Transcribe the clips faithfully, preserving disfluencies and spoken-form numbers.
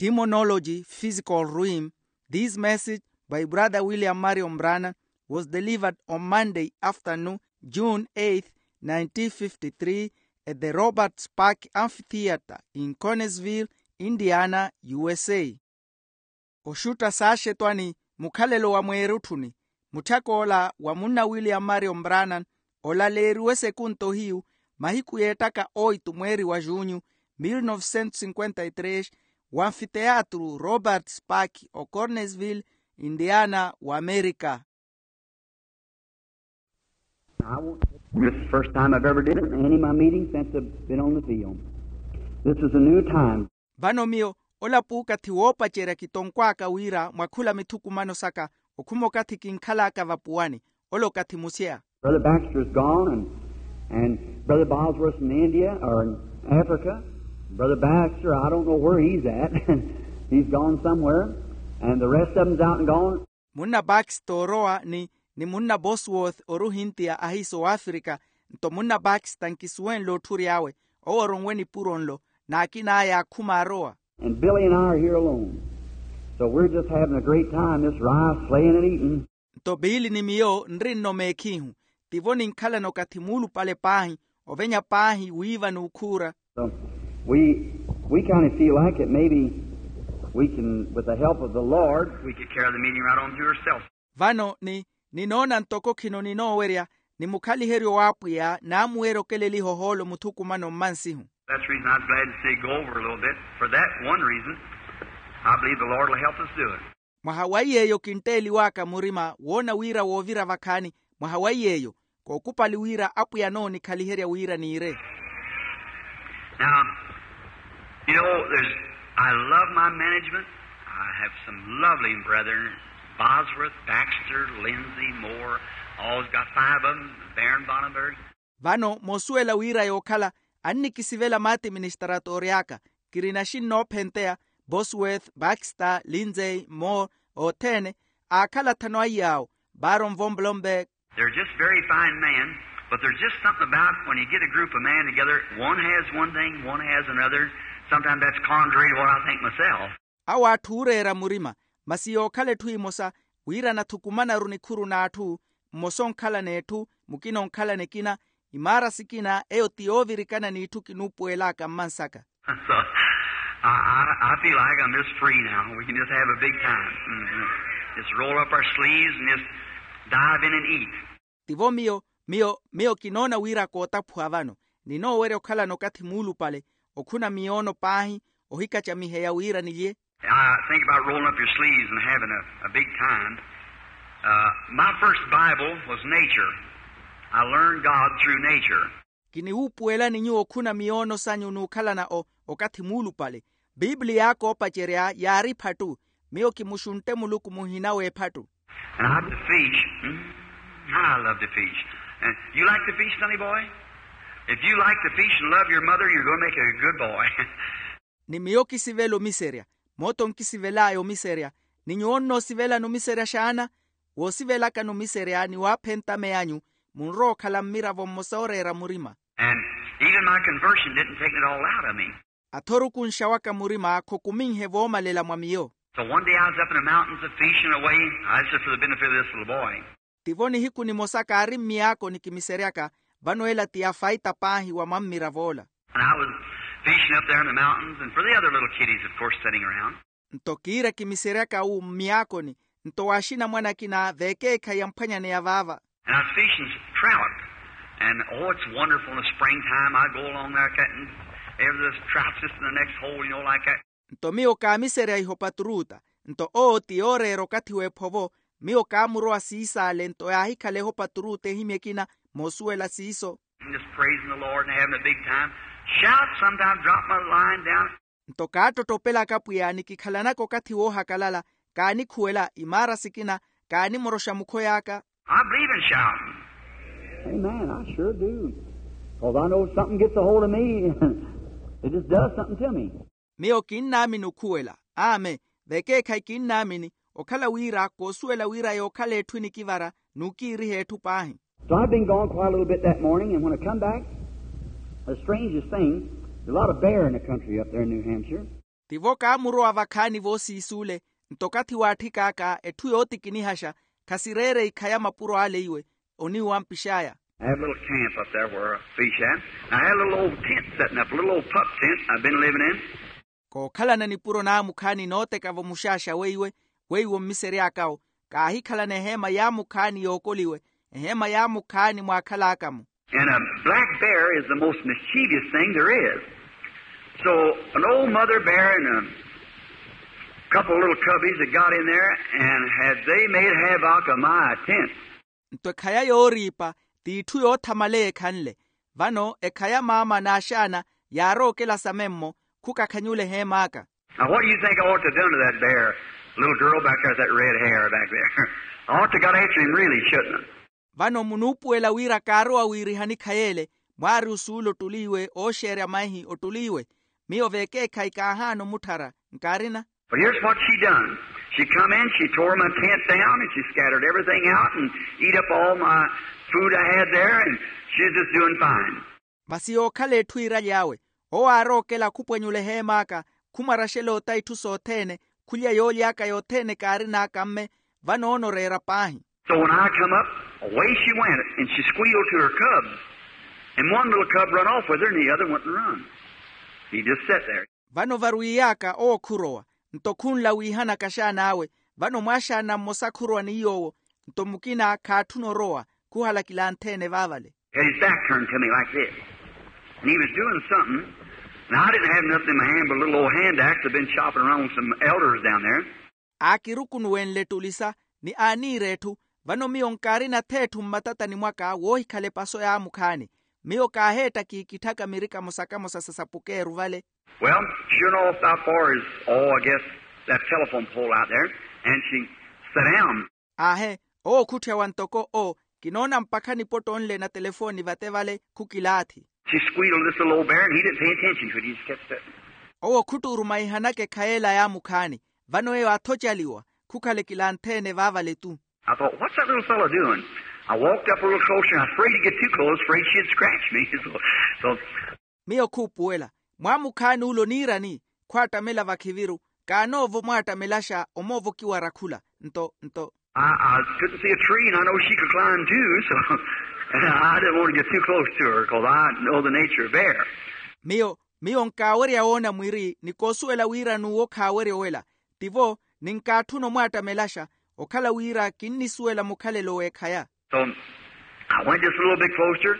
Demonology, Physical Realm. This message by Brother William Marion Branham was delivered on Monday afternoon, June eighth, nineteen fifty-three, at the Roberts Park Amphitheater in Connersville, Indiana, U S A. Oxutta saaxetwani, mukhalelo wa mweerutthuni, mutthak'ola wa munna William Marion Branham olaleeriwe sekunto hiyu, mahiku yeettaka oitu mweeri wa junyu, mil novecentos cinquenta y três, wa anfiteatru Roberts Park o Connersville, Indiana, wa Amerika. I won't, this is the first time I've ever did it in any of my meetings since I've been on the field. This is a new time. Vano miyo, ola puukathi woopacerya kitonkw'aka wira mwa khula mithukumano saka, okhuma okathi kinkhal'aka vapuwani, ola okathi museya. Brother Baxter is gone, and, and Brother Bosworth in India, or in Africa. Brother Baxter, I don't know where he's at. He's gone somewhere. And the rest of them's out and gone. Munna Baxter orowa ni, ni munna Bosworth ori ohintiya ahiisa owafrika, nto munna Baxter nkisuwenle otthuri awe, owo oronwe nipuro nlo, n'akin'aya akhuma arowa. And Billy and I are here alone. So we're just having a great time, just rice, sleighing and eating. Nto Biili ni miyo nri-nno meekhihu, tivo ninkhalana okathi muulupale paahi, ovenya paahi wiiva n'ukhuura. So we, we kind of feel like that maybe we can, with the help of the Lord, we could carry the meeting right on through ourselves. Vano ni, ninoona ntoko khino ninoowerya, ni mukhaliheryo w'apwiya naamuweerya okeleliha ohoolo muthukumano mmansihu. That's the reason I was glad to see it go over a little bit. For that one reason, I believe the Lord will help us do it. Mwaha wa iy'eyo kintteeliw'aka murima woona wira woovira vakhaani, mwaha wa iy'eyo, kookupali wira apwiya anoonikhaliherya wira niire. Now, you know, there's, I love my management. I have some lovely brethren, Bosworth, Baxter, Lindsay, Moore, always got five of them, Baron Bonnenberg. Vano moosuwela wira yookhala annikisivela maatiministaratoori aka, kirina xinnoophenteya, Bosworth, Baxter, Lindsay, Moore, othene, aakhala athanu a iy'awo, Baron von Blomberg. They're just very fine men, but there's just something about when you get a group of men together, one has one thing, one has another. Sometimes that's contrary to what I think myself. Awo atthu ooreera murima, masi yookhala etthu emosa, wira anathukumanaru nikhuru n'atthu, mmosa onkhala n'etthu, mukina onkhala nikina, imaara sikina eyo ti yoovirikana n'itthu kinuupuwel'aka mmansaka. So, I, I, I feel like I'm just free now. We can just have a big time. Mm-hmm. Just roll up our sleeves and just dive in and eat. Tivo miyo, miyo, miyo kinoona wira kootaphuwa vano, ninoowerya okhalana okathi muulupale, okhuna miyoono paahi, ohikacamiheya wira nilye. I think about rolling up your sleeves and having a, a big time. Uh, my first Bible was nature. I learned God through nature. Kiniwuupuwelani nyuwo okhuna miyoono sanyu n'ukhalana o, okathi muulupale. Piipiliya aka oopacerya yaari ephattu, miyo kimuxuntte muluku muhina w'ephattu. And I love to fish. Mm, I love to fish. And you like to fish, sonny boy? If you like to fish and love your mother, you're going to make a good boy. Ni miyo kisivela omiserya, mootho nkisivel'aya omiserya. Ni nyuwo onnoosivelani omiserya xaana? Woosivelakani omiserya ni waaphenta meyanyu, munrowa okhala mmiravo mmosa ooreera murima. And even my conversion didn't take it all out of me. Athorukunxa waka murima khokuminhe voomalela mwa miyo. So one day I was up in the mountains a fishing away. I, this is for the benefit of this little boy. Tivo nihiku nimosa kaari mmiyaakoni kimiseryaka, vano ela ti afaita paahi wa mwammirav'ola. And I was fishing up there in the mountains, and for the other little kiddies, of course, sitting around. Nto kiira kimiseryaka wu mmiyaakoni, nto w'axinamwane akina veekeekhayi amphwanyaneya vaava. And I was fishing trout. And, oh, it's wonderful in the springtime. I go along there, catching every little trout just in the next hole, you know, like that. Nto miyo kaamiserya ihopa turuuta, nto owo ti yooreera okathi w'ephovo, miyo kaamurowa siisaale nto yaahikhala ehopa turuuta ehimya ekina, moosuwela siiso. And just praising the Lord and having a big time. Shout, sometimes drop my line down. Nto kaattottopelaka pwiya nikikhalanaka okathi woohakalala, kaanikhuwela imaara sikina, kaanimoroxa mukhoy'aka. I believe in shouting. Amen, I sure do. 'Cause I know something gets a hold of me. It just does something to me. Miyo kinnaamini okhuwela. Amen. Vekeekhayi kinnaamini, okhala wira koosuwela wira yookhala etthu enikivara n'ukiiriha etthu paahi. So I've been gone quite a little bit that morning, and when I come back, the strangest thing, there's a lot of bear in the country up there in New Hampshire. Tivo kaamurowa vakhaani voosiis'ule. Nto okathi waatthik'aka etthu yootikinihaxa khasireere ikhaya mapuro ale iwe oniwampix'aya. I have a little camp up there where I fish at. I had a little old tent setting up, a little old pup tent I've been living in. Kookhalana nipuro naamukhaani nooteka-vo muxaaxa weiwe weiwo mmisery'aka-wo. Kaahikhalana eheema yaamukhaani yookoliwe eheema yaamukhaani mwaakhal'aka-mo. And a black bear is the most mischievous thing there is. So an old mother bear and a couple of little cubbies had got in there and had they made havoc of my tent. Nto ekhaya yooriipa t'itthu yoothamaleya ekhanle. Vano ekhaya maama n'axaana yaarookela samemmo khukakhanyula eheem'aka. Now what do you think I ought to have done to that bear? Little girl back there with that red hair back there. I ought to got after him really, shouldn't I? Vano munuupuwela wira kaarowa wiirihani khay'ele mwaari osuula ottuliiwe ooxeerya maihi ottuliiwe. Miyo vekeekhayi kaahaana omutthara nkaarina. But here's what she done. She come in, she tore my tent down and she scattered everything out and eat up all my food I had there and she was just doing fine. Masi yookhala etthu iiraly'awe owo aarookela khupwenyula eheem'aka khumwaraxela ota itthu sothene khulya yooly'aka yothene kaarin'aka mme. Vano onooreera paahi. So when I come up, away she went and she squealed to her cubs. And one little cub run off with her and the other went and run. He just sat there. Vano varwiiy'aka owo khurowa nto khunla wiihanaka axaan'awe. Vano mwaaxaana mmosa khurowa ni yoowo nto mukina khaatthuna orowa khuhala kilantheene vaavale. Had his back turned to me like this. And he was doing something. Now I didn't have nothing in my hand but a little old hand axe I'd been chopping around with some elders down there. Aakirukunuwenle ettulisa ni aaniira etthu. Vano miyo nkaarina-tho etthu mmatatani mwaka woohikhala epaso yaamukhaani. Miyo kaaheetta kiikitthaka mirikamo sakamosa sa sapukeeru vale. Well, sure enough about far as, oh, I guess that telephone pole out there. And she sat down. Aahe, owo khutthyawa ntoko o kinoona mpakha nipotto nle na telefooni vate vale khukilaathi. She squealed this little old bear and he didn't pay attention to it, he just kept sitting. Owo khuttuurumaihanaka ekhay'ela yaamukhaani. Vano eyo aathocaliwa khukhala ekilanthe-ene vaavale tu. I thought, what's that little fellow doing? I walked up a little closer and I was afraid to get too close, afraid she'd scratch me. So, so. Miyo khuupuwela mwaamukhaani ule oniirani? Khwaattamela vakhiviru kaanoova omwaattamelaxa omoovokiwa arakhula nto nto. I, I couldn't see a tree and I know she could climb too, so I didn't want to get too close to her because I know the nature of bear. Miyo miyo nkaawerya woona mwiri ni koosuwela wira n'uwo khaawerya owela. Tivo ninkaatthuna omwaattamelaxa okhala wira kinnisuwela mukhalelo w'ekhaya. So I went just a little bit closer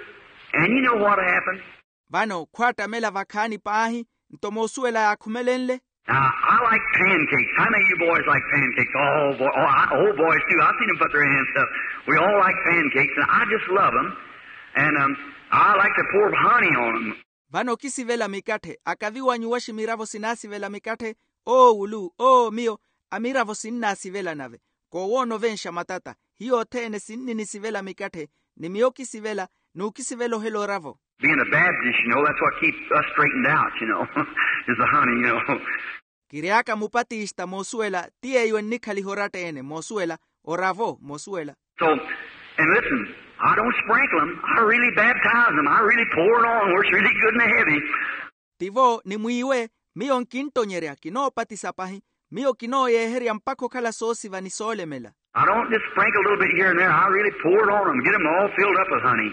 and you know what happened? Vano khwaattamela vakhaani paahi nto moosuwela yaakhumelenle. Now I like pancakes. How many of you boys like pancakes? Oh boy, oh, I, oh boys too, I've seen them put their hands up. We all like pancakes and I just love them. And um, I like to pour honey on them. Vano okisivela mikatthe akaviwanyu waximiravo sinaasivela mikatthe. Oo wulu oo miyo amiravo sinnaasivela nave. Koowoona ovenxa matata hiyo othene sinninisivela mikatthe. Ni miyo okisivela n'ukisivela ohela oravo. Being a baptist you know that's what keeps us straightened out you know. Is the honey you know. Kiry'aka mupatista moosuwela ti yeeyo ennikhaliha oratta-ene moosuwela oravo moosuwela. So and listen, I don't sprinkle them. I really baptize them. I really pour it on where it's really good and heavy. Tivo ni mwiiwe miyo nkinttonyerya kinoopatisa pahi. Miyo kinooyeeherya mpakha okhala soosiva ni soolemela. I don't just sprinkle a little bit here and there. I really pour it on them get them all filled up with honey.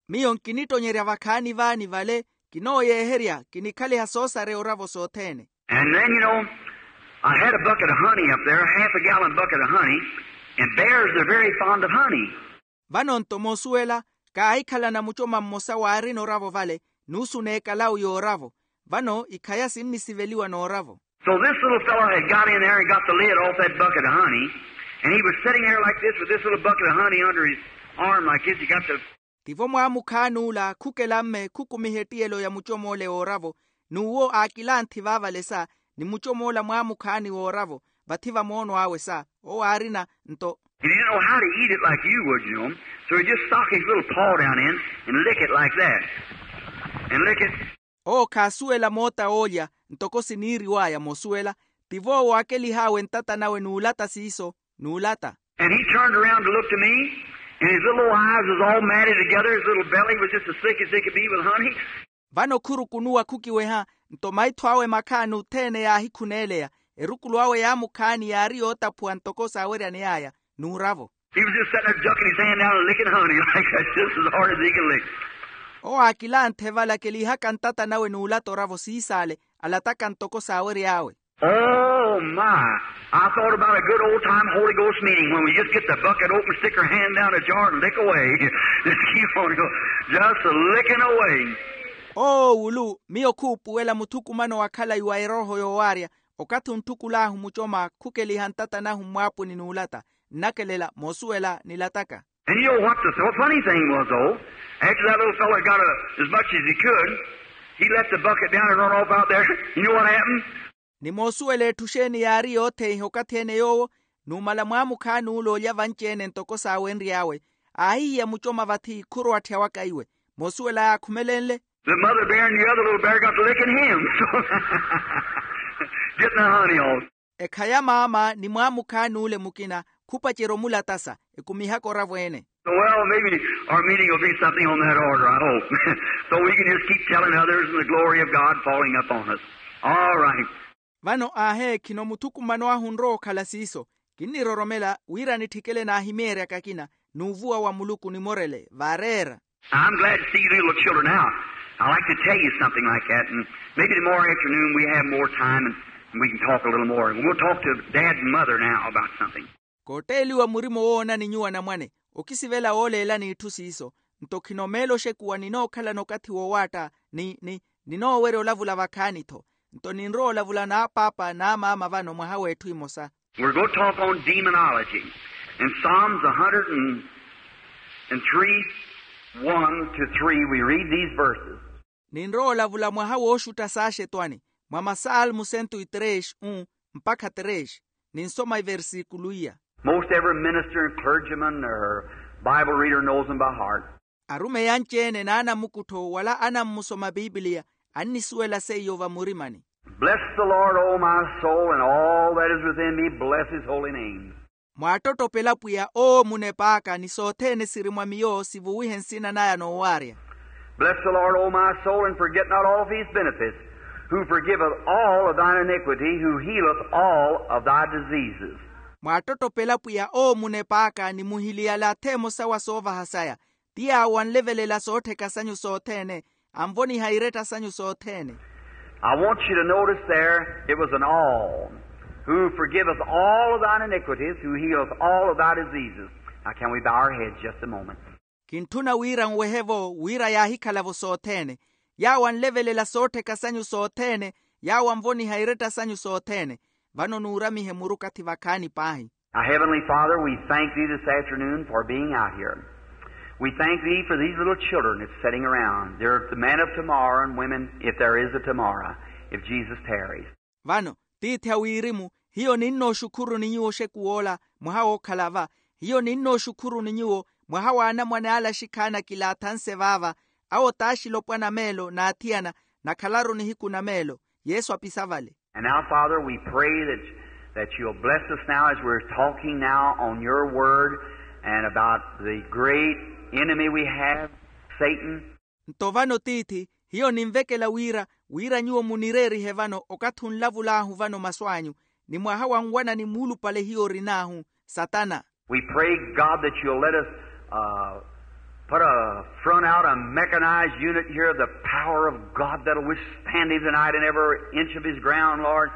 Miyo nkinittonyerya vakhaani vaani vale kinooyeeherya kinikhaliha soosareya oravo sothene. And then you know I had a bucket of honey up there, a half a gallon bucket of honey. And bears are very fond of honey. Vano nto moosuwela kaahikhalana mucoma mmosa waarina oravo vale nuusu n'ekalawu y'oravo. Vano ikhaya sinnisiveliwa n'oravo. So this little fellow had got in there and got the lid off that bucket of honey. And he was sitting there like this with this little bucket of honey under his arm like this he got the. Tivo mwaamukhaani ula khukela mme khukumiha ettiyelo ya mucom'ole w'oravo n'uwo aakilanthi vaavale sa ni mucom'ola mwaamukhaani w'oravo vathi va moono awe sa owo aarina nto. He didn't know how to eat it like you would you know. So he just stuck his little paw down in and lick it like that. And lick it. Owo khaasuwela moota oolya ntoko siniiriw'aya moosuwela. Tivo owo aakelih'awe ntata nawe n'ulata siiso n'ulata. And he turned around to look to me. And his little old eyes was all matted together his little belly was just as thick as they could be with honey. Vano khurukunuwa khukiweha Nto maitho awe makhaani othene yaahikhuneeleya, erukulu awe yaamukhaani yaari yootaphuwa ntoko saaweryaney'aya, n'uravo. He was just sitting there ducking his hand down and licking honey like that, just as hard as he could lick. Owo aakilanthe vala keliihaka ntata nawe n'ulata oravo siisaale, alataka ntoko saawery'awe. Oh my. I thought about a good old time Holy Ghost meeting when we just get the bucket open, stick our hand down the jar and lick away. Just keep on going. Just licking away. Oo wulu, miyo khuupuwela muthukumano wa khalayi wa erooho yoowaarya, okathi ontthukul'ahu mucoma khukeliha ntata nahu mmwaapuni n'ulata, nnakelela moosuwela nilataka. And you know what the funny thing was, though? After that little fellow got a, as much as he could, he let the bucket down and run off out there. You know what happened? Ni moosuwela etthu xeeni yaari yootheiha okathi-ene yoowo, numala mwaamukhaani ule olya vanci-ene ntoko saawenry'awe, aahihiya mucoma vathi khurowatthya waka iwe. Moosuwela yaakhumelenle. The mother bear and the other little bear got to licking him. So, getting the honey off. Ekhaya maama ni mwaamukhaani ule mukina khupacerya omulatasa, ekumihaka oravo-ene. Well, maybe our meeting will be something on that order, I hope. So we can just keep telling others and the glory of God falling upon us. All right. Vano aaheekhino muthukumano ahu onrowa okhala siiso. Kinniroromela wira nitthikele naahimyeeryaka akina, n'uvuwa wa muluku nimorele vaareera. I'm glad to see you little children now. I like to tell you something like that, and maybe tomorrow afternoon we have more time and we can talk a little more. We'll talk to Dad and Mother now about something. Kootteeliwa murima owoonani nyuwo anamwane, okisivela wooleelani itthu siiso. Nto khinomeela oxekuwa ninookhalana okathi woowaatta, ni ni ninoowerya olavula vakhaani-tho. Nto ninrowa olavula n'apaapa n'amaama vano mwaha w'etthu imosa. We're going to talk on demonology. In Psalms a hundred and three, one to three, we read these verses. Ninrowa olavula mwaha wooxutta saaxetwani, mwa masalmu cento e três, um mpakha três. Ninsoma iversikulu iya. Most every minister and clergyman or Bible reader knows them by heart. Arumeyi anci-ene n'anamukuttho wala anammusoma pipiliya, annisuwela seiyo vamurimani. Bless the Lord, O my soul, and all that is within me, bless his holy name. Mwaattottopela pwiya owo munep'aka ni sothene siri mwa miyo sivuwihe nsina naya noowaarya. Bless the Lord, O my soul, and forget not all of his benefits, who forgiveth all of thine iniquity, who healeth all of thy diseases. Mwaattottopela pwiya owo munep'aka ni muhiliyala atheemosa wa soovaha saya, ti yaawo anlevelela soottheka sanyu sothene, anvoniha iretta sanyu sothene. I want you to notice there, it was an all, who forgiveth all of thine iniquities, who healeth all of thy diseases. Now can we bow our heads just a moment? Kintthuna wira nwehe-vo wira yaahikhala-vo sothene, yaawo anlevelela soottheka sanyu sothene, yaawo anvoniha iretta sanyu sothene. Vano nuuramihe muru okathi vakhaani paahi. Our Heavenly Father, we thank thee this afternoon for being out here. We thank thee for these little children that's sitting around. They're the men of tomorrow and women, if there is a tomorrow, if Jesus tarries. Vano tiithi a wirimu, hiyo ninnooxukhuruni nyuwo oxekuw'ola mwaha wookhala-va. Hiyo ninnooxukhuruni nyuwo mwaha w'anamwane ale axikhaani akilaathanse vaava, awo t'axilopwana meelo n'athiyana, nakhalaru nihiku na meelo. Yesu apisa vale. And now, Father, we pray that, that you'll bless us now as we're talking now on your word and about the great enemy we have, Satan. Nto vano tiithi, hiyo ninvekela wira wira nyuwo munireerihe vano okathi onlavul'ahu vano masu anyu, ni mwaha wa nwanani muulupale hiyo orin'ahu, satana. We pray, God, that you'll let us put a front out, a mechanized unit here of the power of God that'll withstand him tonight in every inch of his ground, Lord.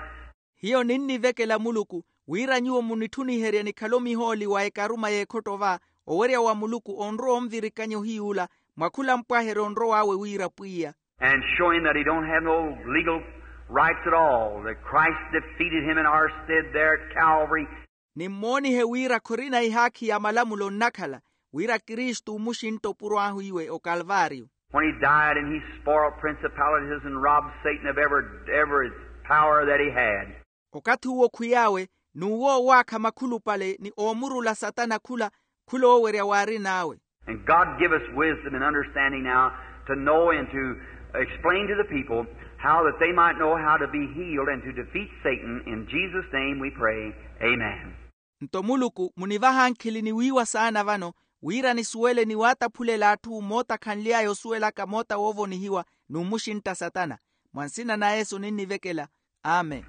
Hiyo ninnivekela muluku wira nyuwo munitthuniherye nikhale omihooli wa ekaruma y'ekhotto va, owerya wa muluku onrowa onvirikanya ohiy'ula mwa khula mpwaheryo onrow'awe wira pwiya. And show him that he don't have no legal rights at all, that Christ defeated him in our stead there at Calvary. Nimmoonihe wira khorina ihaakhi ya malamulo nnakhala, wira kristu omuxintta opuro ahu iwe okalvario. When he died and he spoiled principalities and robbed Satan of every, every power that he had. Okathi uwo khwiy'awe n'uwo owaakha makhulupale ni oomurula satana khula khula owerya waarin'awe. And God give us wisdom and understanding now to know and to explain to the people how that they might know how to be healed and to defeat Satan. In Jesus' name we pray. Amen. Nto muluku munivaha nkhili ni wiiwa saana vano, wira nisuwele ni waataphulela atthu moota khanly'aya osuwelaka moota woovonihiwa n'umuxintta satana. Mwa nsina na yesu ninnivekela. Amen.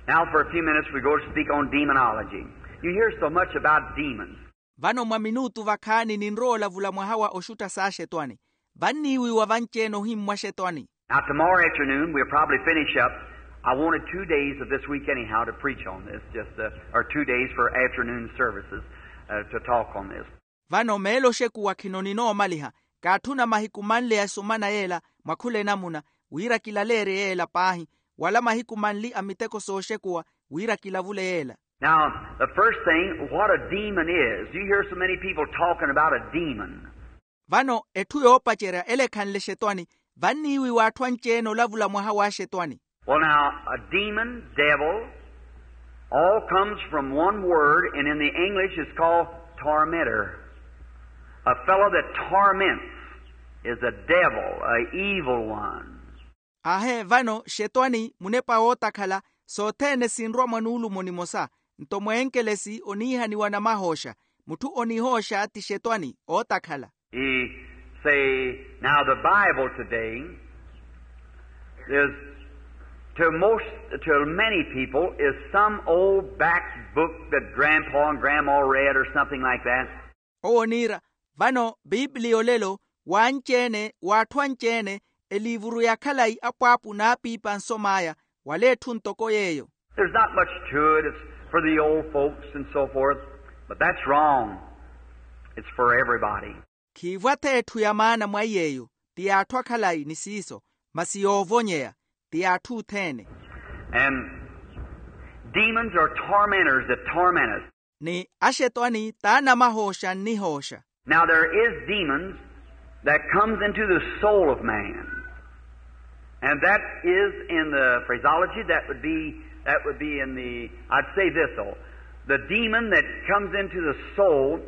Now for a few minutes we go to speak on demonology. You hear so much about demons. Vano mwa minutu vakhaani ninrowa olavula mwaha wa oxutta s'axetwani. Vanniiwiwa vanci-ene ohimmwa axetwani. Now tomorrow afternoon we'll probably finish up. I wanted two days of this week anyhow to preach on this, just uh, or two days for afternoon services uh, to talk on this. Vano meelo oxekuwa khino ninoomaliha. Kaatthuna mahiku manle ya esumana yeela mwa khula enamuna, wira kilaleerye yeela paahi, wala mahiku manli a miteko sooxekuwa, wira kilavule yeela. Now the first thing, what a demon is. You hear so many people talking about a demon. Vano etthu yoopacerya ele ekhanle exetwani. Vanniiwiwa atthu anci-ene olavula mwaha w'axetwani. Well now, a demon, devil, all comes from one word, and in the English it's called tormentor. A fellow that torments is a devil, a evil one. Ahe vano xetwani munepa wootakhala. Sothene sinrwa mwa nuulumo nimosa. Nto mweenkelesi oniihaniwa namahooxa. Mutthu onihooxa ti xetwani ootakhala. He say, now the Bible today is to most, to many people is some old back book that grandpa and grandma read or something like that. Owo oniira, vano biipiliya olelo w'anci-ene w'atthu anci-ene, eliivuru ya khalayi apwaapu n'apiipa ansom'aya, wala etthu ntoko yeeyo. There's not much to it. It's for the old folks and so forth. But that's wrong. It's for everybody. Khiivwa-tho etthu ya maana mwa iy'eyo. Ti y'atthu akhalayi ni siiso, masi yoovonyeya. Ti y'atthu othene. And demons are tormentors that torment us. Ni axetwani t'anamahooxa nnihooxa. Now there is demons that comes into the soul of man. And that is in the phraseology that would be, that would be in the, I'd say this though. The demon that comes into the soul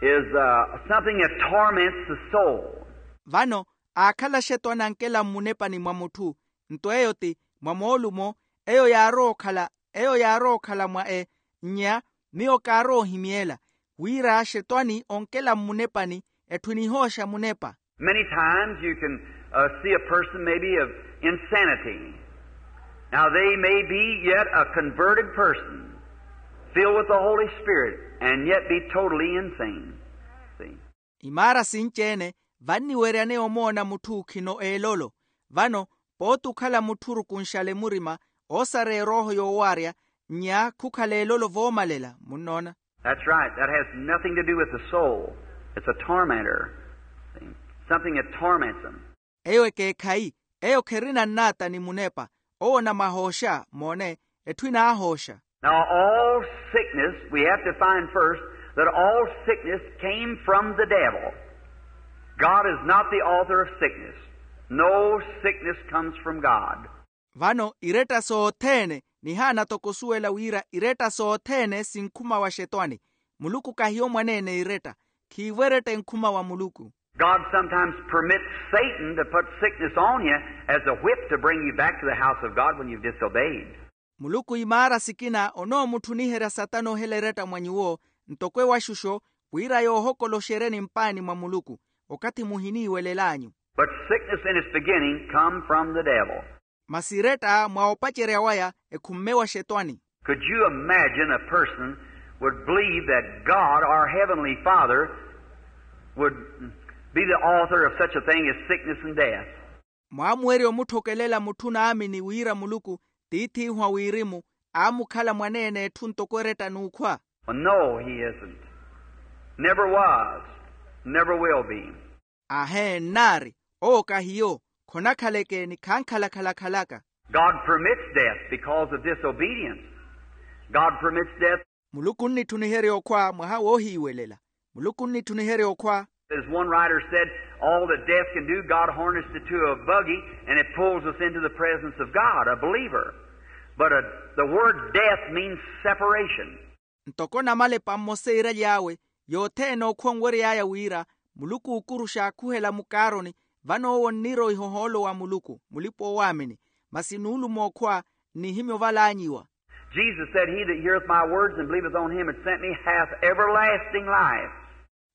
is uh, something that torments the soul. Vano aakhala axetwani ankela mmunepani mwa mutthu. Nto eyo ti mwa moolumo. Eyo yaarowa okhala eyo yaarowa okhala mwa e nnya. Miyo kaarowa ohimyeela wira axetwani onkela mmunepani. Etthu enihooxa munepa. Many times you can uh, see a person maybe of insanity. Now they may be yet a converted person, filled with the Holy Spirit, and yet be totally insane. See? Imaara sinci-ene vanniweryaneya omoona mutthu khino eelolo. Vano pooti okhala mutthu orukunxale murima, oosareya erooho yoowaarya, nnya khukhala eelolo voomalela munnoona. That's right. That has nothing to do with the soul. It's a tormentor. See? Something that torments them. Eyo ekeekhayi. Eyo kherina nnaata ni munepa. Owo onamahooxa moone. Etthu enaahooxa. Now all sickness, we have to find first that all sickness came from the devil. God is not the author of sickness. No sickness comes from God. Vano iretta sothene nihaana toko osuwela wira iretta sothene sinkhuma wa xetwani. Muluku kahiyo mwaneene iretta. Khiivo eretta enkhuma wa muluku. God sometimes permits Satan to put sickness on you as a whip to bring you back to the house of God when you've disobeyed. Muluku imaara sikina onoomutthuniherya satana ohela eretta mwa nyuwo ntoko ewaxuxo wira yoohokoloxeryeni mpaani mwa muluku okathi muhiniiwelel'anyu. But sickness in its beginning come from the devil. Masi eretta mwa opacerya waya ekhumme wa xetwani. Could you imagine a person would believe that God, our Heavenly Father, would be the author of such a thing as sickness and death? Mwaamuwerya omutthokelela mutthu naamini wira muluku tiith'ihu a wirimu aamukhala mwaneene etthu ntoko eretta n'ukhwa? Well, no, he isn't. Never was, never will be. Ahe nnaari. Owo kahiyo. Khonakhaleke ni khankhalakhala khalaka. God permits death because of disobedience. God permits death. Muluku onnitthuniherya okhwa mwaha woohiiwelela. Muluku onnitthuniherya okhwa. As one writer said, all that death can do, God harnessed it to a buggy and it pulls us into the presence of God, a believer. But a, the word death means separation. Ntoko namalepa mmosa iiraly'awe yothene okhwa onwery'aya wira muluku ookuruxa akhuhela mukaaroni. Vano owo onniira ohihohoolo wa muluku mulipa-oowaamini. Masi nuulumo okhwa nnihimya ovalaanyiwa. Jesus said, he that heareth my words and believeth on him that sent me hath everlasting life.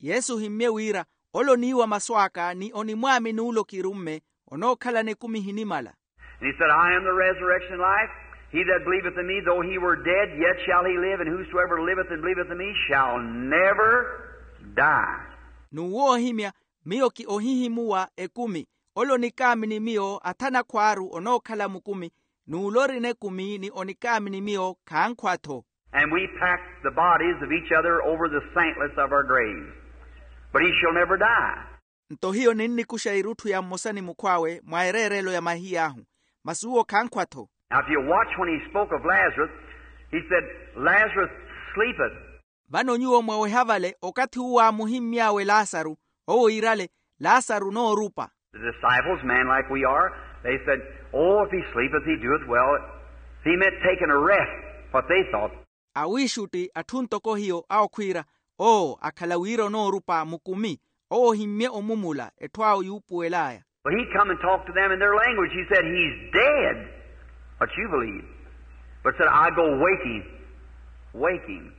Yesu ohimmye wira ole oniiwa masu aka ni onimwaamini ole okirumme onookhalana ekumi ehinimala. And he said, I am the resurrection and life. He that believeth in me, though he were dead, yet shall he live, and whosoever liveth and believeth in me shall never die. N'uwo ohimya, miyo ki ohihimuwa ekumi. Ole onikaamini miyo athana khwaaru onookhala mukumi, n'ule orina ekumi ni onikaamini miyo khankhwa-tho. And we packed the bodies of each other over the santlets of our graves. But he shall never die. Nto hiyo ninnikuxa irutthu ya mmosa ni mukhw'awe mwa ereerelo ya mahiy'ahu, masi uwo khankhwa-tho. Now, if you watch when he spoke of Lazarus, he said, Lazarus sleepeth. Vano nyuwo mwaweha vale okathi uwo aamuhimmy'awe lasaru, owo iirale, lasaru noorupa. The disciples, men like we are, they said, Oh, if he sleepeth, he doeth well. He meant taking a rest, what they thought. Awiixutti atthu ntoko hiyo awo khwiira, oo akhala wira onoorupa mukumi, owo ohimmye omumula etthu awo yuupuwel'aya. But he come and talked to them in their language. He said, He's dead, what you believe. But said, I go waking, waking.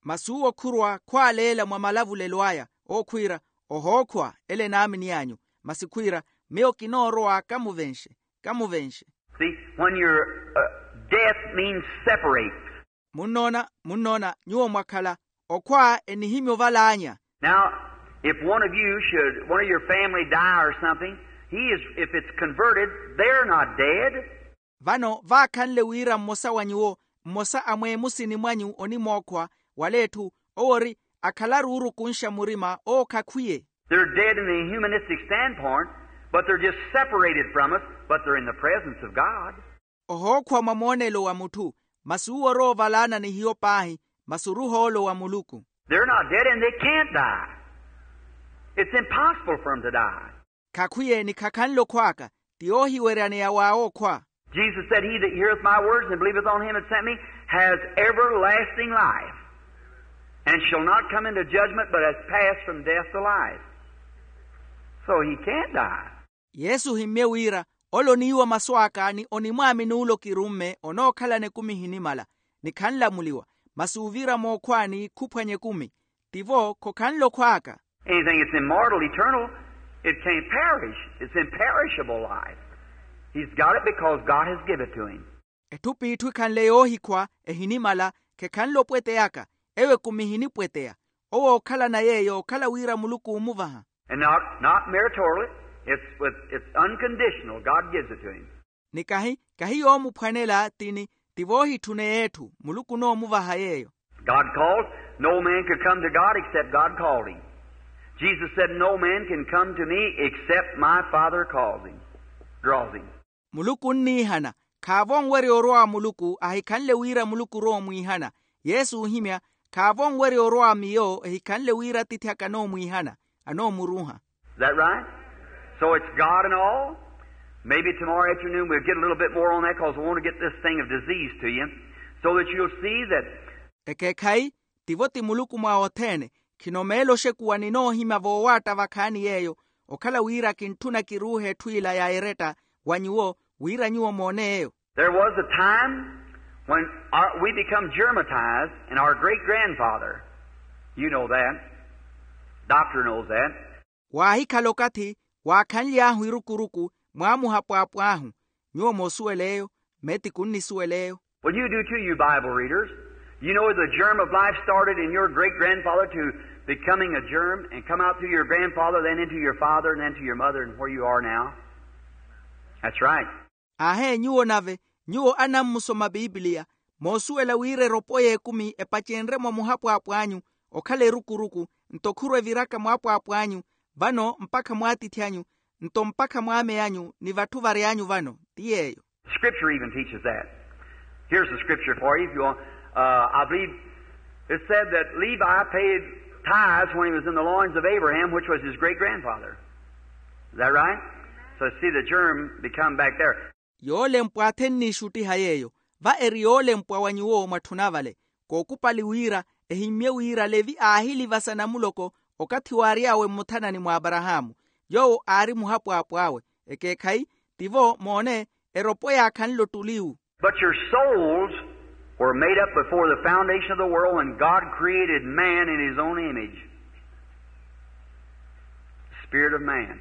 Masi uwo khurwa khwaaleela mwa malavulelo aya, ookhwiira, ohookhwa ele enaaminiy'anyu. Masi khwiira, miyo kinoorowa kamuvenxe, kamuvenxe. See, when your uh, death means separate. Munnoona, munnoona, nyuwo mwakhala, okhwa enihimya ovalaanya. Now, if one of you should, one of your family die or something, he is, if it's converted, they're not dead. Vano vaakhanle wira mmosa wa nyuwo, mmosa a mweemusini mwanyu onimookhwa, wala etthu, owo ori, akhalaru oorukunxa murima, owo khakhwiye. They're dead in the humanistic standpoint, but they're just separated from us, but they're in the presence of God. Ohookhwa mwa moonelo wa mutthu, masi uwo orowa ovalaana ni hiyo paahi, masi oruha oolo wa muluku. They're not dead and they can't die. It's impossible for them to die. Khakhwiye ni khakhanle okhw'aka, ti oohiweryaneya w'awe okhwa. Jesus said, He that heareth my words and believeth on him that sent me has everlasting life, and shall not come into judgment, but has passed from death to life. So he can't die. Yesu ohimmye wira, ole oniiwa masu aka ni onimwaamini ole okirumme onookhalana ekumi ehinimala, ni khanlamuliwa, masi uviira mookhwaani khuphwanya ekumi. Tivo khokhanle okhw'aka. Anything that's immortal, eternal, it can't perish. It's imperishable life. He's got it because God has given it to him. Etthu p'itthu ekhanle yoohikhwa ehinimala, khekhanle opweteyaka, eyo ekumi ehinipweteya. Owo ookhalana yeeyo okhala wira muluku oomuvaha. And not, not meritorily, it's, with, it's unconditional. God gives it to him. Ni kahi, kahi yoomuphwanela tini, ti voohitthune yeetthu, muluku onoomuvaha yeeyo. God called. No man could come to God except God called him. Jesus said, No man can come to me except my Father calls him, draws him. Muluku onniihana, khaavo onwerya orowa muluku ahikhanle wira muluku orowa omwiihana. Yesu oohimya, khaavo onwerya orowa miyo ehikhanle wira atiithi aka anoomwiihana, anoomuruuha. Is that right? So it's God and all. Maybe tomorrow afternoon we'll get a little bit more on that because we want to get this thing of disease to you so that you'll see that. Ekeekhayi, tivo ti muluku mwa othene. Khino meelo oxekuwa ninoohimya voowaatta vakhaani yeeyo, okhala wira kintthuna kiruuhe etthu ila ya eretta wa nyuwo, wira nyuwo moone eyo. There was a time when our, we become germatized, and our great grandfather, you know that, doctor knows that. Waahikhala okathi waakhanly'ahu irukuruku, mwa muhapwaapw'ahu. Nyuwo moosuwela eyo, meetiku onnisuwela eyo. Well, you do too, you Bible readers. You know the germ of life started in your great grandfather to becoming a germ and come out through your grandfather, then into your father, and then to your mother, and where you are now. That's right. Aahe, nyuwo nave, nyuwo anammusoma pipiliya, moosuwela wira eropo y'ekumi epacenrye mwa muhapwaapw'anyu, okhala erukuruku, nto khurwa eviraka mwaapwaapw'anyu, vano mpakha mwaatiithi anyu, nto mpakha mwaamey'anyu ni vatthu vary'anyu vano. Ti yeeyo. Scripture even teaches that. Here's the scripture for you, if you want. Uh, I believe it said that Levi paid tithes when he was in the loins of Abraham, which was his great grandfather. Is that right? So see the germ become back there. Yoolempwa athenniixuttiha yeeyo, va eri yoolempwa wa nyuwo mwatthuna vale. Kookupali wira, ehimmye wira levi aahilivasa namuloko, okathi waary'awe mmuthanani mwa aparahaamu, yoowo aari muhapwaapw'awe. Ekeekhayi, tivo moone, eropo yaakhanle ottuliwu. But your souls were made up before the foundation of the world when God created man in his own image. Spirit of man.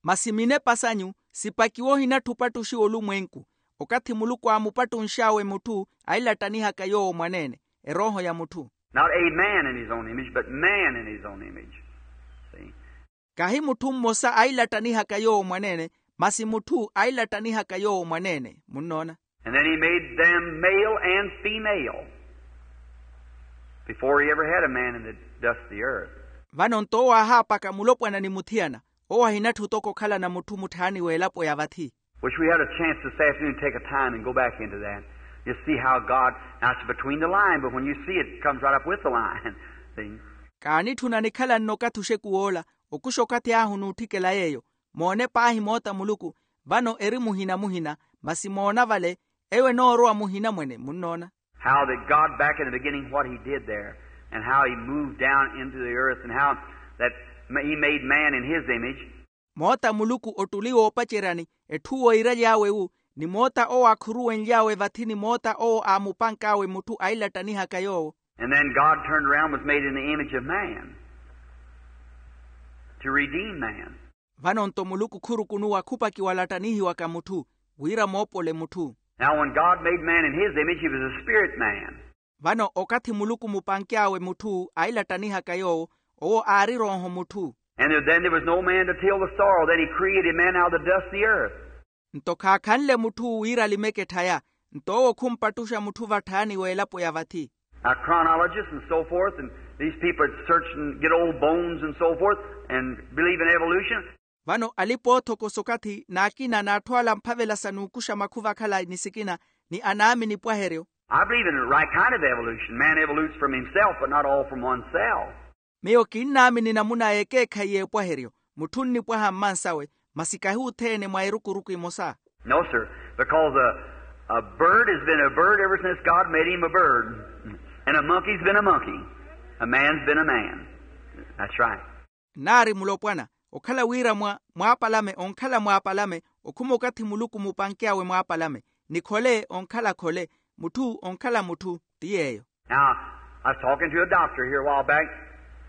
Masi minepa sanyu sipakiwa ohinattha opattuxiwa olumwenku. Okathi muluku aamupattunx'awe mutthu ailattanihaka yoowo mwaneene, erooho ya mutthu. Not a man in his own image but man in his own image. Kahi mutthu mmosa ailattanihaka yoowo mwaneene, masi mutthu ailattanihaka yoowo mwaneene munnoona. And then he made them male and female before he ever had a man in the dust of the earth. Vano nto owo aahaapaka mulopwana ni muthiyana. Owo ahinattha otoko okhalana mutthu mutthaani w'elapo ya vathi. Wish we had a chance this afternoon to take a time and go back into that. You see how God, now it's between the line, but when you see it, it comes right up with the line. See? Kaanitthuna nikhala nno okathi oxekuw'ola, okuxa okathi ahu n'utthikela yeeyo. Moone paahi moota muluku. Vano eri muhina muhina, masi moona vale, eyo enoorowa muhina mwene munnoona. How that God back in the beginning what he did there, and how he moved down into the earth, and how that he made man in his image. Moota muluku ottuli woopaceryani, etthu woiraly'awe-wu, ni moota owo aakhuruwenly'awe vathi ni moota owo aamupank'awe mutthu ailattanihaka yoowo. And then God turned around, was made in the image of man to redeem man. Vano nto muluku khurukunuwa khupakiwa alattanihiwaka mutthu, wira moopole mutthu. Now when God made man in his image, he was a spirit man. Vano okathi muluku mupanky'awe mutthu ailattanihaka yoowo, owo aari erooho mutthu. And then there was no man to till the soil, then he created man out of the dust of the earth. Nto khaakhanle mutthu wira alimeke etthaya. Nto owo khumpattuxa mutthu vatthaani w'elapo ya vathi. Now chronologists and so forth, and these people that search and get old bones and so forth and believe in evolution. Vano alipa oothokosa okathi n'akina n'atthu ala amphavela sa n'ukuxa makhuva akhala ni sikina, ni anaamini epwaheryo. I believe in the right kind of evolution. Man evolutes from himself but not all from oneself. Miyo kinnaamini namuna y'ekeekhayi y'epwaheryo. Mutthu onnipwaha mmansawe, masi kahi othene mwa erukuruku emosa. No sir, because a bird has been a bird ever since God made him a bird. And a monkey's been a monkey. A man's been a man. That's right. Nnaari mulopwana, okhala wira mwa mwaapalame onkhala mwaapalame, okhuma okathi muluku mupanky'awe mwaapalame, ni khole onkhala khole, mutthu onkhala mutthu. Ti yeeyo. Now, I was talking to a doctor here a while back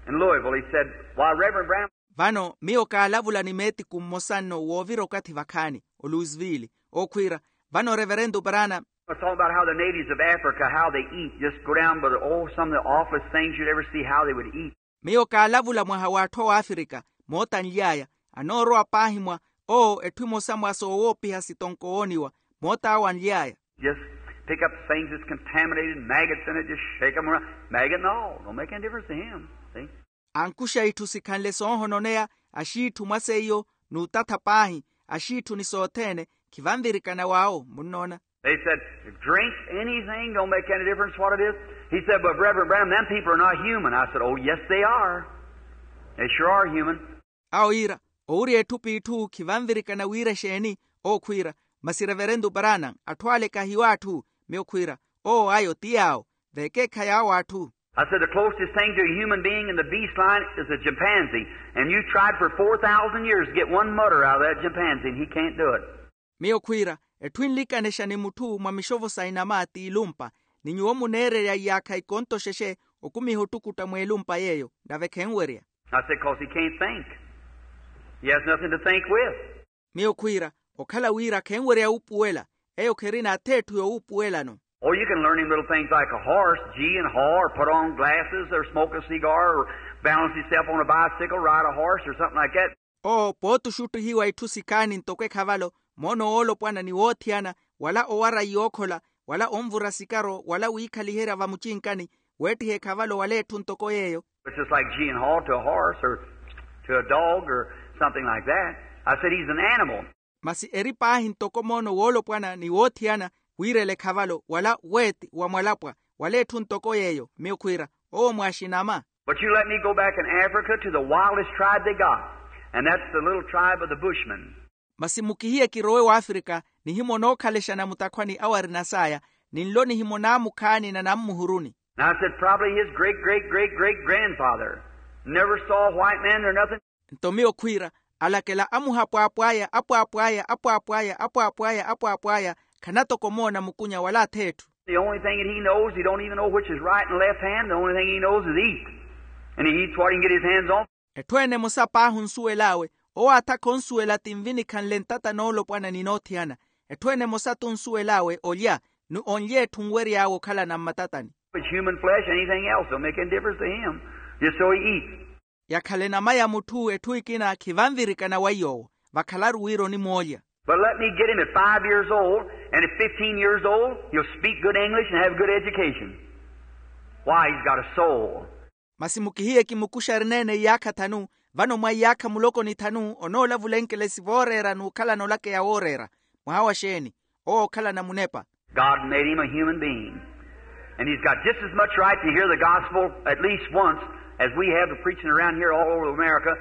in Louisville. He said, why, Reverend Branham. Vano miyo kaalavula ni meetiku mmosa nno woovira okathi vakhaani, oluisville, ookhwiira, vano reverento branham. I was talking about how the natives of Africa, how they eat, just go down by the, oh, some of the awfulest things you'd ever see, how they would eat. Miyo kaalavula mwaha w'atthu a w'afrika, moota anly'aya, anoorowa paahi mwa, oo etthu emosa mwa soowoopiha sitonko ooniwa, moota awo anly'aya. Just pick up things that's contaminated, maggots in it, just shake them around. Maggot and all, don't make any difference to him. See? Ankuxa itthu sikhanle soohononeya, axiitthu mwa seiyo, n'utatha paahi, axiitthu ni sothene, khivanvirikana w'awo munnoona. They said, drink anything, don't make any difference what it is. He said, but Reverend Branham, them people are not human. I said, oh yes they are. They sure are human. Awo iira, owurya etthu p'itthu khivanvirikana wira exeeni? Ookhwiira, masi reverento branham, atthu ale kahiyo atthu? Miyo khwiira, oo ayo ti yaawo, v'ekeekhayi awo atthu. I said the closest thing to a human being in the beast line is a chimpanzee, and you tried for four thousand years to get one mutter out of that chimpanzee and he can't do it. Miyo khwiira, etthu enlikanexa ni mutthu mwa mixovo sa inama t'ilumpa, ni nyuwo muneererya iyaakha ikonto xexe okumiha ottukutta mw'elumpa yeeyo, nave khenwerya. I said cause he can't think. He has nothing to think with. Miyo khwiira, okhala wira khenwerya wuupuwela, eyo kherina atheetthu yowuupuwelano. Oh, you can learn him little things like a horse, gee and haw, or put on glasses or smoke a cigar or balance himself on a bicycle, ride a horse or something like that. Oo pooti oxuttihiwa itthu sikhaani ntoko ekhavalo, moono woolopwana ni woothiyana, wala owara iyookhola, wala onvura sikaro wala wiikhaliherya vamucinkani, weettiha ekhavalo wala etthu ntoko yeeyo. It's just like gee and haw to a horse or to a dog or something like that. I said he's an animal. Masi eri paahi ntoko moono woolopwana ni woothiyana, wiirela ekhavalo wala weeti wa mwalapwa, wala etthu ntoko yeeyo. Miyo khwiira, owo mwaaxinama. But you let me go back in Africa to the wildest tribe they got, and that's the little tribe of the bushmen. Masi mukihiye kirowe w'afrika, nihimo nookhalexa na mutakhwani awo arina saaya, ni nlo nihimo naamukhaani na nammuhuruni. And I said probably his great great great great grandfather never saw a white man or nothing. Nto miyo khwiira, alakela amuhapwaapwaya apwaapwaya apwaapwaya apwaapwaya apwaapwaya, khanatoko moona mukunya wala atheetthu. The only thing that he knows, he don't even know which is right and left hand. The only thing he knows is eat. And he eats what he can get his hands on. Etthu ene emosa paahi onsuwel'awe, Owo aatha khonsuwela tinvi nikhanle ntata noolopwana ni noothiyana. Etthu ene emosa-tho onsuwel'awe olya ni onlya etthu onwery'awe okhalana mmatatani. It's human flesh, anything else don't make any difference to him. Just so he eats. Yakhale nama ya mutthu etthu ekina khivanvirikana wa yoowo. Vakhalaru wira onimoolya. But let me get him at five years old, and at fifteen years old he'll speak good English and have good education. Why, he's got a soul. Masi mukihiye kimukuxe arineene iyaakha thanu. Vano mwa iyaakha muloko ni thanu onoolavula enkelesi vooreera n'ukhalana olakeya wooreera. Mwaha wa xeeni? Owo okhalana munepa. God made him a human being. And he's got just as much right to hear the gospel at least once as we have the preaching around here all over America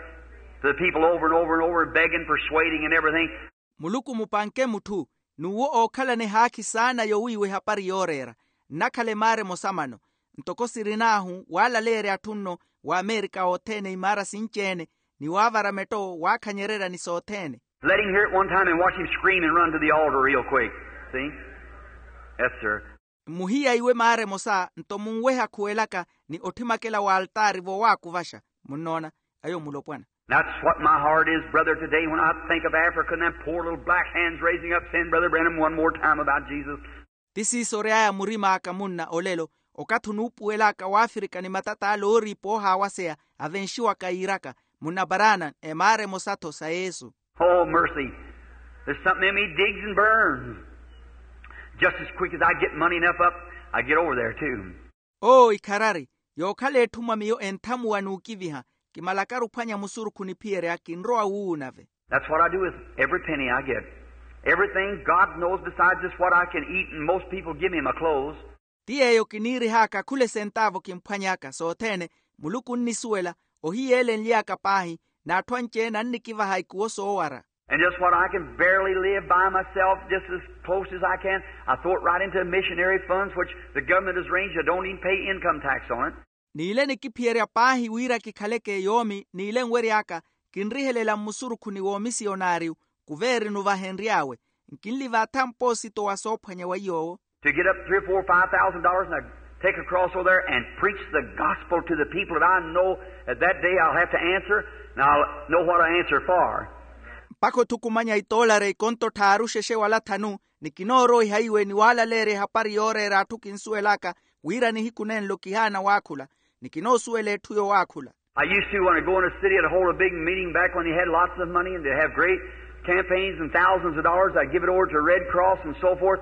to the people over and over and over, begging, persuading, and everything. Muluku mupanke mutthu, n'uwo ookhalana ehaakhi saana yowiiwa ehapari yooreera. Nnakhala emaara emosa mano, ntoko sirin'ahu waalaleerya atthu nno w'amerika othene imaara sinci-ene, ni waavara metto waakhanyererya ni sothene. Let him hear it one time and watch him scream and run to the altar real quick. See? Yes, sir. Mmuhiya iwe maara emosa nto munweha khuwelaka ni otthimakela w'altaari vowaakuvaxa. Munnoona? Ayo mulopwana. That's what my heart is, brother, today when I think of Africa and them poor little black hands raising up, saying, Brother Branham, one more time about Jesus. Ti siiso ory'aya murim'aka munna olelo, okathi onuupuwel'aka w'afirika ni matat'ale ooriipa oohaawaseya avenxiwaka yiiraka, munna barana emaara emosa-tho sa yesu. Oh, mercy. There's something in me digs and burns. Just as quick as I get money enough up, I get over there too. Oo ikharari, yookhala etthu mwa miyo enthamuwa n'ukiviha, kimalakaru ophwanya musurukhu niphiyerya kinrowa wuuwu nave. That's what I do with every penny I get. Everything God knows besides just what I can eat and most people give me my clothes. Ti yeeyo kiniirih'aka khula esentaavu kimphwany'aka sothene. Muluku onnisuwela, ohiyeelenly'aka paahi, n'atthu anci-ene annikivaha ikuwo soowara. And just what I can barely live by myself, just as close as I can, I throw it right into the missionary funds, which the government has arranged. I don't even pay income tax on it. N'ile nikiphiyerya paahi wira kikhaleke yoomi n'ile nwery'aka, kinrihelela mmusurukhuni w'omisiyonariyu, kuveerinu vahenry'awe. Nkinlivaatha mpoosito wa soophwanya wa iy'owo. To get up three or four, five thousand dollars and I take a cross over there and preach the gospel to the people that I know that that day I'll have to answer, and I'll know what I answer for. Mpakha othukumanya itoolari ikonto tthaaru xexe wala thanu, ni kinooroiha iwe ni waalaleerya ehapari yooreera atthu kinsuwel'aka, wira nihiku nenlo kihaana waakhula, ni kinoosuwela etthu yowaakhula. I used to, when I go in a city, I'd hold a big meeting back when they had lots of money and they'd have great campaigns and thousands of dollars. I'd give it over to Red Cross and so forth.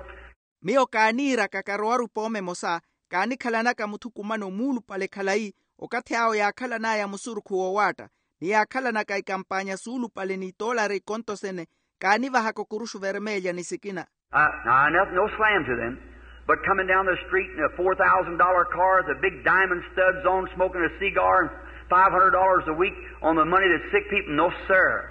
Miyo kaaniiraka karowa-ru pooma emosa, kaanikhalanaka muthukumano muulupale khalayi, okathi awo yaakhalan'aya musurukhu woowaatta, ni yaakhalanaka ikampaanya suulupale n'itoolari ikonto sene, kaanivahaka okuruxu vermelya ni sikina. Uh, now, I, no, no slam to them, but coming down the street in a four thousand dollar car with the big diamond studs on, smoking a cigar, and five hundred dollars a week on the money that sick people, no, sir.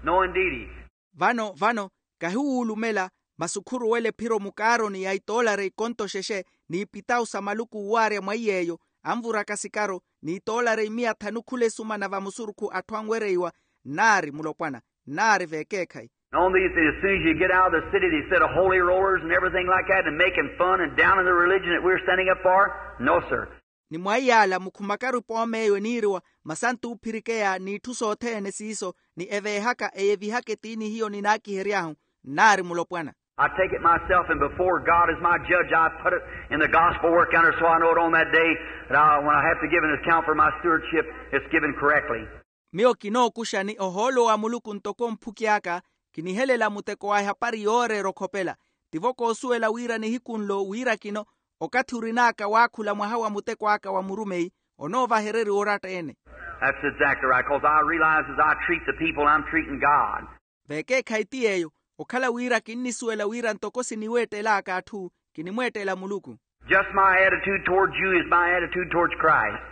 No, indeedy. Vano, vano, kahiwuulumela, masi okhuruwela ephiro mukaaroni ya itoolari ikonto xexe, n'ipitawu sa maluku uwaarya mwa iy'eyo, anvuraka sikaro, n'itoolari imiya thanu khula esumana vamusurukhu atthu anwereiwa. Nnaari mulopwana, nnaari veekeekhayi. And on these, as soon as you get out of the city, they set of holy rollers and everything like that, and making fun and down in the religion that we're standing up for. No, sir. Ni mwa iyaala mukhumakaru ipoomeyo eniiriwa, masantu oophirikeya n'itthu sothene siiso, ni eveehaka eyevihaka etiini hiyo ninaakihery'ahu. Nnaari mulopwana. I take it myself, and before God as my judge, I put it in the gospel work yonder, so I know it on that day that I, when I have to give an account for my stewardship, it's given correctly. Miyo kinookuxa ni ohoolo wa muluku ntoko mphuki aka, kinihelela muteko wa ehapari yooreera okhopela. Tivo koosuwela wira nihiku nlo wira kino, okathi orin'aka waakhula mwaha wa muteko aka wa murumeyi, onoovahereriwa oratta-ene. That's exactly right, 'cause I realize as I treat the people, I'm treating God. Veekeekhayi ti yeeyo, okhala wira kinnisuwela wira ntoko siniweettel'aka atthu, kinimweettela muluku. Just my attitude towards you is my attitude towards Christ.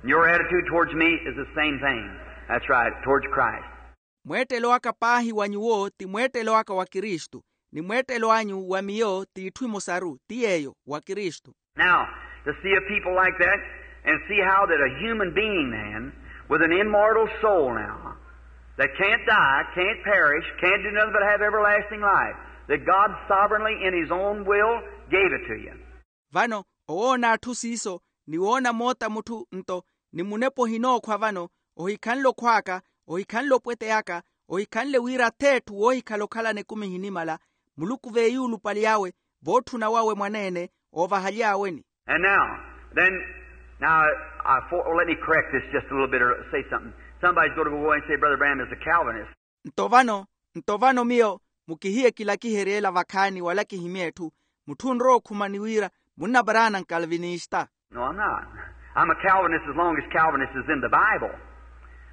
And your attitude towards me is the same thing. That's right, towards Christ. Mweettelo aka paahi wa nyuwo ti mweettelo aka wa kristu, ni mweettelo anyu wa miyo t'itthu emosaru ti yeeyo, wa kristu. Now, to see a people like that and see how that a human being, man, with an immortal soul now, that can't die, can't perish, can't do nothing but have everlasting life, that God sovereignly in his own will gave it to you. Vano, owoona atthu siiso, ni woona moota mutthu nto, ni munepa ohinookhwa vano, ohikhanle okhw'aka, ohikhanle opweteyaka, ohikhanle wira ath'etthu woohikhala okhalana ekumi ehinimala, muluku veeyuulupali awe, vootthuna wawe mwaneene, oovahaly'aweni. And now, then, now, I, for, let me correct this just a little bit or say something. Somebody's going to go away and say, Brother Branham is a Calvinist. Nto vano, nto vano miyo mukihiye kilakiherye ela vakhaani wala kihimye etthu, mutthu onrowa okhumani wira munna paraana nkalvinista. No, I'm not. I'm a Calvinist as long as Calvinist is in the Bible.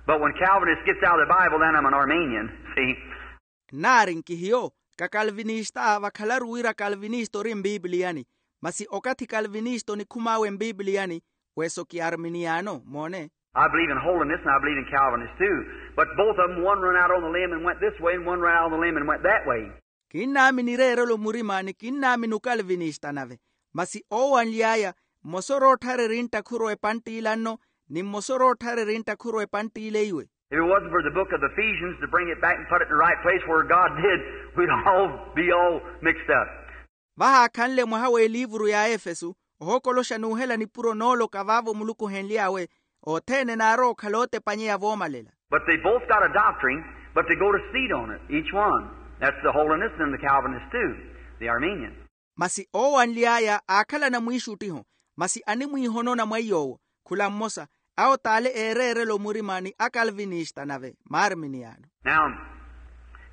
But when Calvinist gets out of the Bible, then I'm an Arminian. See? Nnaari nkihiyo kakalvinista vakhalaru wira kalvinista ori mpiipiliyani, masi okathi kalvinista onikhum'awe mpiipiliyani, weso ki arminiano moone. I believe in holiness and I believe in Calvinist too. But both of them, one run out on the limb and went this way and one run out on the limb and went that way. Kinnaamini ireerelo murima ni kinnaamini okalvinista nave, masi oowanly'aya mmosa oroottharerya enttakhuro epantt'ila nno, ni mmosa oroottharerya enttakhuro epantt'ila eiwe. If it wasn't for the book of Ephesians to bring it back and put it in the right place where God did, we'd all be all mixed up. Vahaakhanle mwaha w'eliivuru ya efesu, ohokoloxa n'uhela nipuro nooloka vaavo muluku ohenly'awe, othene naarowa okhala ootepanyeya voomalela. But they both got a doctrine, but they go to seat on it, each one. That's the holiness and the Calvinist too, the Arminian. Masi oowanly'aya aakhalana mwiixuttiho, masi animwiihonona mwa iy'owo, khula mmosa, awo t'ale eereerela omurima ni akalvinista nave maarminiano. Now,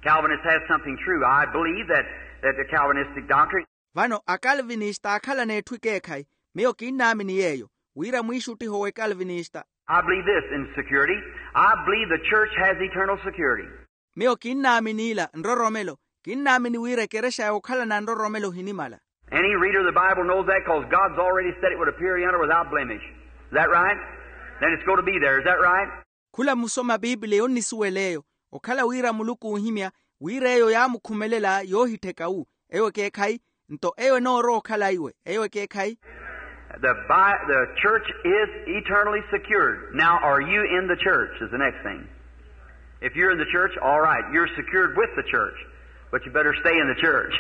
Calvinist has something true. I believe that, that the Calvinistic doctrine. Vano akalvinista aakhalana etthu ekeekhayi, miyo kinnaamini yeeyo, wira mwiixuttiho w'ekalvinista. I believe this in security. I believe the church has eternal security. Miyo kinnaamini ila nroromelo, kinnaamini wira ekerexa yookhalana nroromelo ohinimala. Any reader of the Bible knows that, 'cause God's already said it would appear yonder without blemish. Is that right? Then it's going to be there. Is that right? Khula musoma piipiliya onnisuwela eyo, okhala wira muluku oohimya, wira eyo yaamukhumelela yoohittheka wu, eyo ekeekhayi. Nto eyo enoorowa okhala iwe, eyo ekeekhayi. The, bi- the church is eternally secured. Now, are you in the church is the next thing. If you're in the church, all right, you're secured with the church, but you better stay in the church.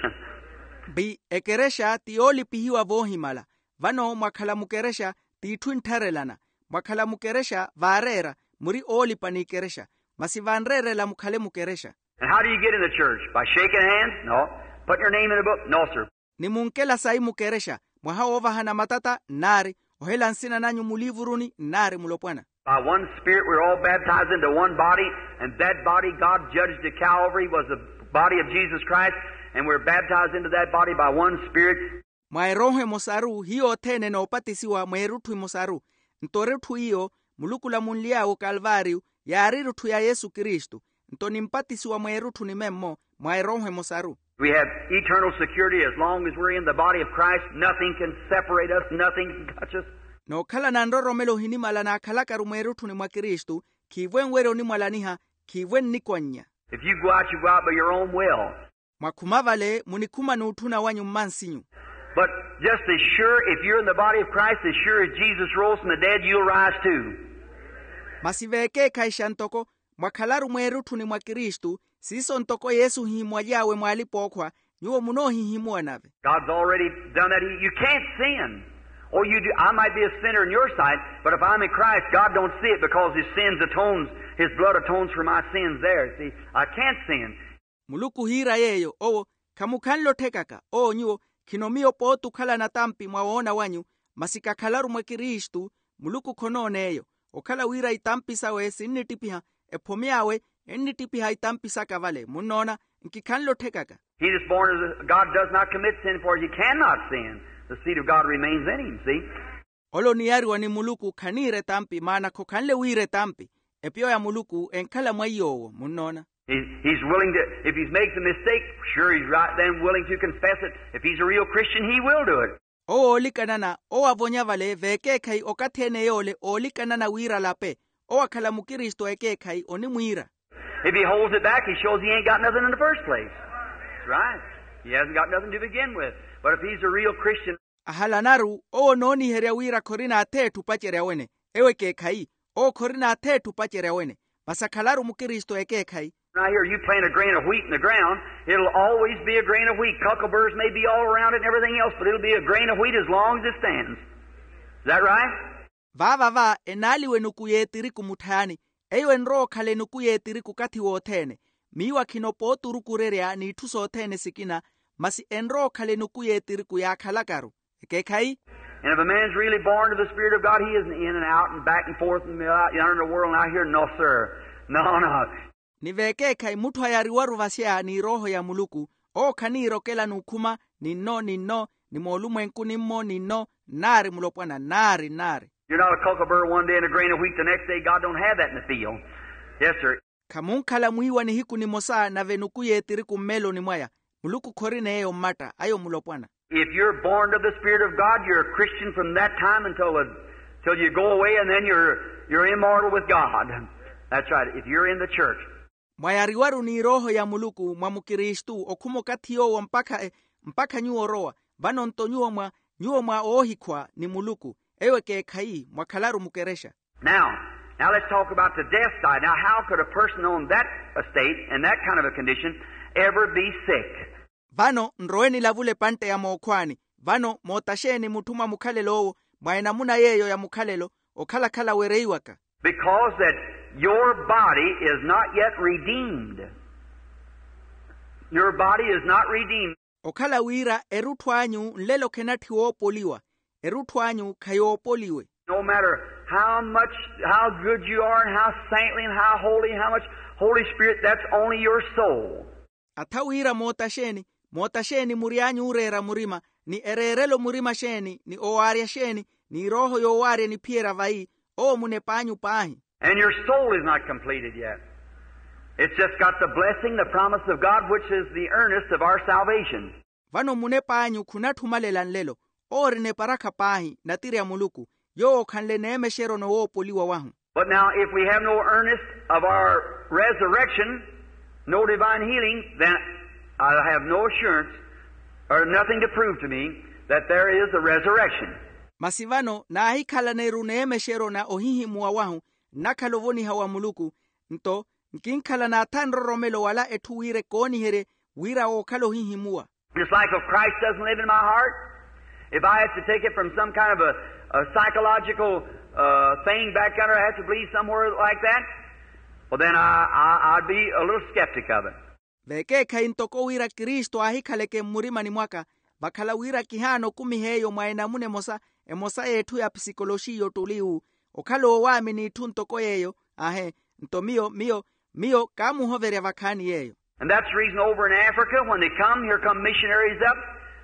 Bi ekerexa ti yoolipihiwa voohimala. Vano mwakhala mukerexa, t'itthu enttharelana. Mwakhala mukerexa vaareera, muri oolipa n'ikerexa. Masi vanreerela mukhale mukerexa. And how do you get in the church? By shaking hands? No. Putting your name in a book? No, sir. Ni munkela sayi mukerexa, mwaha woovahana matata? Nnaari. Ohela nsina nanyu muliivuruni? Nnaari mulopwana. By one Spirit we were all baptized into one body, and that body God judged at Calvary was the body of Jesus Christ, and we were baptized into that body by one Spirit. Mwa erooho emosaru hiyo othene enoopatisiwa mweerutthu emosaru. Nto erutthu iyo muluku olamunly'awe okalvaariyo yaari erutthu ya yesu kristu. Nto nimpatisiwa mweerutthu nimemmo mwa erooho emosaru. We have eternal security as long as we're in the body of Christ. Nothing can separate us, nothing can touch us. Nookhalana nroromelo ohinimala naakhalakaru mweerutthuni mwa kristu, khiivwe nwerya onimwalaniha, khiivwe nnikwannya. If you go out, you go out by your own will. Mwakhuma vale munikhuma n'utthuna wanyu mmansinyu. But just as sure, if you're in the body of Christ, as sure as Jesus rose from the dead, you'll rise too. Masi veekeekhayixa ntoko mwakhalaru mweerutthuni mwa kristu, siiso ntoko yesu ohihimwaly'awe mw'alipa-ookhwa, nyuwo munoohihimuwa nave. God's already done that. He, you can't sin. Oh, you do. I might be a sinner in your sight, but if I'm in Christ, God don't see it because his sins atones, his blood atones for my sins there. See, I can't sin. Muluku ohiira yeeyo, owo khamukhanle otthekaka. Owo nyuwo khino miyo pooti okhalana tampi mwa woona wanyu, masi kakhalaru mwa kristu. Muluku khonoona eyo. Okhala wira itampi sawe sinnittiphiha, ephomy'awe ennittiphiha itampi saka vale munnoona. Nkikhanle otthekaka. He that's born of God does not commit sin, for he cannot sin. The seed of God remains in him, see? Ole oniyariwa ni muluku khaniira etampi maana khokhanle wiira etampi. Epiyo ya muluku enkhala mwa iy'owo munnoona. He, he's willing to, if he makes a mistake, sure he's right then willing to confess it. If he's a real Christian, he will do it. Owo oolikanana owo avonya vale veekeekhayi okathi ene yoole oolikanana wira alape. Owo akhala mukristu ekeekhayi onimwiira. If he holds it back, he shows he ain't got nothing in the first place. That's right. He hasn't got nothing to begin with. But if he's a real Christian. Ahalanaru owo onooniherya wira khorina atheetthu opacerya wene. Ewo ekeekhayi. Owo khorina atheetthu opacerya wene. Masi akhalaru mukristu ekeekhayi. Right here, you plant a grain of wheat in the ground, it'll always be a grain of wheat. Cockleburrs may be all around it and everything else, but it'll be a grain of wheat as long as it stands. Is that right? Vaava va enaali wenuku y'etiriku mutthayani. Eyo enrowa okhala enuku y'etiriku okathi wothene. Miyo akhinopa oturukurerya n'itthu sothene sikina, masi enrowa okhala enuku y'etiriku yaakhalakaru. Ekeekhayi. And if a man's really born of the Spirit of God, he isn't in and out and back and forth and out yonder in the world and out here. No, sir. No, no. Ni veekeekhayi mutthu ayariwaru vasya ni erooho ya muluku, owo khaniirokela n'ukhuma, ni nno ni nno, ni moolumwenku ni mmo ni nno, nnaari mulopwana nnaari nnaari. You're not a kookaburra one day and a grain of wheat the next day. God don't have that in the field. Yes, sir. Khamunkhala mwiiwa nihiku nimosa nave enuku y'etiriku mmeeloni mwaya. Muluku khorina eyo mmatta ayo mulopwana. If you're born of the Spirit of God, you're a Christian from that time until the, till you go away, and then you're, you're immortal with God. That's right, if you're in the church. Mwayariwaru ni erooho ya muluku mwa mukristu okhuma okathi yoowo mpakha e- mpakha nyuwo orowa. Vano nto nyuwo mwa nyuwo mwa oohikhwa ni muluku. Eyo ekeekhayi mwakhalaru mukerexa. Now, now let's talk about the death side. Now, how could a person on that estate, in that kind of a condition, ever be sick? Vano nrowe nilavule epantte ya mookhwaani. Vano moota xeeni mutthu mwa mukhalelo owo, mwa enamuna yeeyo ya mukhalelo, okhalakhala wereiwaka? Because that your body is not yet redeemed. Your body is not redeemed. Okhala wira erutthu anyu nlelo khenatthi woopoliwa. Erutthu anyu khayoopoliwe. No matter how much, how good you are and how saintly and how holy, how much Holy Spirit, that's only your soul. Atha wira moota xeeni, moota xeeni muri anyu ooreera murima, ni ereerelo murima xeeni ni owaarya xeeni, ni erooho yowaarya niphiyerya vayi, owo munep'anyu paahi. And your soul is not completed yet. It's just got the blessing, the promise of God, which is the earnest of our salvation. Vano munep'anyu khunatthumalelela nlelo. Owo ori neparakha paahi natiri a muluku, yoowo okhanle neemexeryo nowoopoliwa wahu. But now, if we have no earnest of our resurrection, no divine healing, then I'll have no assurance or nothing to prove to me that there is a resurrection. Masi vano naahikhalana-ru neemexeryo na ohihimuwa wahu, nnakhala ovoniha wa muluku. Nto nkinkhala naatha nroromelo wala etthu wira ekooniherye wira wookhala ohihimuwa. It's like if Christ doesn't live in my heart, if I have to take it from some kind of a, a psychological uh, thing back under, I have to believe somewhere like that, well, then I, I, I'd be a little skeptic of it. Vekeekhayi ntoko wira kristu aahikhaleke mmurimani mwaka, vakhala wira kihaana okumiha eyo mwa enamuna emosa emosa y'etthu ya psikoloxi y'ottuli wu, okhala oowaamini itthu ntoko yeeyo. Ahe. Nto miyo miyo miyo kaamuhoverya vakhaani yeeyo. And that's the reason over in Africa, when they come, here come missionaries up,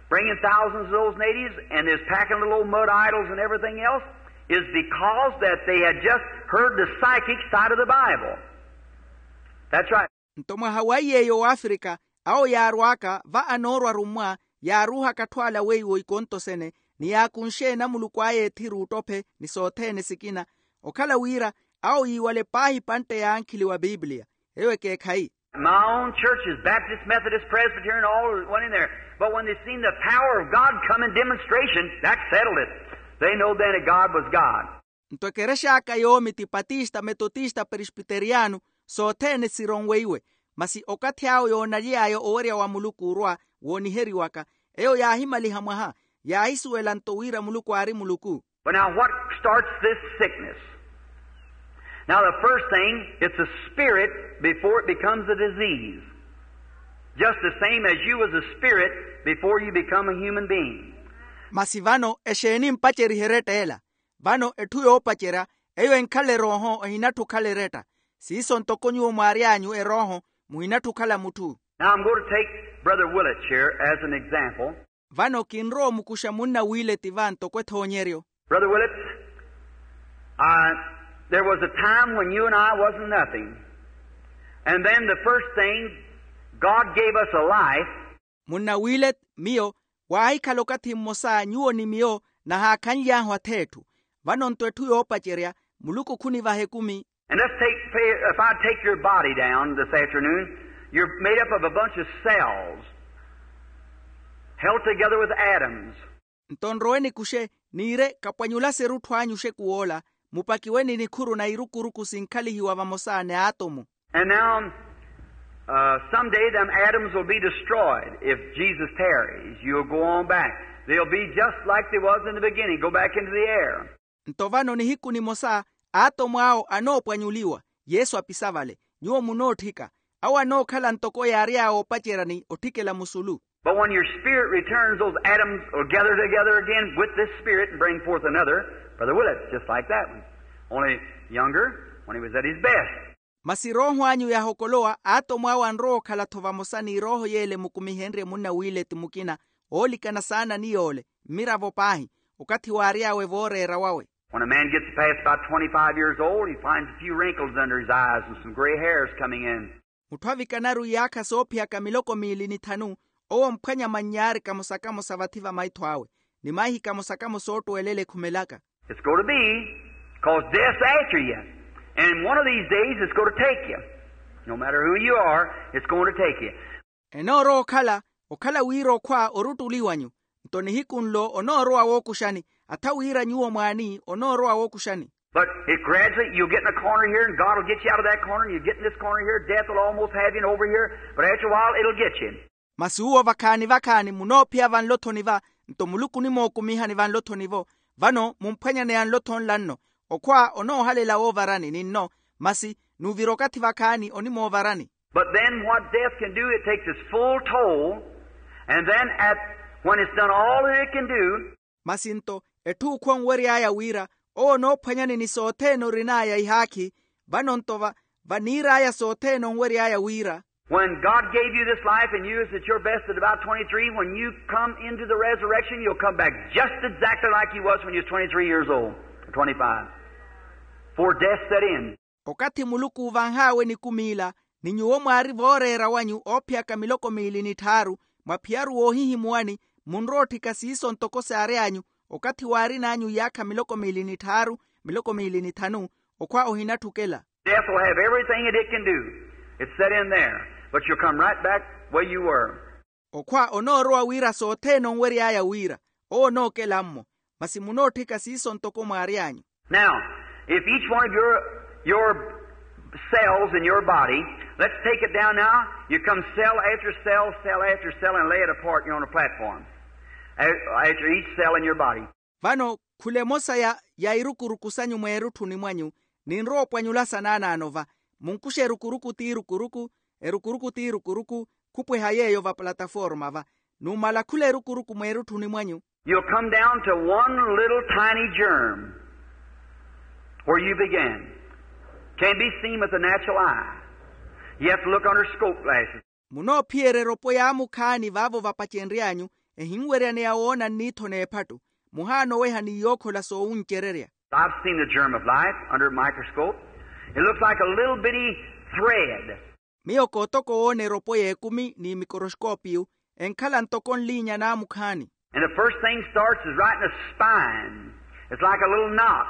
bringing thousands of those natives, and is packing little old mud idols and everything else, is because that they had just heard the psychic side of the Bible. That's right. Nto mwaha wa iyeeyo w'afrika, awo yaarw'aka va anoorwa arummwa, yaaruuhaka atthu ala weiwo ikontosene, ni yaakunxe enamuluku aya ethiru ottophe ni sothene sikina. Okhala wira awo yiiwale paahi epantte y'ankhili wa pipiliya. Eyo ekeekhayi. My own church is Baptist, Methodist, Presbyterian, all went in there. But when they seen the power of God come in demonstration, that settled it. They know then that God was God. Nto ekerex'aka yoomi ti patista, metotista, presbiteriyano, sothene sironweiwe. Masi okathi awo yoonaliy'aya owerya wa muluku orwa wooniheriwaka, eyo yaahimaliha mwaha, yaahisuwela nto wira muluku aari muluku. But now, what starts this sickness? Now, the first thing, it's a spirit before it becomes a disease. Just the same as you was a spirit before you become a human being. Masi vano exeeni mpaceriha eretta ela? Vano etthu yoopacerya, eyo enkhala erooho, ehinatthi okhala eretta. Siiso ntoko nyuwo mwaary'anyu erooho, muhinatthi okhala mutthu. Now, I'm going to take Brother Willett here as an example. Vano kinrowa omukuxa munna willett va ntoko ethoonyeryo. Brother Willett, I, there was a time when you and I wasn't nothing. And then the first thing, God gave us a life. Munna willett, miyo, waahikhala okathi mmosa nyuwo ni miyo nahaakhanly'ahu ath'etthu. Vano nto etthu yoopacerya, muluku khunivaha ekumi. And let's take, if I take your body down this afternoon, you're made up of a bunch of cells held together with atoms. Nto nrowe nikuxe, niire kapwanyulase erutthu anyu oxeku woola, mupakiwe ni nikhuru na irukuruku sinkhalihiwa vamosa n'atomu. And now, uh, someday them atoms will be destroyed. If Jesus tarries, you'll go on back. They'll be just like they was in the beginning, go back into the air. Nto vano nihiku nimosa, atomu awo anoopwanyuliwa. Yesu apisa vale. Nyuwo munootthika. Awo anookhala ntoko yaary'awe opacerya ni otthikela musulu. But when your spirit returns, those atoms will gather together again with this spirit and bring forth another, Brother Willett, just like that one. Only younger, when he was at his best. Masi erooho anyu yaahokolowa aatomo awo anrowa okhala-tho vamosa n'irooho y'ele emukumihenrye munna willett mukina, oolikana saana ni yoole, mmiravo paahi, okathi waary'awe vooreera wawe. When a man gets past about twenty-five years old, he finds a few wrinkles under his eyes and some gray hairs coming in. Mutthu avikanaru iyaakha soophiyaka miloko miili ni thanu, owo omphwanya mannyaari kamosa-kamosa vathi va maitho awe, ni maihi kamosa-kamosa ottwelela ekhumelaka. It's going to be, 'cause death's after you. And one of these days it's going to take you. No matter who you are, it's going to take you. Enoorowa okhala, okhala wira okhwa oruttuli wanyu. Nto nihiku nlo onoorowa wookuxani, atha wira nyuwo mwaani onoorowa wookuxani. But it gradually, you'll get in a corner here, and God will get you out of that corner, and you get in this corner here, death will almost have you, and over here, but after a while, it'll get you. Masi uwo vakhaani-vakhaani munoophiya vanlo-thoni va, nto muluku onimookumihani vanlo-thoni vo. Vano mumphwanyaneya nlo-tho nla nno. Okhwa onoohalela woovarani ni nno, masi n'uvira okathi vakhaani onimoovarani. But then what death can do, it takes its full toll, and then at, when it's done all that it can do. Masi nto, etthu okhwa onwery'aya wira, owo onoophwanyani ni sothene orin'aya ihaakhi. Vano nto va, vaniir'aya sothene onwery'aya wira. When God gave you this life and you is at your best at about twenty-three, when you come into the resurrection, you'll come back just exactly like you was when you was twenty-three years old, or twenty-five, before death set in. Okathi muluku uuvanh'awe nikumi ila, ni nyuwo mwaari vooreera wanyu oophiyaka miloko miili ni tthaaru, mwaphiyaru woohihimuwani, munrowa otthika siiso ntoko saary'anyu, okathi waarin'anyu iyaakha miloko miili ni tthaaru, miloko miili ni thanu, okhwa ohinatthukela. Death will have everything that it can do. It's set in there. But you'll come right back where you were. Okhwa onoorowa wira sothene onwery'aya wira, owo onookela-mmo, masi munootthika siiso ntoko mwaary'anyu. Now, if each one of your, your cells in your body, let's take it down now. You come cell after cell, cell after cell, and lay it apart here on a platform. A-, after each cell in your body. Vano khula emosa ya, ya irukuruku sanyu mweerutthuni mwanyu, ninrowa opwanyulasa naanaano va, munkuxe erukuruku t'irukuruku, erukuruku t'irukuruku, khupweha yeeyo va plataforma va. Numala khula erukuruku mweerutthuni mwanyu. You'll come down to one little tiny germ where you began. Can't be seen with the natural eye. You have to look under scope glasses. Munoophiyerya eropo yaamukhaani vaavo vapacenry'anyu, ehinweryaneya woona nniitho n'ephattu. Muhaana oweha ni yookhola soowuncererya. I've seen the germ of life under a microscope. It looks like a little bitty thread. Miyo kootoko woona eropo y'ekumi ni mikoroskoopiyu, enkhala ntoko nliinya naamukhaani. And the first thing starts is right in the spine. It's like a little knot.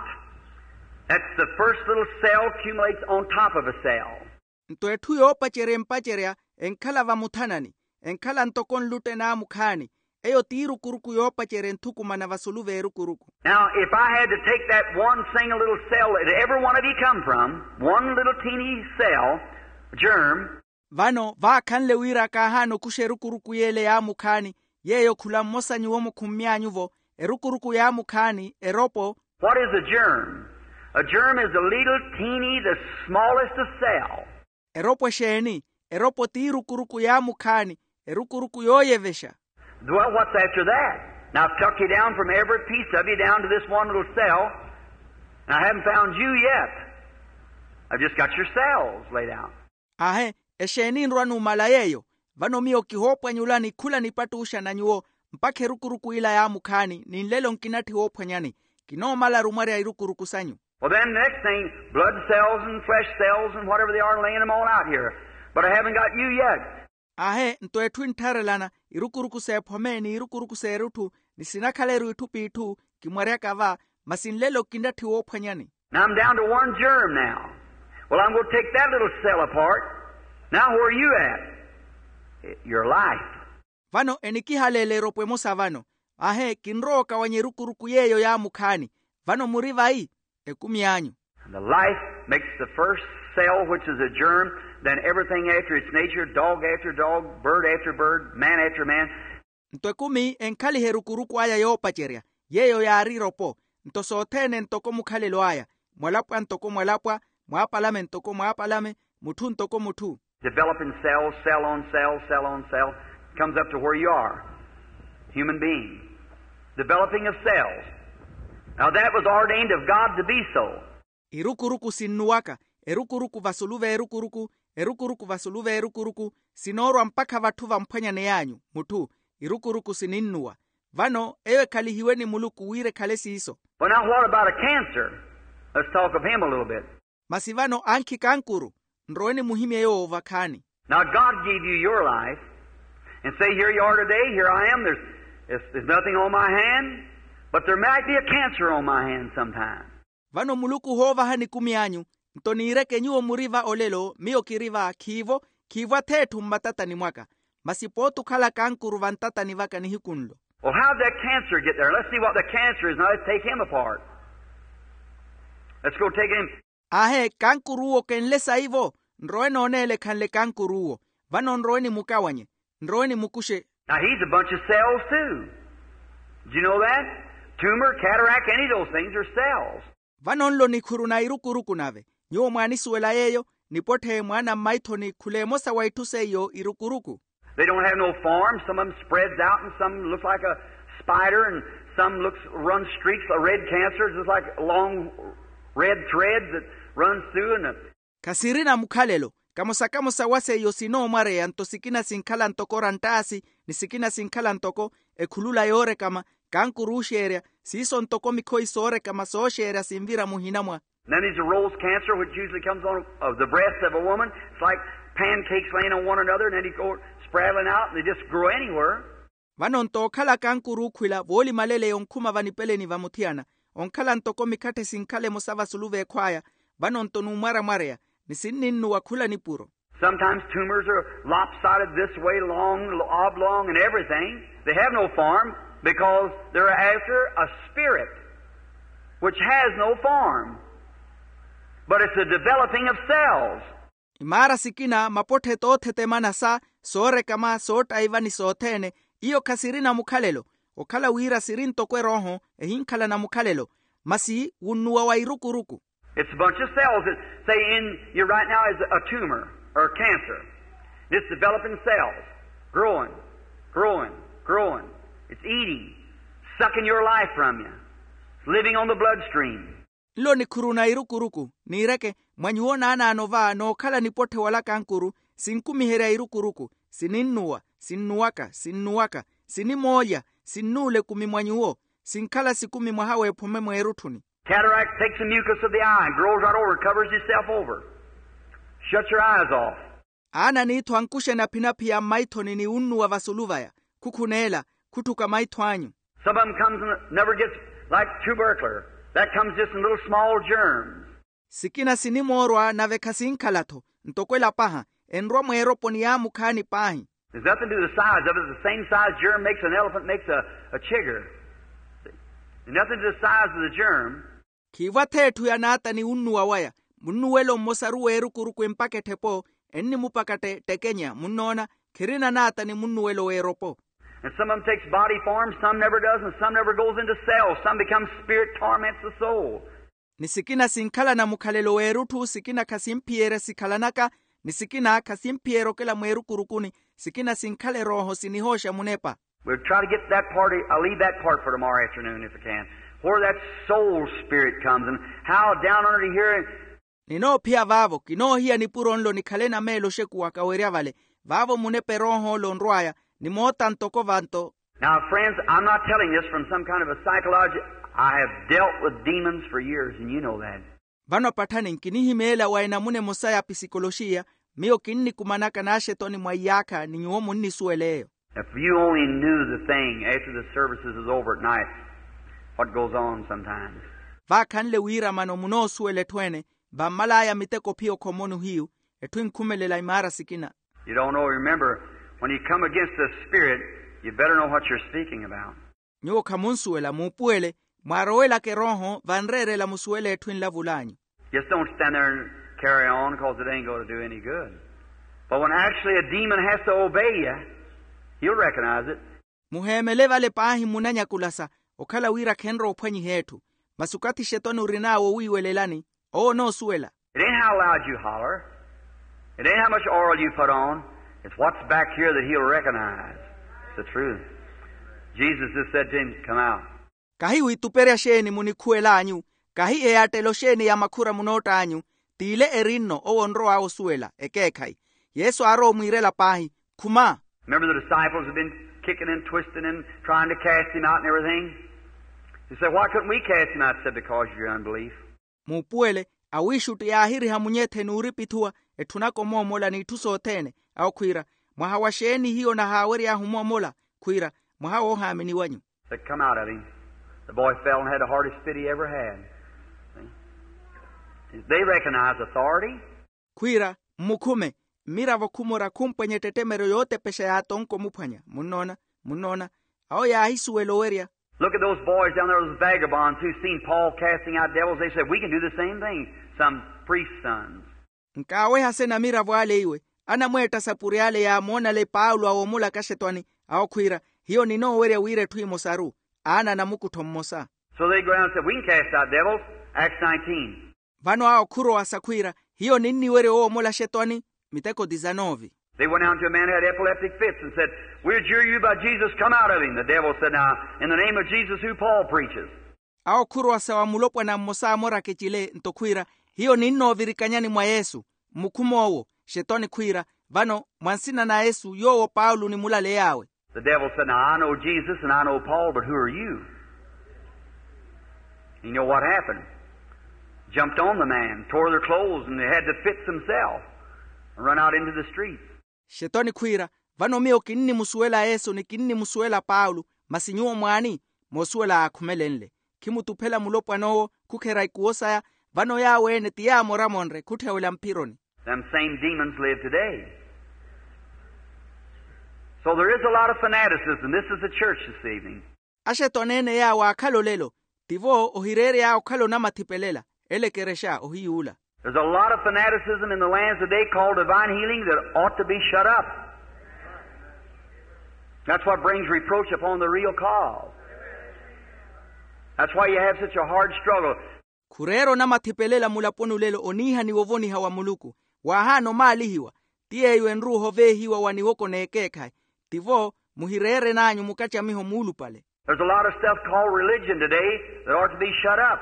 That's the first little cell accumulates on top of a cell. Nto etthu yoopacerya empacerya enkhala vamuthanani, enkhala ntoko nlutte naamukhaani. Eyo t'irukuruku yoopacerya enthukumana vasulu v'erukuruku. Now, if I had to take that one single little cell that every one of you come from, one little teeny cell, germ. Vano vaakhanle wira kaahaana okuxa erukuruku y'ele yaamukhaani, yeeyo khula mmosa nyuwo mukhummy'anyu-vo, erukuruku yaamukhaani eropo. What is a germ? A germ is a little teeny, the smallest of cell. Eropo exeeni? Eropo t'irukuruku yaamukhaani, erukuruku yooyevexa. Well, what's after that? Now, I've took you down from every piece of you down to this one little cell, and I haven't found you yet. I've just got your cells laid out. Ahe, exeeni nrwa numala yeeyo? Vano miyo kihoopwanyulani khula nipattuxa na nyuwo, mpakha erukuruku ila yaamukhaani ninlelo nkinatthi woophwanyani. Kinoomalaru mwarya irukuruku sanyu. Well, then, the next thing, blood cells and flesh cells and whatever they are, laying them all out here. But I haven't got you yet. Ahe, nto etthu enttharelana, irukuruku s'ephome ni irukuruku s'erutthu, ni sinakhaleru itthu p'itthu, kimwaryaka va, masi nlelo kinatthi woophwanyani. Now I'm down to one germ now. Well, I'm going to take that little cell apart. Now, where are you at? Your life. Vano enikihaleela eropo emosa vano. Ahe, kinrowa okawanya erukuruku yeeyo yaamukhaani. Vano muri vayi? Ekumi anyu. And the life makes the first cell, which is a germ, then everything after its nature, dog after dog, bird after bird, man after man. Nto ekumi enkhaliha erukuruku aya yoopacerya, yeeyo yaari eropo. Nto sothene ntoko mukhalelo aya, mwalapwa ntoko mwalapwa, Mwaapalame ntoko mwaapalame, mutthu ntoko mutthu. Developing cells, cell on cell, cell on cell, comes up to where you are. Human being. Developing of cells. Now that was ordained of God to be so. Irukuruku sinnuwaka, erukuruku vasulu v'erukuruku, erukuruku vasulu v'erukuruku, sinoorwa mpakha vatthu vamphwanyaney'anyu mutthu. Irukuruku sininnuwa. Vano eyo ekhalihiwe ni muluku wira ekhale siiso. Well, now what about a cancer? Let's talk of him a little bit. Masi vano ankhi kankuru, nrowe nimuhimye yoowo vakhaani. Now God gave you your life and say, here you are today, here I am, there's, there's, there's nothing on my hand, but there might be a cancer on my hand sometime. Vano muluku ohoovaha nikumi anyu, nto niireke nyuwo muri va olelo miyo kiri va khiivo, khiivo ath'etthu mmatatani mwaka. Masi pooti okhala kankuru vantatani vaka nihiku nlo. Well, how'd that cancer get there? Let's see what the cancer is. Now let's take him apart. Let's go take him. Aahe kankuruuwo kenle saivo? Nrowe nooneela ekhanle kankuruuwo. Vano nrowe nimukawanye, nrowe nimukuxe. Now he's a bunch of cells too. Did you know that? Tumor, cataract, any of those things are cells. Vano nlo nikhuru na irukuruku nave. Nyuwo mwaanisuwela yeeyo? Nipotthe mwaana mmaithoni khula emosa wa itthu seiyo irukuruku. They don't have no form. Some of them spreads out and some looks like a spider and some looks, runs streaks of red cancer, just like long red threads that runs through and the. Khasirina mukhalelo. Kamosa kamosa wa seiyo sinoomwareya nto sikina sinkhala ntoko ranttaasi ni sikina sinkhala ntoko ekhulula yoorekama, kankuruuxerya siiso ntoko mikhoyi soorekama sooxerya sinvira muhina mwa. Then there's a rose cancer, which usually comes on of the breast of a woman. It's like pancakes laying on one another, and then it goes spraddling out, and they just grow anywhere. Vano nto okhala kankuruukhwila voolimaleleya onkhuma vanipeleni va muthiyana, onkhala ntoko mikhatthe sinkhala emosa vasulu v'ekhw'aya. Vano nto numwaramwareya ni sinninnuwa khula nipuro. Sometimes tumors are lopsided this way, long, oblong, and everything. They have no form because they're after a spirit which has no form, but it's the developing of cells. Imaara sikina mapotthe toothetemana sa soorekama soottaiva ni sothene. Iyo khasirina mukhalelo. Okhala wira siri ntoko erooho ehinkhalana mukhalelo, masi wunnuwa wa irukuruku. It's a bunch of cells that say in you right now is a tumor or a cancer. It's developing cells, growing, growing, growing. It's eating, sucking your life from you. It's living on the bloodstream. Nlo nikhuru na irukuruku, niireke mwa nyuwo naanaano va nookhala nipotthe wala kankuru, sinkumiherya irukuruku, sininnuwa, sinnuwaka, sinnuwaka, sinimoolya, sinnuula ekumi mwa nyuwo, sinkhala sikumi mwaha w'ephome mweerutthuni. Cataract takes the mucus of the eye and grows right over and covers itself over. Shuts your eyes off. Aana aniitho ankuxena aphinaphi ya mmaithoni ni wunnuwa vasulu vaya, khukhuneela, khutthuka maitho anyu. Some of them comes and never gets like tubercular. That comes just in little small germs. Sikina sinimoorwa nave khasinkhala-tho, ntoko ela paha, enrwa mweeropo ni yaamukhaani paahi. There's nothing to the size of it. The same size germ makes an elephant makes a, a chigger. See? There's nothing to the size of the germ. Khiivo ath'etthu yanaata ni wunnuwa waya. Munnuwelo mmosaru w'erukuruku empaka etthepo, ennimupaka ttekenya munnoona, khirina naata ni munnuwelo w'eropo. And some of them takes body form, some never does, and some never goes into cells. Some becomes spirit, torments the soul. Ni sikina sinkhalana mukhalelo w'erutthu, sikina khasimphiyerya sikhalanaka, ni sikina khasimphiyerya okela mweerukurukuni, sikina sinkhala erooho sinihooxa munepa. We'll try to get that part, I'll leave that part for tomorrow afternoon if I can. Where that soul spirit comes and how down under here. Ninoophiya vaavo, kinoohiya nipuro nlo nikhale na meelo oxekuwaka werya vale, vaavo munepa erooho-lo onrw'aya, ni moota ntoko vanto. Now friends, I'm not telling this from some kind of a psychology. I have dealt with demons for years and you know that. Vano patthani nkinihimeela wa enamuna emosa ya pisikoloxiya. Miyo kinnikumanaka naaxetoni mwa iyaakha ni nyuwo munnisuwela eyo. If you only knew the thing after the services is over at night, what goes on sometimes. Vaakhanle wiiramano munoosuwela etthu ene, vammal'aya miteko phiyo khomoni ohiyu, etthu enkhumelela imaara sikina. You don't know. Remember, when you come against the spirit, you better know what you're speaking about. Nyuwo khamunsuwela muupuwele, mwaarowelaka erooho vanreerela musuwele etthu enlavul'anyu. Just don't stand there and carry on because it ain't going to do any good. But when actually a demon has to obey you, you'll recognize it. Muheemele vale paahi munanyakulasa, okhala wira khenrowa ophwanyiha etthu. Masi okathi xetoni orin'awe owiiwelelani, owo onoosuwela. It ain't How loud you holler. It ain't how much oil you put on. It's what's back here that he'll recognize. It's the truth. Jesus just said to him, "Come out." Kahi wituperya xeeni munikhuwel'anyu? Kahi eyattelo xeeni ya makhura munoott'anyu? T'ile eri nno owo onrow'awe osuwela ekeekhayi. Yesu aarowa omwiirela paahi, khuma. Remember, the disciples have been kicking and twisting and trying to cast him out and everything. He said, "Why couldn't we cast him out?" Said, "Because of your unbelief." Muupuwele, awiixutti yaahiriha munyethe n'uripithuwa etthunaka omoomola n'itthu sothene. Awo khwiira, mwaha wa xeeni hiyo nahaawery'ahu omoomola? Khwiira, mwaha woohaamini wanyu. Said, "Come out of him." The boy fell and had the hardest fit he ever had. See? They recognize authority. Khwiira, mmukhume, mmiravo khumora khumpwenya ettettemeryo yootepexa yaatonka omuphwanya. Munnoona? Munnoona? Awo yaahisuwela owerya. Look at those boys down there, those vagabonds who seen Paul casting out devils. They said, "We can do the same thing." Some priest's sons. Nkaaweha sena amiravo ale iwe, anamweetta asapuri ale yaamoonale paulo awoomolaka axetwani. Awo khwiira, hiyo ninoowerya wira etthu emosaru. Aana anamukuttho mmosa. So they go down and said, "We can cast out devils." Acts nineteen. Vano awo khurowasa khwiira, hiyo ninniwerya owoomola axetwani. Miteko disanove. They went down to a man who had epileptic fits and said, "We adjure you by Jesus, come out of him." The devil said, "Now, in the name of Jesus, who Paul preaches." Awo khurowasa wa mulopwana mmosa amoraka ecile nto khwiira, hiyo ninnoovirikanyani mwa yesu. Mmukhum'owo, xetwani khwiira, vano mwa nsina na yesu yoowo paulo onimulaley'awe. The devil said, "Now, I know Jesus and I know Paul, but who are you?" You know what happened? Jumped on the man, tore their clothes, and they had the fits themselves, and run out into the streets. Xetwani khwiira, vano miyo kinnimusuwela yesu ni kinnimusuwela paulo, masi nyuwo mwaani? Moosuwela aakhumelenle, khimutuphela mulopwan'owo, khukherya ikuwo saya. Vano yaawo-ene ti yaamoramonre khutthewela mphironi. Them same demons live today. So there is a lot of fanaticism. This is the church this evening. Axetwani-ene yaawo aakhala olelo, tivo ohireery'aya okhala onamathipelela. Ele ekerexa ohiyuula. There's a lot of fanaticism in the lands today called divine healing that ought to be shut up. That's what brings reproach upon the real cause. That's why you have such a hard struggle. Khureera onamathipelela mulaponi olelo oniihaniwa ovoniha wa muluku. Waahaana omaalihiwa. Ti yeeyo enru ohoveehiwa wa niwoko n'ekeekhayi. Tivo muhireeren'anyu mukattamiho muulupale. There's a lot of stuff called religion today that ought to be shut up.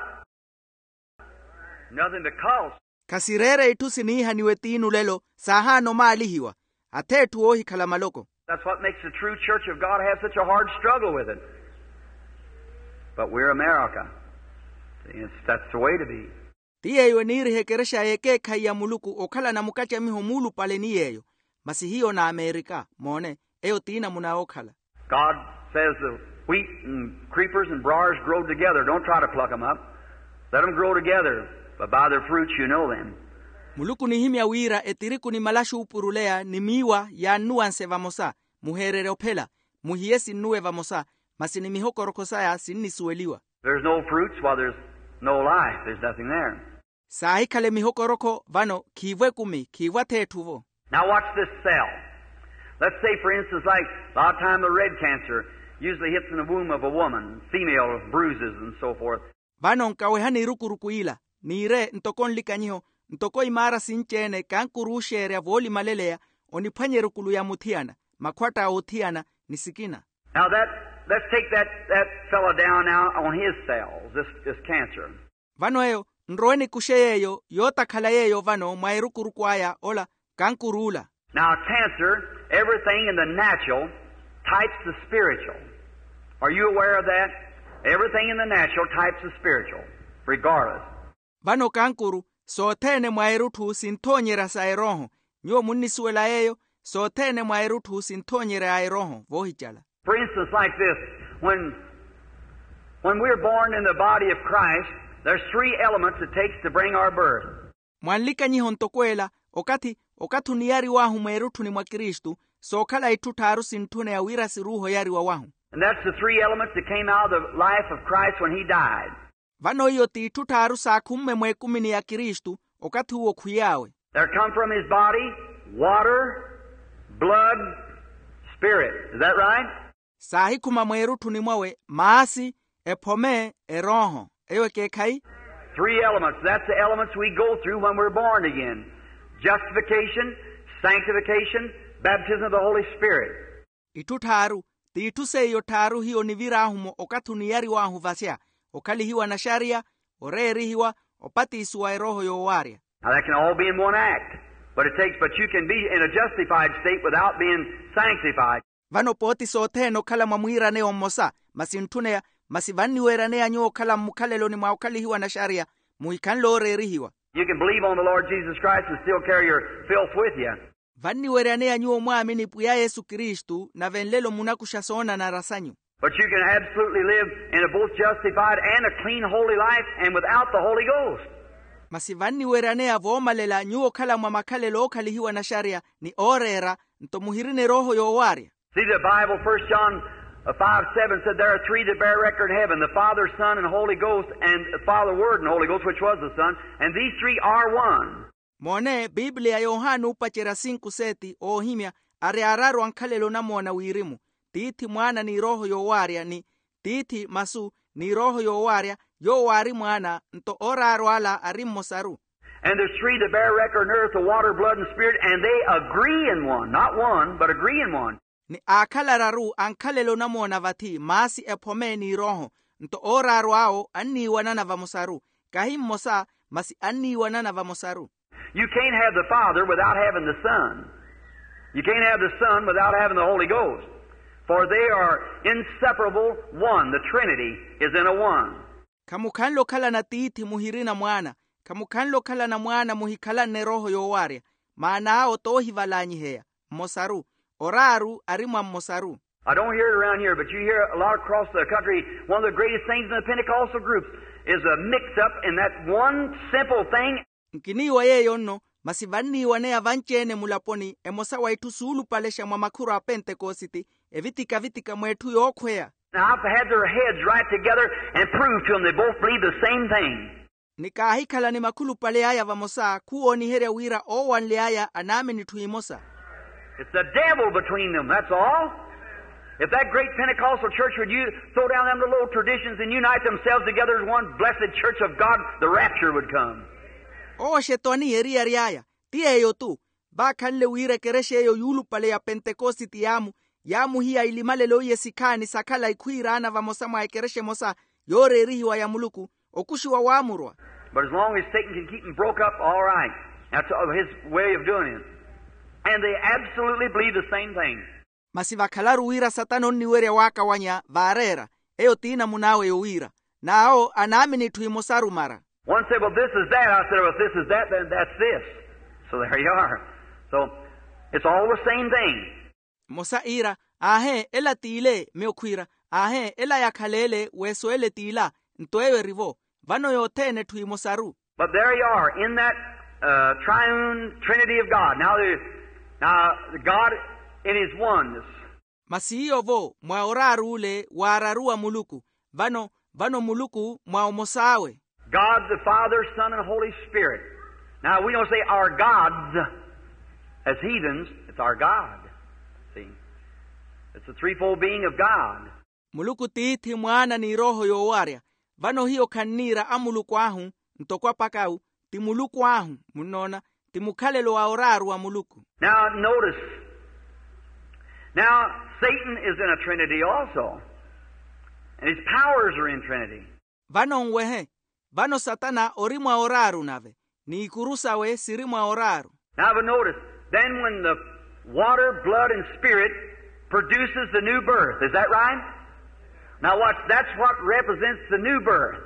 Nothing but cults. Khasireere itthu siniihaniwe tiinu lelo saahaana omaalihiwa. Ath'etthu oohikhala maloko. That's what makes the true church of God have such a hard struggle with it. But we're America. See, it's, that's the way to be. Ti yeeyo eniiriha ekerexa y'ekeekhayi ya muluku okhalana mukattamiho muulupale ni yeeyo. Masi hiyo n'amerika moone, eyo ti namuna yookhala. God says the wheat and creepers and briars grow together. Don't try to pluck 'em up. Let 'em grow together, but by their fruits you know them. Muluku onihimya wira etiriku ni malaxi oopuruleya ni miiwa yaannuwanse vamosa. Muheererye ophela. Muhiye sinnuwe vamosa, masi ni mihokorokho saya sinnisuweliwa. There's no fruits while there's no life. There's nothing there. Saahikhale mihokorokho vano khiivo ekumi khiivo ath'etthu-vo. Now watch this cell. Let's say, for instance, like, a lot of time the red cancer usually hits in the womb of a woman, female bruises and so forth. Vano nkawehani erukuruku ila, niire ntoko nlikanyiho, ntoko imaara sinci-ene kankuru ooxeerya voolimaleleya oniphwanya erukulu ya muthiyana, makhwatta a othiyana, ni sikina. Now that, let's take that, that fellow down now on his cells, this, this cancer. Vano eyo nrowe nikuxe yeeyo yootakhala yeeyo vano mwa erukuruku aya ola kankuruula. Now cancer, everything in the natural types the spiritual. Are you aware of that? Everything in the natural types the spiritual, regardless. Vano kankuru sothene mwa erutthu sinthoonyerya sa erooho. Nyuwo munnisuwela yeeyo, sothene mwa erutthu sinthoonyerya a erooho voohicala. For instance, like this, when, when we're born in the body of Christ, there's three elements it takes to bring our birth. Mwanlikanyiho ntoko ela, okathi okathi oniyariw'ahu mweerutthuni mwa kristu, sookhala itthu tthaaru sintthuneya wira siruuhe oyariwa wahu. And that's the three elements that came out of the life of Christ when he died. Vano iyo t'itthu tthaaru saakhumme mweekumini ya kristu, okathi uwo khwiy'awe. There come from his body water, blood, spirit. Is that right? Saahikhuma mweerutthuni mwawe maasi, ephome, erooho. Eyo ekeekhayi? Three elements, that's the elements we go through when we're born again. Justification, sanctification, baptism of the Holy Spirit. Itthu tthaaru, t'itthu seiyo tthaaru hiyo nivir'ahu-mo okathi oniyariw'ahu vasya, okhalihiwa naxariya, oreerihiwa, opatisiwa erooho yoowaarya. Now that can all be in one act, but it takes but you can be in a justified state without being sanctified. Vano pooti sothene okhala mwa mwiiraneya ommosa, masi ntthuneya, masi vanniweeraneya nyuwo okhala mmukhaleloni mwa okhalihiwa naxariya, muhikhanle ooreerihiwa. You can believe on the Lord Jesus Christ and still carry your filth with you. Vanniweryaneya nyuwo mwaamini pwiya yesu kristu nave nlelo munakuxa soonanara sanyu. But you can absolutely live in a both justified and a clean holy life and without the Holy Ghost. Masi vanniweryaneya voomalela nyuwo okhala mwa makhalelo ookhalihiwa naxariya ni ooreera, nto muhirina erooho yoowaarya. See, the Bible, First John, uh, five seven said, "There are three that bear record in heaven, the Father, Son, and Holy Ghost, and the Father, Word, and Holy Ghost, which was the Son, and these three are one." Moone, bibliya yohani oopacerya sinku seeti oohimya, ari araru ankhalelo onamoona wirimu, tiithi mwaana n'irooho yoowaarya ni, tiithi masu n'irooho yoowaarya, yoowo aari mwaana, nto ooraru ala ari mmosaru. And there's three that bear record on earth, the water, blood, and spirit, and they agree in one. Not one, but agree in one. Ni aakhala araru ankhalelo onamoona vathi maasi ephome n'irooho, nto ooraru awo anniiwanana vamosaru, kahi mmosa, masi anniiwanana vamosaru. You can't have the Father without having the Son. You can't have the Son without having the Holy Ghost. For they are inseparable one. The Trinity is in a one. Khamukhanle okhalana tiithi muhirina mwaana, khamukhanle okhalana mwaana muhikhalanne erooho yoowaarya, maana awo toohivalaanyiheya, mmosaru, oraaru ari mwa mmosaru. I don't hear it around here, but you hear a lot across the country. One of the greatest things in the Pentecostal groups is a mix-up in that one simple thing. Nkiniiwa yeeyo nno, masi vanniiwaneya vanci-ene mulaponi emosa wa itthu suulupalexa mwa makhuru a pentekositi, evitika-vitika mweetthu yookhweya. Now, I've had their heads right together and proved to them they both believe the same thing. Ni kaahikhala ni makhulupale aya vamosa khuwooniherya wira oowanly'aya anaamini etthu emosa. It's the devil between them, that's all. If that great Pentecostal church would you throw down them little old traditions and unite themselves together as one blessed church of God, the rapture would come. Owo xetwani eriyari aya, ti yeeyo-tu, vaakhanle wira ekerexa eyo yuulupale ya pentekositi yaamu, yaamuhiya ilimalelo iye sikhaani sakhala ikhwiiraana vamosa mwa ekerexa emosa, yooreerihiwa ya muluku, okuxiwa waamurwa. But as long as Satan can keep them broke up, all right. That's his way of doing it. And they absolutely believe the same thing. Masi vakhalaru wira satana onniwerya waakawanya vaareera, eyo ti namun'awe yowiira, n'awo anaamini itthu imosaru mara. One said, "Well, this is that." I said, "Well, if this is that, then that's this." So there you are. So it's all the same thing. Mmosa iira, aahe ela t'ile, miyo khwiira, aahe ela yakhaleele weeso ele t'ila. Nto eyo eri-vo, vano yothene etthu imosaru. But there you are in that, uh, triune trinity of God. Now, there, now God in his oneness. Masi iyo-vo mwa oraaru ole waararu wa muluku, vano, vano muluku mwa omos'awe. God the Father, Son, and Holy Spirit. Now, we don't say our gods as heathens. It's our God. See? It's the threefold being of God. Muluku tiithi mwaana n'irooho yoowarya. Vano hiyo khanniira amuluku ahu, ntoko apakawu, ti muluku ahu, munnoona, ti mukhalelo wa oraaru wa muluku. Now, notice. Now, Satan is in a trinity also. And his powers are in trinity. Vano nwehe, vano satana ori mwa oraaru nave, n'ikuru sawe siri mwa oraaru. Now, but notice, then when the water, blood, and spirit produces the new birth, is that right? Now watch, that's what represents the new birth.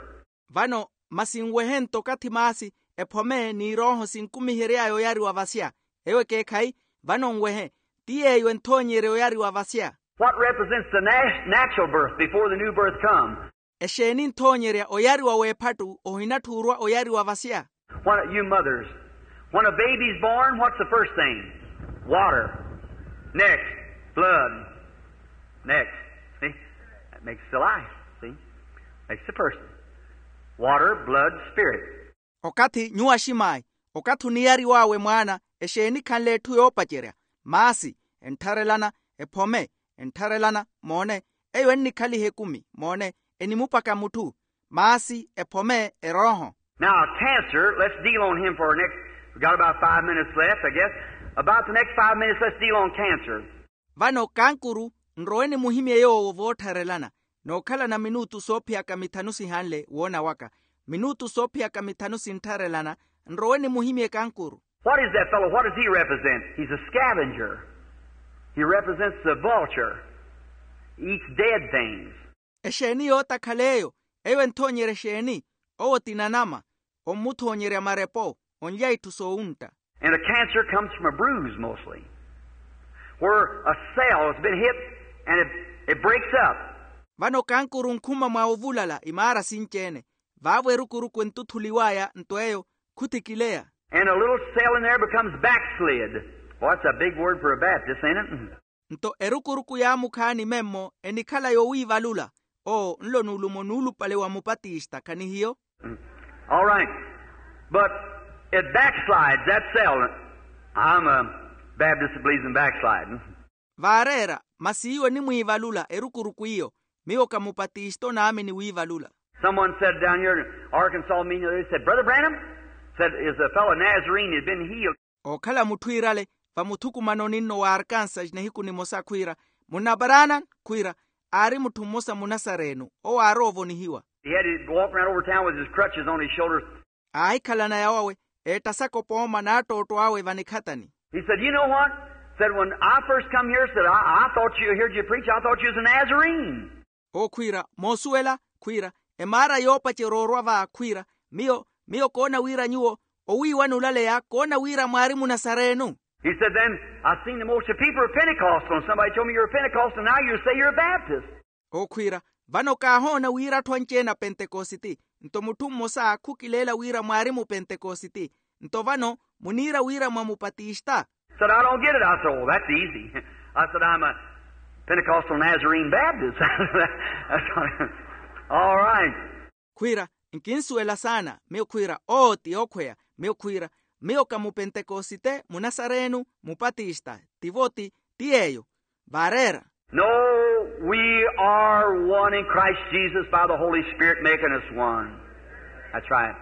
Vano, masi nwehe nto okathi maasi, ephome n'irooho sinkumihery'aya oyariwa vasya. Eyo ekeekhayi, vano nwehe, ti yeeyo enthoonyerya oyariwa vasya. What represents the na-, natural birth before the new birth comes? Exeeni nthoonyerya oyariwa w'ephattu ohinatthuurwa oyariwa vasya? When, you mothers, when a baby's born, what's the first thing? Water. Next, blood. Next. See? That makes the life. See? Makes the person. Water, blood, spirit. Okathi nyuwo aximaayi, okathi oniyariw'awe mwaana, exeeni khanle etthu yoopacerya? Maasi, enttharelana, ephome, enttharelana, moone, eyo ennikhaliha ekumi, moone, enimupaka mutthu. Maasi, ephome, erooho. Now, cancer, let's deal on him for our next, we've got about five minutes left, I guess. About the next five minutes, let's deal on cancer. Vano kankuru, nrowe nimuhimye yoowo voottharelana. Nookhalana minutu soophiyaka mithanu sihanle woona waka. Minutu soophiyaka mithanu sinttharelana. Nrowe nimuhimye kankuru. What is that fellow? What does he represent? He's a scavenger. He represents the vulture. He eats dead things. Exeeni yootakhala eyo? Eyo enthoonyerya exeeni? Owo ti nanama. Ommuthoonyerya marepo. Onlya itthu soowuntta. And a cancer comes from a bruise mostly, where a cell has been hit and it, it breaks up. Vano kankuru nkhuma mwa ovulala imaara sinci-ene. Vaavo erukuruku entuthuliw'aya nto eyo khutikileya. And a little cell in there becomes backslid. Boy, that's a big word for a Baptist, ain't it? Nto erukuruku yaamukhaani memmo enikhala yowiivalula. Oo nlo nuulumo nuulupale wa mupatista khanihiyo. All right. But it backslides, that cell. I'm a Baptist that believes in backsliding. Vaareera masi iwo enimwiivalula erukuruku iyo. Miyo ka mupatista onaamini wiivalula. Someone said down here in Arkansas meeting the other day, said, "Brother Branham," said, is a fellow Nazarene had been healed. Ookhala mutthu iirale vamuthukumanoni nno wa arkansas nihiku nimosa khwiira, munna branham khwiira, aari mutthu mmosa munasarenu owo aaroovonihiwa. He had to walk around over town with his crutches on his shoulders. Aahikhalana yawawe eettasaka opooma n'attootto awe vanikhatani. He said, "You know what?" Said, "When I first come here," said, "I, I thought you, heard you preach, I thought you was a Nazarene." Owo khwiira, moosuwela khwiira, emaara yoopacerya orwa va khwiira, miyo miyo koona wira nyuwo owiiwanulaleya koona wira mwaari munasarenu. He said, "Then I seen the most of people are pentecostal and somebody told me you're a pentecostal, now you say you're a baptist." Owo khwiira, vano kaahoona wira atthu anci-ene apentekositi. Nto mutthu mmosa khukileela wira mwaari mupentekositi. Nto vano muniira wira mwa mupatista. Said, "I don't get it." I said, "Oh, that's easy." I said, "I'm a Pentecostal Nazarene Baptist." That's all right. Khwiira, nkinsuwela saana. Miyo khwiira, oo ti yookhweya. Miyo khwiira, miyo ka mupentekosite munasarenu mupatista. Tivo ti ti yeeyo. Vaareera. No, we are one in Christ Jesus by the Holy Spirit making us one. That's right.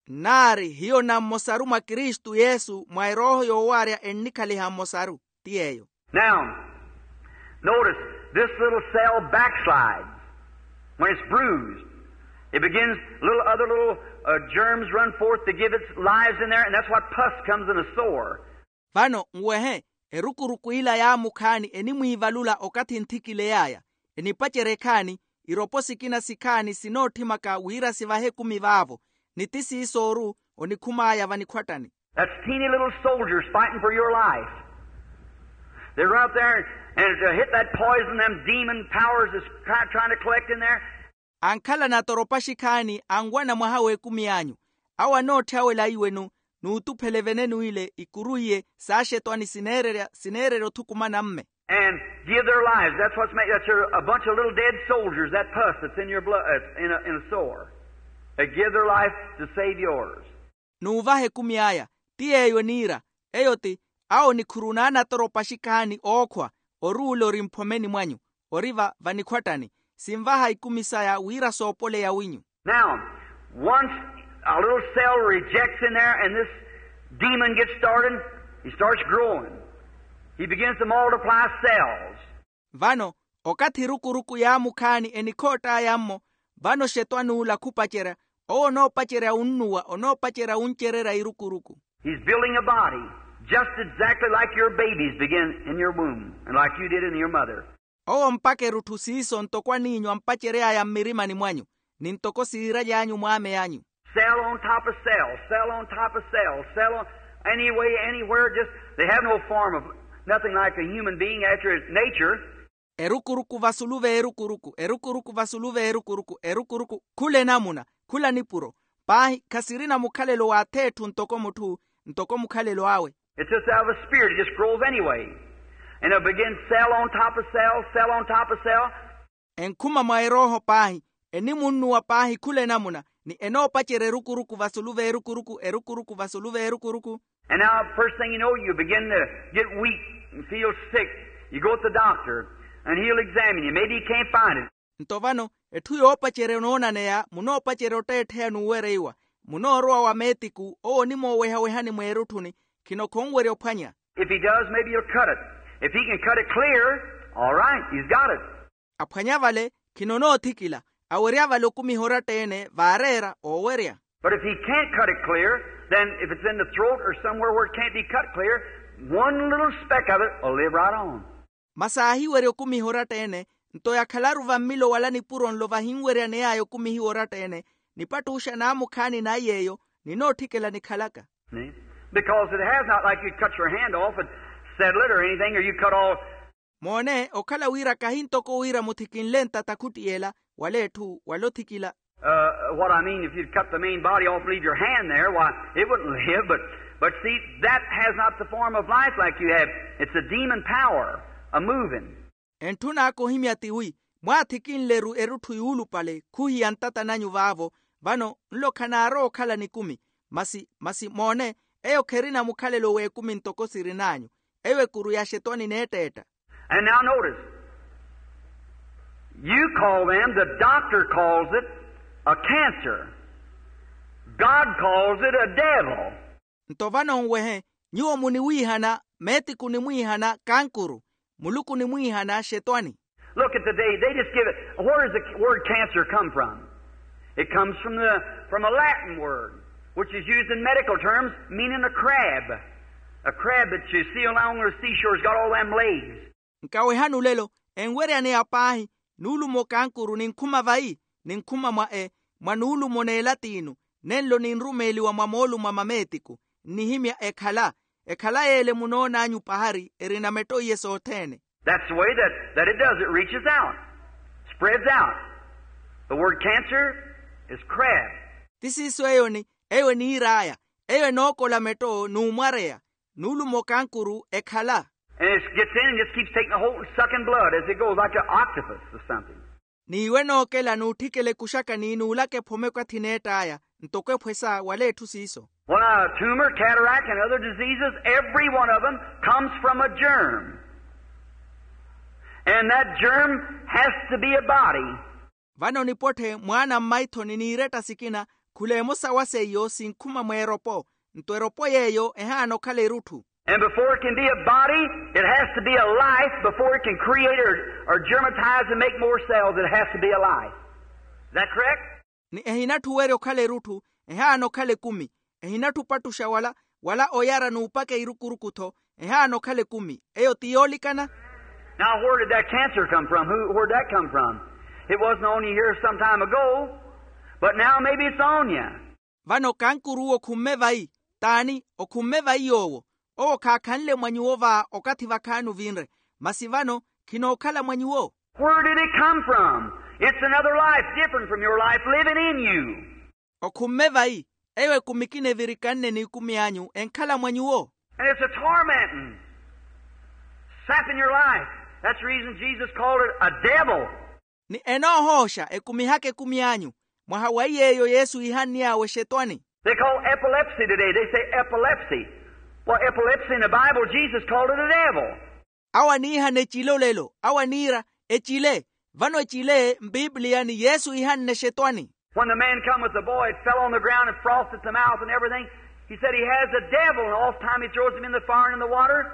Nnaari hiyo nammosaru mwa kristu yesu mwa erooho yoowaarya ennikhaliha mmosaru. Ti yeeyo. Now, notice, this little cell backslides when it's bruised. It begins, little other little uh, germs run forth to give its lives in there, and that's what pus comes in a sore. Vano nwehe, erukuruku ila yaamukhaani enimwiivalula okathi nthikiley'aya. Enipacerya ekhaani, iropo sikina sikhaani sinootthimaka wira sivahe ekumi vaavo. Ni ti siiso oru onikhum'aya vanikhwattani. That's teeny little soldiers fighting for your life. They run up there and to hit that poison, them demon powers is try, trying to collect in there. Ankhalana atoropaxi khaani anwana mwaha w'ekumi anyu. Awo anootthya wela iwenu n'utuphele venenu ile ikuru iye saaxetwani sineererya sineererya othukumana mme. And give their lives. That's what's made. That's a, a bunch of little dead soldiers, that pus that's in your blood, uh, in a, in a sore. They give their life to save yours. N'uvaha ekumi aya. Ti yeeyo eniira. Eyo ti awo nikhuru naanatoropaxi khaani ookhwa. Oruula ori mphomeni mwanyu. Ori va vanikhwattani. Sinvaha ikumi saya wira soopoleya winyu. Now, once a little cell rejects in there and this demon gets started, he starts growing. He begins to multiply cells. Vano okathi erukuruku yaamukhaani enikhoott'aya mmo. Vano xetwani ula khupacerya. Owo onoopacerya wunnuwa onoopacerya wuncererya erukuruku. He's building a body just exactly like your babies begin in your womb and like you did in your mother. Owo ompaka erutthu siiso ntoko aniinyu ampacery'aya mmirimani mwanyu ni ntoko siiraly'anyu mwaamey'anyu. Cell on top of cell, cell on top of cell, cell on any way, anywhere, just they have no form of nothing like a human being after its nature. Erukuruku vasulu v'erukuruku erukuruku vasulu v'erukuruku erukuruku khula enamuna khula nipuro. Paahi khasirina mukhalelo w'ath'etthu ntoko mutthu ntoko mukhalelo awe. It's just out of a spirit. It just grows anyway. And it'll begin cell on top of cell, cell on top of cell. Enkhuma mwa erooho paahi enimunnuwa paahi khula enamuna ni enoopacerya erukuruku vasulu v'erukuruku erukuruku vasulu v'erukuruku. And now, first thing you know, you begin to get weak and feel sick. You go to the doctor, and he'll examine you. Maybe he can't find it. Nto vano etthu yoopacerya onoonaneya munoopacerya otteettheya n'uwereiwa. munoorowa wa meetiku owo onimoowehawehani mweerutthuni. Khino khonwerya ophwanya. If he does, maybe he'll cut it. If he can cut it clear, all right, he's got it. Aphwanya vale, khino onoothikila. Awerya vale okumiha oratta-ene vaareera oowerya. But if he can't cut it clear, then if it's in the throat or somewhere where it can't be cut clear, one little speck of it will live right on. Masi aahiwerya okumiha oratta-ene, nto yakhalaru vammilo wala nipuro nlo vahinweryaney'aya okumihiwa oratta-ene, nipattuxa naamukhaani naiy'eyo ninootthikela nikhalaka. Because it has not, like you cut your hand off and settle it or anything, or you cut all. Moone okhala wira kahi ntoko wira muthikinle ntata khuttiyela wala etthu wala othikila. What I mean, if you'd cut the main body off and leave your hand there, why, it wouldn't live. But, but see, that has not the form of life like you have. It's a demon power, a moving. Entthun'aka ohimya tiwi, mwaathikinle-ru erutthu yuulupale khuhiya ntata nanyu vaavo. Vano nlo khanaarowa okhala nikumi. Masi masi moone, eyo kherina mukhalelo w'ekumi ntoko sirin'anyu. Eyo ekuru ya axetwani neetteetta. And now notice, you call them, the doctor calls it a cancer. God calls it a devil. Nto vano nwehe, nyuwo muniwiihana, meetiku onimwiihana kankuru, muluku onimwiihana axetwani. Look at the day. They just give it. Where does the word cancer come from? It comes from the, from a Latin word, which is used in medical terms, meaning a crab. A crab that you see along the seashore has got all them legs. Nkawehani olelo, enweryaneya paahi, nuulumo kankuru ninkhuma vayi? Ninkhuma mwa e, mwa nuulumo n'elatinu, nenlo ninrumeeliwa mwa moolumo a mameetiku. Nnihimya ekhala. Ekhala y'ele munoon'anyu pahari erina metto iye sothene. That's the way that, that it does. It reaches out, spreads out. The word cancer is crab. Ti siiso eyoni, eyo eniir'aya. Eyo enookola metto n'umwareya. Nuulumo kankuru ekhala. And it gets in and just keeps taking a hold and sucking blood as it goes, like an octopus or something. N'iwe nookela n'utthikela ekuxaka ni nuulaka ephome okathi neett'aya, ntoko ephwesa wala etthu siiso. When a tumor, cataract, and other diseases, every one of them comes from a germ. And that germ has to be a body. Vano nipotthe mwaana mmaithoni n'iretta sikina, khula emosa wa seiyo sinkhuma mweeropo. Nto eropo yeeyo ehaana okhala erutthu. And before it can be a body, it has to be a life before it can create or, or germatize and make more cells. It has to be a life. Is that correct? Ni ehinatthu owerya okhala erutthu, ehaana okhala ekumi. Ehinatthu opattuxa wala, wala oyara n'upaka irukurukutho, ehaana okhala ekumi. Eyo ti yoolikana. Now, where did that cancer come from? Who, where'd that come from? It wasn't on you here some time ago, but now maybe it's on you. Vano kankuruwo okhumme vayi? T'ani okhumme vayi yoowo? Owo khaakhanle mwa nyuwo va okathi vakhaani ovinre, masi vano khinookhala mwa nyuwo. Where did it come from? It's another life different from your life living in you. Okhumme vayi? Eyo ekumi ekina evirikanne n'ikumi anyu enkhala mwa nyuwo. And it's a tormenting, sapping your life. That's the reason Jesus called it a devil. Ni enoohooxa ekumihaka ekumi anyu. Mwaha wa iy'eyo yesu iihanniy'awe exetwani. They call epilepsy today. They say epilepsy. Well, epilepsy in the Bible, Jesus called it a devil. Awo aniihana ecile olelo, awo aniira, ecile. Vano ecile mpiipiliyani yesu iihanne exetwani. When the man come with the boy, it fell on the ground and frothed at the mouth and everything. He said he has a devil, and oft time he throws him in the fire and in the water.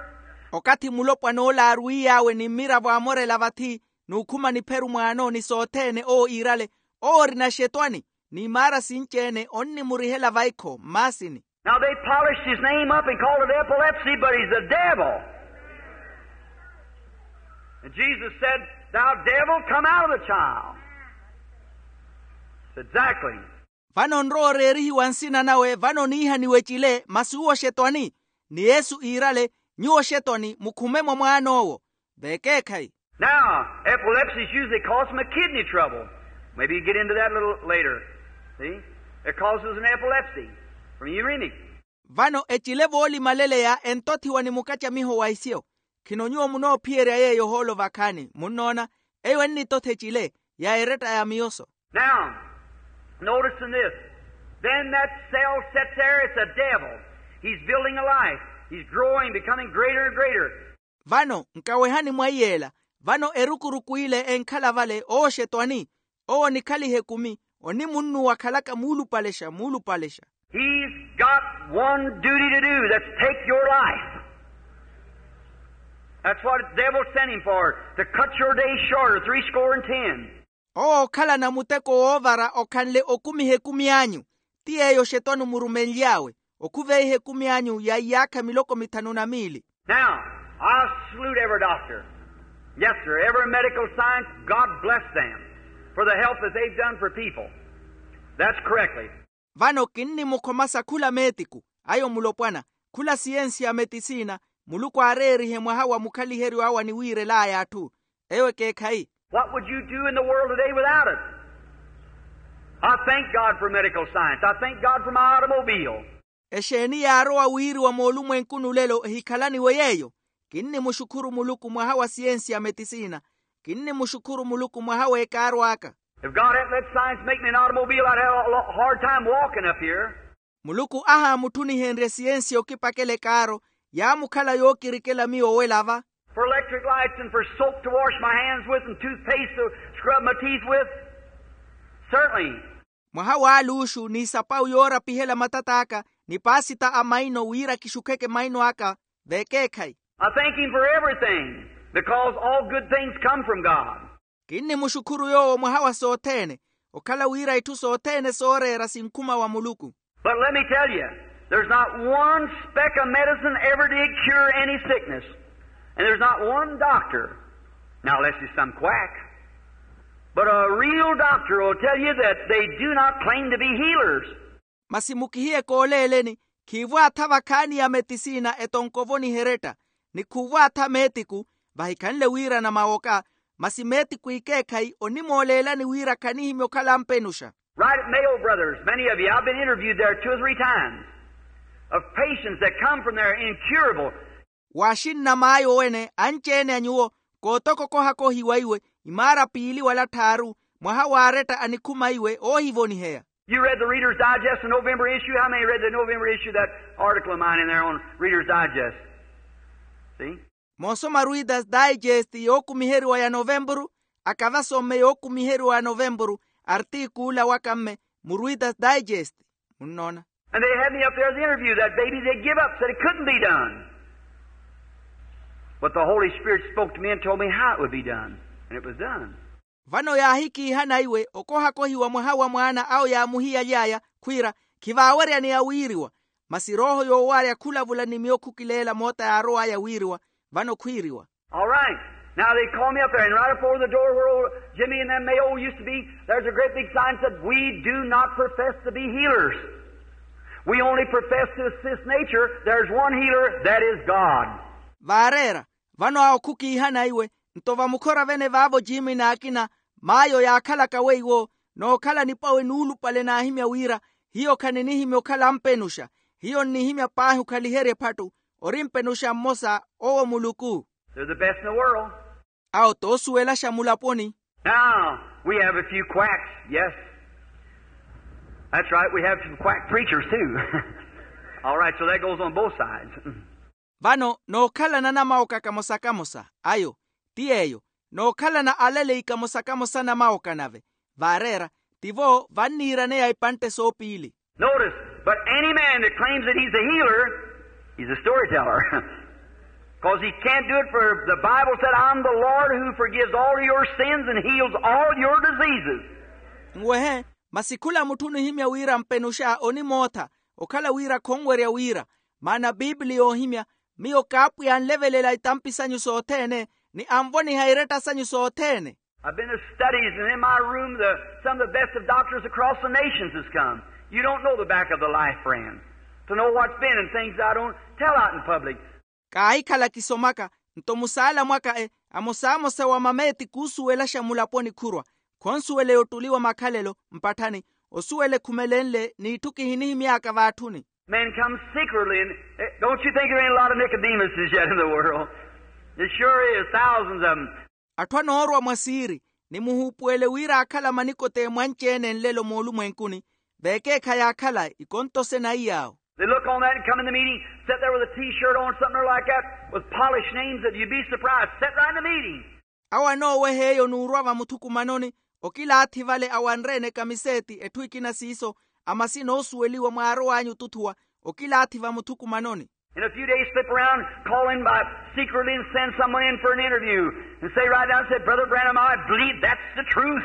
Okathi mulopwana ola aarwiiy'awe ni mmiravo amorela vathi, n'ukhuma nipheru mwaano ni sothene owo iirale, owo orina exetwani, n'imaara sinci-ene onnimurihela vaikho mmaasini. Now they polished his name up and called it epilepsy, but he's a devil. And Jesus said, thou devil, come out of the child. It's exactly. Vano onrowa oreerihiwa nsina nawe vano oniihaniwa ecile masi uwo oxetwani. Ni yesu iirale, nyuwo oxetwani mukhume mwa mwaan'owo. Vekeekhayi. Now, epilepsy is usually caused from a kidney trouble. Maybe you get into that a little later. See? It causes an epilepsy from uremic. Vano ecile voolimaleleya entothiwa ni mukacamiho wa isyo. Khino nyuwo munoophiyerya yeeyo ohoolo vakhaani munnoona, eyo ennitotha ecile ya eretta ya miyoso. Now, notice in this. Then that cell sits there, it's a devil. He's building a life. He's growing, becoming greater and greater. Vano nkawehani mwa iyeela. Vano erukuruku ile enkhala vale owo oxetwani, owo onikhaliha ekumi, onimunnuwa akhalaka muulupalexa muulupalexa. He's got one duty to do, that's take your life. That's what the devil sent him for, to cut your days shorter, three score and ten. Owo okhalana muteko woovara okhanle okumiha ekumi anyu. Ti yeeyo xetwani omurumenly'awe, okhuveiha ekumi anyu ya iyaakha miloko mithanu na miili. Now, I salute every doctor. Yes, sir. Every medical science, God bless them for the help that they've done for people. That's correctly. Vano kinnimukhomasa khula meetiku, ayo mulopwana, khula siyensi ya metisina, muluku aareerihe mwaha wa mukhaliheryo awe aniwiirel'aya atthu. Eyo ekeekhayi. What would you do in the world today without it? I thank God for medical science. I thank God for my automobile. Exeeni yaarowa wiiriwa moolumwenkuni olelo ehikhalaniwe yeeyo? Kinnimuxukhuru muluku mwaha wa siyensi ya metisina. Kinnimuxukhuru muluku mwaha w'ekaaru aka. If God hadn't let science make me an automobile, I'd have a lo- hard time walking up here. Muluku ahaamutthunihenrye siyensi okipakela ekaaro, yaamukhala yookirikela miyo owela va. For electric lights and for soap to wash my hands with and toothpaste to scrub my teeth with. Certainly. Mwaha w'aluuxu n'isapawu yoorapihela matat'aka, ni paasita a maino wira kixukheke maino aka. Vekeekhayi. I thank him for everything, because all good things come from God. Kinnimuxukhuru yoowo mwaha wa sothene, okhala wira itthu sothene sooreera sinkhuma wa muluku. But let me tell you, there's not one speck of medicine ever did cure any sickness. And there's not one doctor, now unless it's some quack, but a real doctor will tell you that they do not claim to be healers. Masi mukihiye kooleeleni, khiivwaatha vakhaani ya metisina etonko ovoniha eretta, ni khuuvwaatha meetiku, vahikhanle wiirana mawoka. Masi meetiku ikeekhayi onimooleelani wira khanihimya okhala ampenuxa. Right at Mayo, brothers, many of you, I've been interviewed there two or three times, of patients that come from there incurable. Waaxinna maayo wene anci-ene a nyuwo, kootokokohakohiwa iwe, imaara piili wala tthaaru, mwaha w'aretta anikhuma iwe oohivoniheya. You read the Reader's Digest, the November issue? How many read the November issue of that article of mine in there on Reader's Digest? See? Moosoma Reader's Digest yookumiheriwa ya novempuru? Aka vasomme yookumiheriwa ya novempuru, artikuula waka mme mu Reader's Digest. Munnoona? And they had me up there as the interview. That baby, they give up, said it couldn't be done. But the Holy Spirit spoke to me and told me how it would be done. And it was done. Vano yaahikiihana iwe okohakohiwa mwaha wa mwaana awo yaamuhiyaly'aya, khwiira, khivaaweryaneya wiiriwa. Masi rooho yoowarya khulavula ni miyo khukileela moota yaarow'aya wiiriwa. Vano khwiiriwa. All right. Now they call me up there, and right up over the door where old Jimmy and them Mayo used to be, there's a great big sign that said, "We do not profess to be healers. We only profess to assist nature. There's one healer, that is God." Vaareera, vano awo khukiihana iwe, nto vamukhora vene vaavo jiimi n'akina, maayo yaakhalaka weiwo, nookhala nipwawe nuulupale naahimya wira, hiyo khaninihimya okhala ampenuxa. Hiyo nnihimya paahi okhaliherya ephattu, ori mpenuxa mmosa, owo muluku. They're the best in the world. Awo toosuwelaxa mulaponi. Now, we have a few quacks, yes. That's right, we have some quack preachers too. All right, so that goes on both sides. Vano nookhalana namawoka kamosa-kamosa, ayo, ti yeeyo, nookhalana alaleyi kamosa-kamosa namawoka nave. Vaareera, tivo vanniiraneya ipantte soopiili. Notice, but any man that claims that he's a healer, he's a storyteller. Because he can't do it, for the Bible said, "I'm the Lord who forgives all your sins and heals all your diseases." Nwehe, masi khula mutthu onihimya wira mpenuxa onimootha, okhala wira khonwerya wira. Maana biipili yoohimya, miyo kaapwiya anlevelela itampi sanyu sothene, ni anvoniha iretta sanyu sothene. I've been to studies, and in my room, the, some of the best of doctors across the nations has come. You don't know the back of the life, friend, to know what's been and things I don't tell out in public. Kaahikhala kisomaka, nto musaala mwaka e, amosamosa wa mameeti khuusuwelaxa mulaponi khurwa, khonsuwela yottuli wa makhalelo mpatthani, osuwela ekhumelenle n'itthu kihinihimy'aka vaatthuni. Men come secretly, and, eh, don't you think there ain't a lot of Nicodemuses yet in the world? There sure is, thousands of them. Atthu anoorwa mwa siiri, ni muhuupuwele wira aakhala manikodemu anci-ene nlelo moolumwenkuni, vekeekhayi aakhala ikonto sena iyaawo. They look on that and come in the meeting, sit there with a T-shirt on, something like that, with polished names that you'd be surprised. Sit right in the meeting. Awo anooweha eyo n'urwa vamuthukumanoni, Okilaathi vale awanre-ene ekamiseeti etthu ekina siiso, ama sinoosuweliwa mwaarow'anyu otuthuwa. Okilaathi vamuthukumanoni. In a few days slip around, call in by secretly and send someone in for an interview, and say right down, say, "Brother Branham, I believe that's the truth."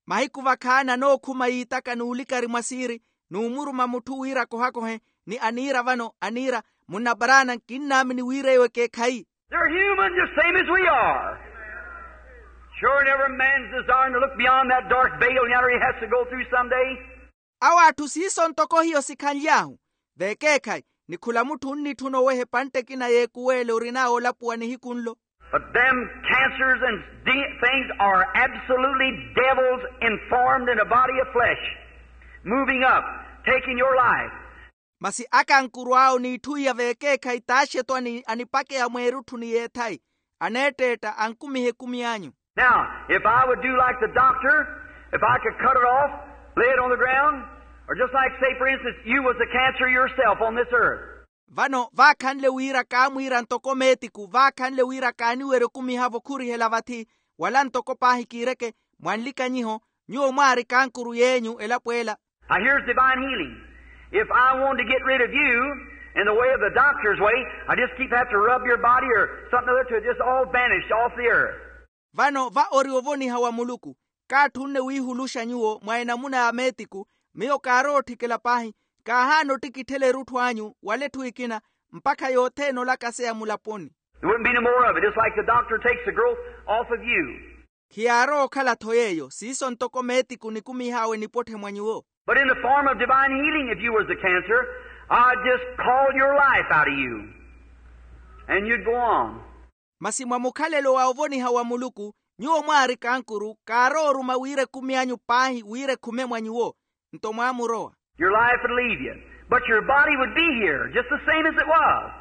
Mahiku vakhaana nookhuma yiitaka n'ulikari mwa siiri, n'umuruma mutthu wira akohakohe, ni aniira vano aniira, munna paraana kinnaamini wira eyo ekeekhayi. They're human just same as we are. Sure, never man's desiring to look beyond that dark veil yonder he has to go through someday. Awo atthu siiso ntoko hiyo sikhanly'ahu. Veekeekhayi, ni khula mutthu onnitthuna oweha epantte ekina y'ekuweele orin'awe olapuwa nihiku nlo. But them cancers and things are absolutely devils informed in a body of flesh, moving up, taking your life. Masi akankuru awo n'itthu iya veekeekhayi t'axetwani anipakeya mweerutthu ni yeethayi, aneetteetta ankumiha ekumi anyu. Now, if I would do like the doctor, if I could cut it off, lay it on the ground, or just like, say, for instance, you was the cancer yourself on this earth. Vano vaakhanle wira kaamwiira ntoko meetiku vaakhanle wira kaaniwerya okumiha-vo khurihela vathi, wala ntoko paahi kiireke, mwanlikanyiho, nyuwo mwaari kankuru y'enyu elapo ela. Now, here's divine healing. If I wanted to get rid of you in the way of the doctor's way, I just keep have to rub your body or something other to just all vanish off the earth. Vano va ori ovoniha wa muluku. Kaatthunne wiihuluxa nyuwo mwa enamuna ya meetiku. Miyo kaarowa otthikela paahi, kaahaana ottikitthela erutthu anyu wala etthu ekina, mpakha yothene olakaseya mulaponi. There wouldn't be no more of it. It's like the doctor takes the growth off of you. Khiyaarowa okhala-tho yeeyo siiso ntoko meetiku nikumih'awe nipotthe mwa nyuwo. But in the form of divine healing, if you was the cancer, I'd just call your life out of you, and you'd go on. Masi mwa mukhalelo wa ovoniha wa muluku, nyuwo mwaari kankuru kaarowa oruma wira ekumi anyu paahi wira ekhume mwa nyuwo, nto mwaamurowa. Your life would leave you, but your body would be here just the same as it was.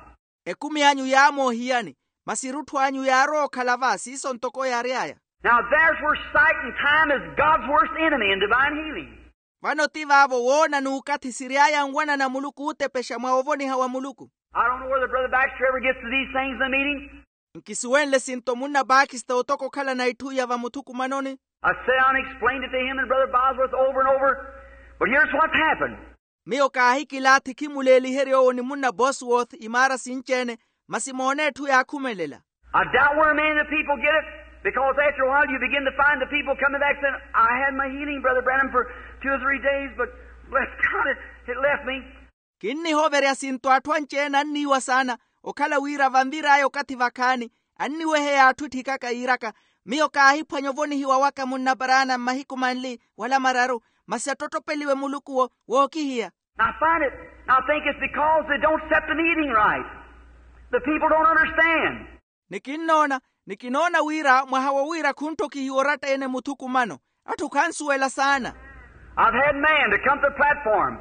Ekumi anyu yaamooha iyani, masi erutthu anyu yaarowa okhala va siiso ntoko yaary'aya. Now there's where sight and time is God's worst enemy in divine healing. Vano ti vaavo woona n'ukathi siry'aya anwanana a muluku ootepexa mwa ovoniha wa muluku. I don't know whether Brother Baxter ever gets to these things in the meeting. Nkisuwenle sinto munna paakista otoka okhalana itthu iya vamuthukumanoni. I sat down and explained it to him and Brother Bosworth over and over. But here's what's happened. Miyo kaahikilaathi khimuleeliherye owo ni munna Bosworth imaara sinci-ene, masi moone etthu yaakhumelela. I doubt where many of the people get it, because after a while you begin to find the people coming back saying, "I had my healing, Brother Branham, for two or three days, but bless God, it, it left me." Kinnihoverya sinto atthu anci-ene anniiwa saana, okhala wira vanvir'aya okathi vakhaani, anniweheya atthu etthikaka yiiraka, miyo kaahiphwanya ovonihiwa waka munnaparaana mmahiku manli wala mararu, masi attottopeliwe muluku-wo wookihiya. I find it, I think it's because they don't set the meeting right. The people don't understand. Ni kinnoona, ni kinoona wira mwaha wo wira khunttokihiwa oratta-ene muthukumano. Atthu khansuwela saana. I've had man to come to the platform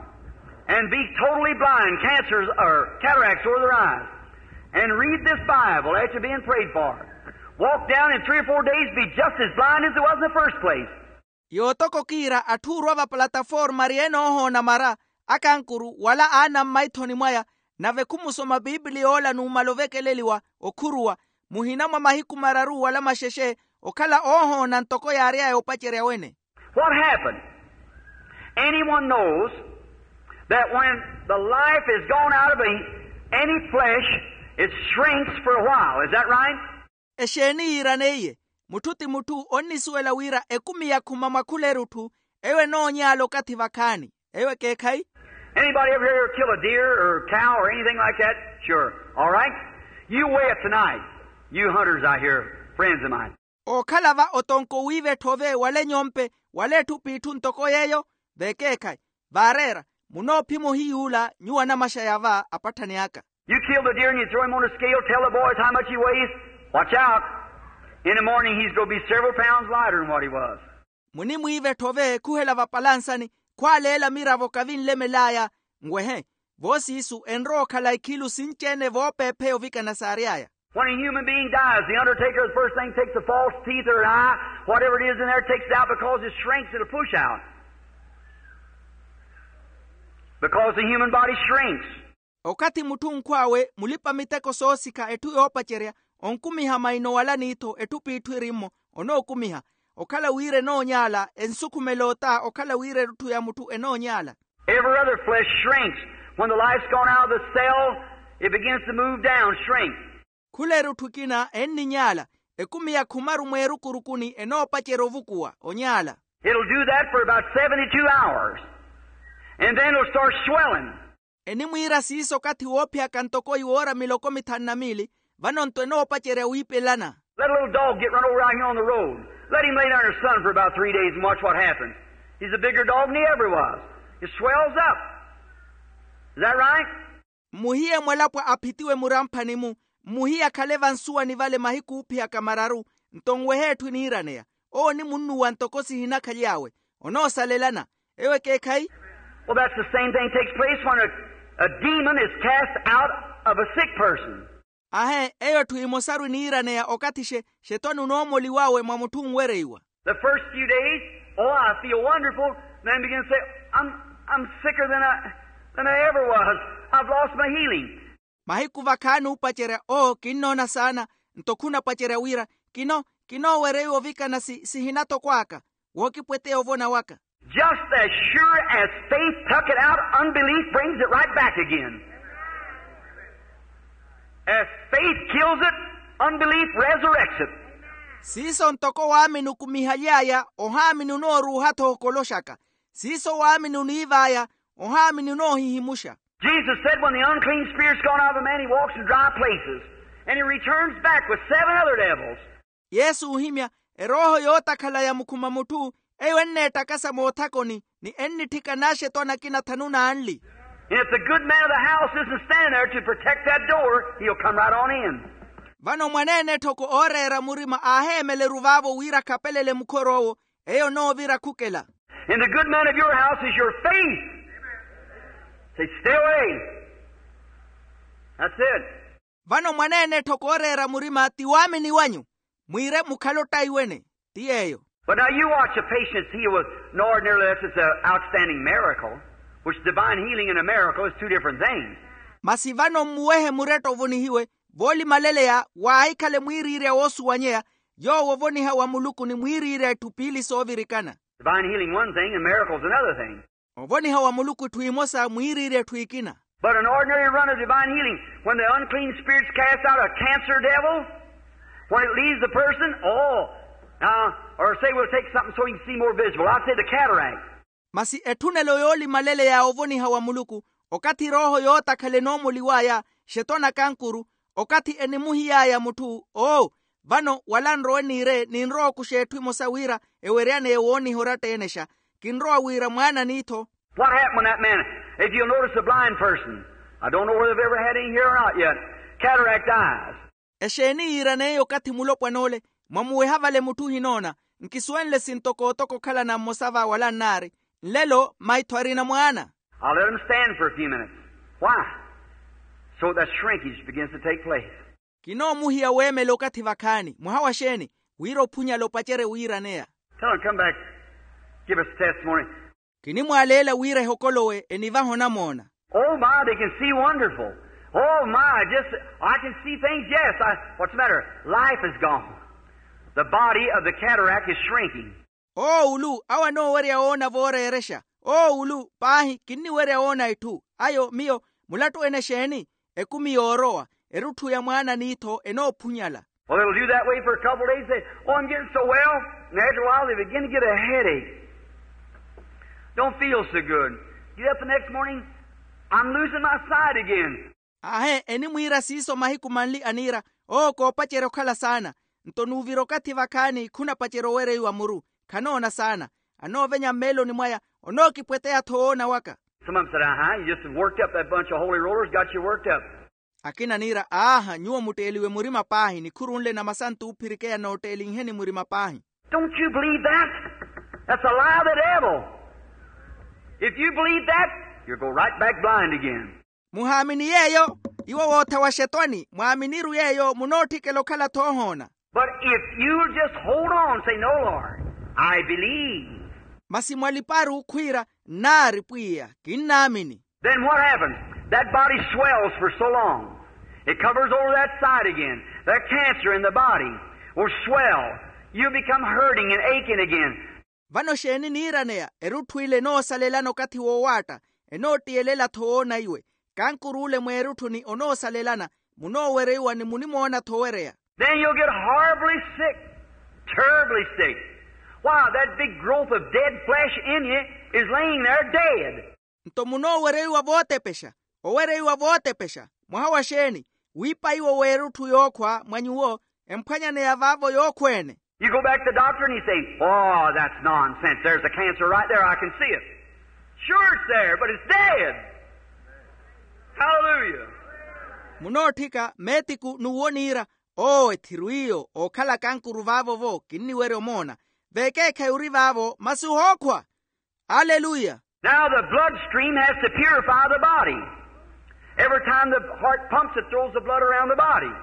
and be totally blind, cancers or cataracts over their eyes, and read this Bible after being prayed for. Walk down in three or four days, be just as blind as they was in the first place. Yootoko kiira atthu orwa vapalataforma ari-ene oohoona mara, akankuru wala aana mmaithoni mwaya, nave khumusoma piipiliya ola numala ovekeleliwa, okhuruwa muhina mwa mahiku mararu wala maxexe, okhala oohoona ntoko yaary'aya opacerya wene. What happened? Anyone knows that when the life is gone out of a, any flesh, it shrinks for a while. Is that right? Exeeni yiiraneiye? Mutthu ti mutthu onnisuwela wira ekumi yakhuma mwa khula erutthu, eyo enoonyaala okathi vakhaani. Eyo ekeekhayi? Anybody ever here kill a deer or a cow or anything like that? Sure. All right. You weigh it tonight. You hunters out here, friends of mine. Ookhala va otonko wiiva etthove wala enyompe wala etthu p'itthu ntoko yeeyo, vekeekhayi. Vaareera, munoophima ohiyuula nyuwo anamaxaya va apatthani aka. You kill the deer and you throw him on a scale, tell the boys how much he weighs. Watch out. In the morning he's going to be several pounds lighter than what he was. Munimwiiva etthove khuhela vapalansani, khwaaleela miravo kavinlemel'aya. Nwehe, voosiisu enrowa okhala ikhilu sinci-ene voopeepheya ovikana saary'aya. When a human being dies, the undertaker, the first thing, takes the false teeth or an eye, whatever it is in there, takes it out because it shrinks, it'll push out. Because the human body shrinks. Okathi mutthu onkhw'awe mulipa-miteko soosikha etthu yoopacerya, onkumiha maino wala n'ittho etthu p'itthu eri-mmo, onookumiha. okhala wira enoonyaala, ensukhumela ota okhala wira erutthu ya mutthu enoonyaala. Every other flesh shrinks. When the life's gone out of the cell, it begins to move down, shrink. Khula erutthu ekina enninyaala, ekumi ya khumaru mweerukurukuni enoopacerya ovukuwa onyaala. It'll do that for about seventy-two hours, and then it'll start swelling. Enimwiira siiso okathi woophiyaka ntoko iwoora miloko mithanu na miili, vano nto enoopacerya wiipelana. Let a little dog get run over out here on the road. Let him lay down in the sun for about three days and watch what happens. He's a bigger dog than he ever was. It swells up. Is that right? Mmuhiye mwalapwa aphitiwe muramphani-mu, mmuhiye akhale vansuwani vale mahiku oophiyaka mararu, nto nwehe etthu eniiraneya. Owo onimunnuwa ntoko sihinakhaly'awe. Onoosalelana. Eyo ekeekhayi? Well, that's the same thing takes place when a, a demon is cast out of a sick person. Ahe, eyo etthu emosaru eniiraneya okathi xe, xetwani onoomoliw'awe mwa mutthu onwereiwa. The first few days, oh, I feel wonderful. Then begin to say, I'm, I'm sicker than I, than I ever was. I've lost my healing. Mahiku vakhaani oopacerya, oo kinnoona saana. Nto khunapacerya wira, kino, kinoowereiwa ovikana si sihinatoko aka. Wookipweteya ovona waka. Just as sure as faith took it out, unbelief brings it right back again. As faith kills it, unbelief resurrects it. Siiso ntoko waamini okumihaly'aya, ohaamini onooruuha-tho okoloxaka. Siiso waamini oniiv'aya, ohaamini onoohihimuxa. Jesus said, when the unclean spirit's gone out of a man, he walks in dry places, and he returns back with seven other devils. Yesu oohimya, erooho yootakhala ya mukhuma mutthu, eyo enneettakasa moothakoni, ni ennitthika n'axetwani akina thanu n'anli. And if the good man of the house isn't standing there to protect that door, he'll come right on in. Vano mwaneene etthoko ooreera murima aaheemeleru vaavo wira akhapelele mukhoru owo, eyo onoovira khukela. And the good man of your house is your faith. Say, stay away. That's it. Vano mwaneene etthoko ooreera murima ti waamini wanyu. Mwiire mukhale ottaiwene. Ti yeeyo. But now you watch a patient that's healed with an ordinary, unless it's an outstanding miracle, which divine healing and a miracle is two different things. Masi vano mmuwehe muretta ovonihiwe, voolimaleleya waahikhale mwiiriirya woosuwanyeya, yoowo ovoniha wa muluku ni mwiiriirya etthu piili soovirikana. Divine healing one thing and miracles another thing. Ovoniha wa muluku etthu emosa mwiiriirya etthu ekina. But an ordinary run of divine healing, when the unclean spirit's cast out a cancer devil, when it leaves the person, oh, now, or say we'll take something so you can see more visible. I'll say the cataract. Masi etthunelo yoolimaleleya ovoniha wa muluku, okathi erooho yootakhala enoomoliw'aya, xetwani akankuru, okathi enimuhiy'aya mutthu, oo, vano wala nrowe niire ninrowa okuxa etthu emosa wira eweryaneya wooniha oratta-enexa. Kinrowa wira mwaana n'iitho. What happened when that man, if you'll notice a blind person, I don't know whether they've ever had any here or not yet, cataract eyes. Exeeni yiiraneye okathi mulopwan'ole? Mwamuweha vale mutthu ohinoona. Nkisuwenle sintoko otoko okhalana mmosa va wala nnaari. Nlelo maitho arina mwaana. I'll let him stand for a few minutes. Why? So that shrinkage begins to take place. Kinoomuhiya weemela okathi vakhaani mwaha wa xeeni? Wira ophunyala opacerye wiiraneya. Tell him, come back, give us testimony. Kinimwaaleela wira ehokolowe enivahe onamoona. Oh my, they can see wonderful. Oh my, just, I can see things, yes. I, what's the matter? Life is gone. The body of the cataract is shrinking. Oowulu awo anoowerya woona vooreerexa. Oowulu paahi kinniwerya woona etthu. Ayo miyo mulattu-ene xeeni? Ekumi yoorowa, erutthu ya mwaana n'iitho enoophunyala. Well, it'll do that way for a couple of days. Say, oh, I'm getting so well. And after a while they begin to get a headache. Don't feel so good. Get up the next morning, I'm losing my sight again. Aahe enimwiira siiso mahiku manli aniira, oo koopacerya okhala saana. Nto nuuvira okathi vakhaani khunapacerya owereiwa muru. Khanoona saana. Anoovenya mmeeloni mwaya, onookipweteya-tho woona waka. Some of them said, uh-huh, you just worked up, that bunch of holy rollers got you worked up. Akina aniira, aaha nyuwo mutteeliwe murima paahi nikhuru nle namasantu oophirikeya nootteelinheni murima paahi. Don't you believe that? That's a lie of the devil. If you believe that, you'll go right back blind again. Muhaamini yeeyo? Iwo woothawa xetwani mwaaminiru yeeyo munootthikela okhala-tho ohoona. But if you'll just hold on, say, no, Lord, I believe. Masi mwaliparu khwiira, nnaari pwiya kinnaamini. Then what happens? That body swells for so long. It covers over that side again. That cancer in the body will swell. You become hurting and aching again. Vano xeeni niiraneya? Erutthu ile enoosalelana okathi woowaatta, enoottiyelela-tho woona iwe. Kankur'ule mweerutthuni onoosalelana, munoowereiwa ni munimoona-tho owereya. Then you'll get horribly sick, terribly sick. Why, that big growth of dead flesh in you is laying there dead. Nto munoowereiwa vootepexa, owereiwa vootepexa. Mwaha wa xeeni? Wiipaiwo w'erutthu yookhwa mwa nyuwo, emphwanyaneya vaavo yookhweene. You go back to the doctor and you say, "Oh, that's nonsense. There's a cancer right there. I can see it. Sure, it's there, but it's dead." Hallelujah. Munootthika meetiku n'uwo niira, oo ethiru iyo ookhala kankuru vaavo-vo kinniwerya omoona. Veekeekhayi ori vaavo masi ohookhwa. Aleluya. Now the bloodstream has to purify the body. Every time the heart pumps, it throws the blood around the body,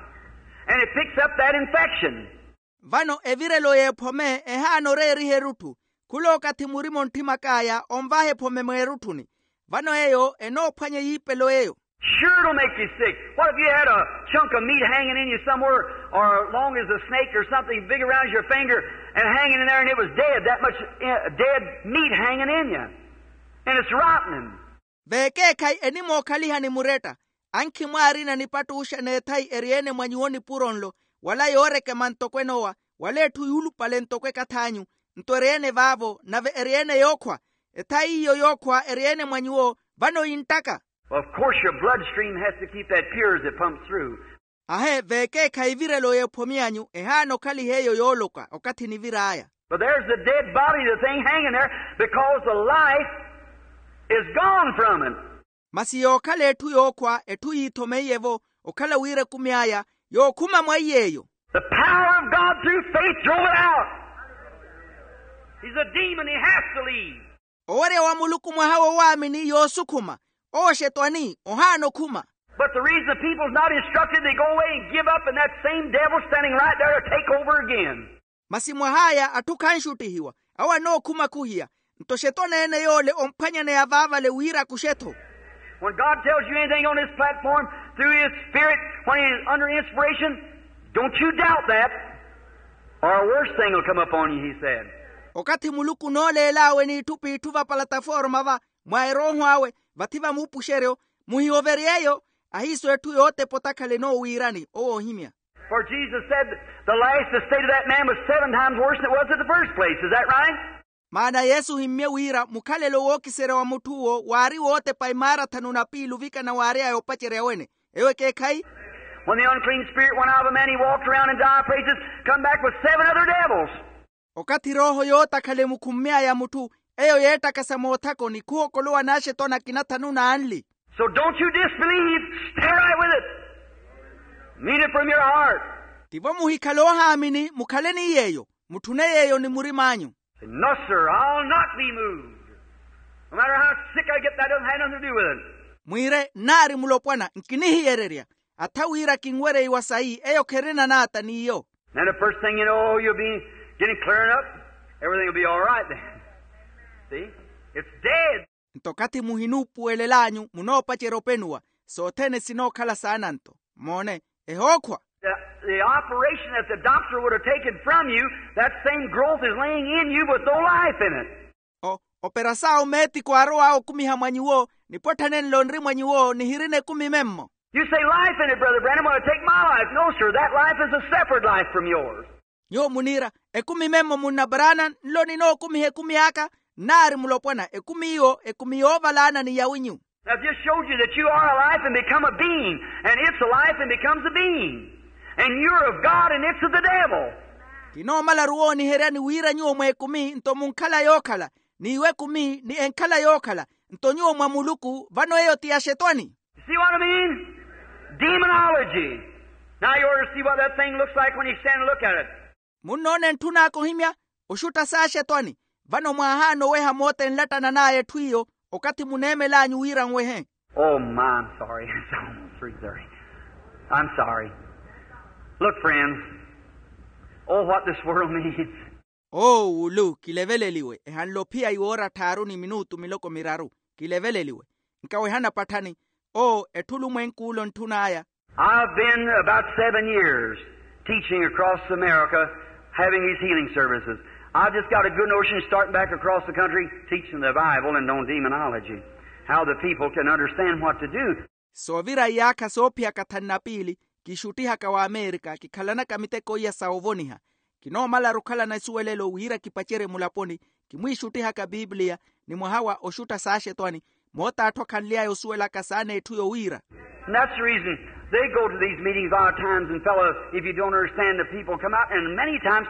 and it picks up that infection. Vano evirelo y'ephome ehaana oreeriha erutthu. Khula okathi murima ontthimakaaya onvaha ephome mweerutthuni. Vano eyo enoophwanya yiipelo eyo. Sure, it'll make you sick. What if you had a chunk of meat hanging in you somewhere, or long as a snake or something big around your finger, and hanging in there, and it was dead, that much, uh, dead meat hanging in you, and it's rottening? Veekeekhayi enimookhalihani muretta, ankhi mwaarina nipattuxa n'ethai eri-ene mwa nyuwo nipuro nlo, wala yoorekema ntoko enoowa, wala etthu yuulupale ntoko ekath'anyu, nto eri-ene vaavo nave eri-ene yookhwa. Ethai iyo yookhwa eri-ene mwa nyuwo, vano yinttaka. Well, of course, your bloodstream has to keep that pure as it pumps through. Ahe, veekeekhayi evirelo y'ephome anyu ehaana okhaliha eyo yooloka okathi nivir'aya. But there's the dead body of the thing hanging there, because the life is gone from it. Masi yookhala etthu yookhwa, etthu yiithomeiye-vo okhala wira ekumi aya yookhuma mwa iy'eyo. The power of God through faith drove it out. He's a demon, he has to leave. Owerya wa muluku mwaha wowaamini yoosukhuma. Owo xetwani ohaana okhuma. But the reason the people's not instructed, they go away and give up, and that same devil's standing right there to take over again. Masi mwah'aya atthu khanxuttihiwa, awo anookhumakhuhiya. Nto xetwani-ene yoole omphwanyaneya vaavale wira akuxe-tho. When God tells you anything on this platform through His Spirit, when He's under inspiration, don't you doubt that, or a worse thing will come upon you, He said. Okathi muluku onooleel'awe n'itthu p'itthu vapalataforma va mwa erooho awe, vathi va muupuxeryo, muhihoverye eyo. Ahiiso etthu yootepa otakhala enoowiirani owo oohimya. For Jesus said the last estate of that man was seven times worse than it was at the first place. Is that right? Maana yesu ohimmye wira mukhalelo wookiserya wa mutth'uwo waari wootepa imaara thanu na piili ovikana waary'aya opacerya wene. Eyo ekeekhayi? When the unclean spirit went out of a man, he walked around in dry places, come back with seven other devils. Okathi erooho yootakhala emukhummy'aya mutthu, eyo yeettakasa moothakoni khuhokolowa n'axetwani akina thanu n'anli. So don't you disbelieve. Stay right with it. Mean it from your heart. Tivo muhikhale oohaamini, mukhale ni yeeyo, mutthune yeeyo ni murim'anyu. Say, "No, sir, I'll not be moved, no matter how sick I get. That doesn't have nothing to do with it." Mwiire, nnaari mulopwana, nkinihiyererya. Atha wira kinwereiwa sayi, eyo kherina naata n'iyo. Then the first thing you know, you'll be getting clearing up. Everything will be all right then. See? It's dead. Nto okathi muhinuupuwelel'anyu munoopacerya openuwa, sothene sinookhala saana nto. Moone, ehookhwa. The, the operation that the doctor would have taken from you, that same growth is laying in you with no life in it. O, operasaawo meetiku aarow'awe okumiha mwa nyuwo, nipwatthanenle onri mwa nyuwo nihirina ekumi memmo. You say, "Life in it, Brother Branham, want to take my life." No, sir, that life is a separate life from yours. Nyuwo muniira, ekumi memmo munna Branham nlo ninookumiha ekumi aka? Nnaari mulopwana, ekumi iyo ekumi yoovalaana ni yawinyu. Now, if this showed you that you are alive and become a being, and it's alive and becomes a being, and you're of God and it's of the devil. Kinoomalaru wooniheryani wira nyuwo mw'ekumi nto munkhala yookhala, n'iwo ekumi ni enkhala yookhala, nto nyuwo mwa muluku vano eyo ti ya xetwani. You see what I mean? Demonology. Now you ought to see what that thing looks like when you stand and look at it. Munnoona entthun'aka ohimya, oxutta s'axetwani. Vano mwaahaana oweha moota enlattanan'aya etthu iyo, okathi muneemel'anyu wira nwehe. Oh, my, I'm sorry. It's almost three thirty. I'm sorry. Look, friends. Oh, what this world needs. Oo wulu, kileveleliwe, ehanle ophiya iwoora tthaaru ni minutu miloko miraru. Kileveleliwe. Nkawehana patthani. Oo, etthu olumwenk'ule ontthun'aya. I've been about seven years teaching across America Having these healing services, I've just got a good notion starting back across the country, teaching the Bible and no demonology, how the people can understand what to do. Soovira iyaakha soophiyaka thanu na piili, kixuttihaka wa amerika kikhalanaka miteko iya sa ovoniha. Kinoomalaru okhalana isuwelelo wira kipacerye mulaponi, kimwiixuttihaka piipiliya, ni mwaha wa oxutta saaxetwani, moota atthu akhanly'aya osuwelaka saana etthu yowiira. And that's the reason they go to these meetings a lot of times, and fellows, if you don't understand the people, come out, and many times.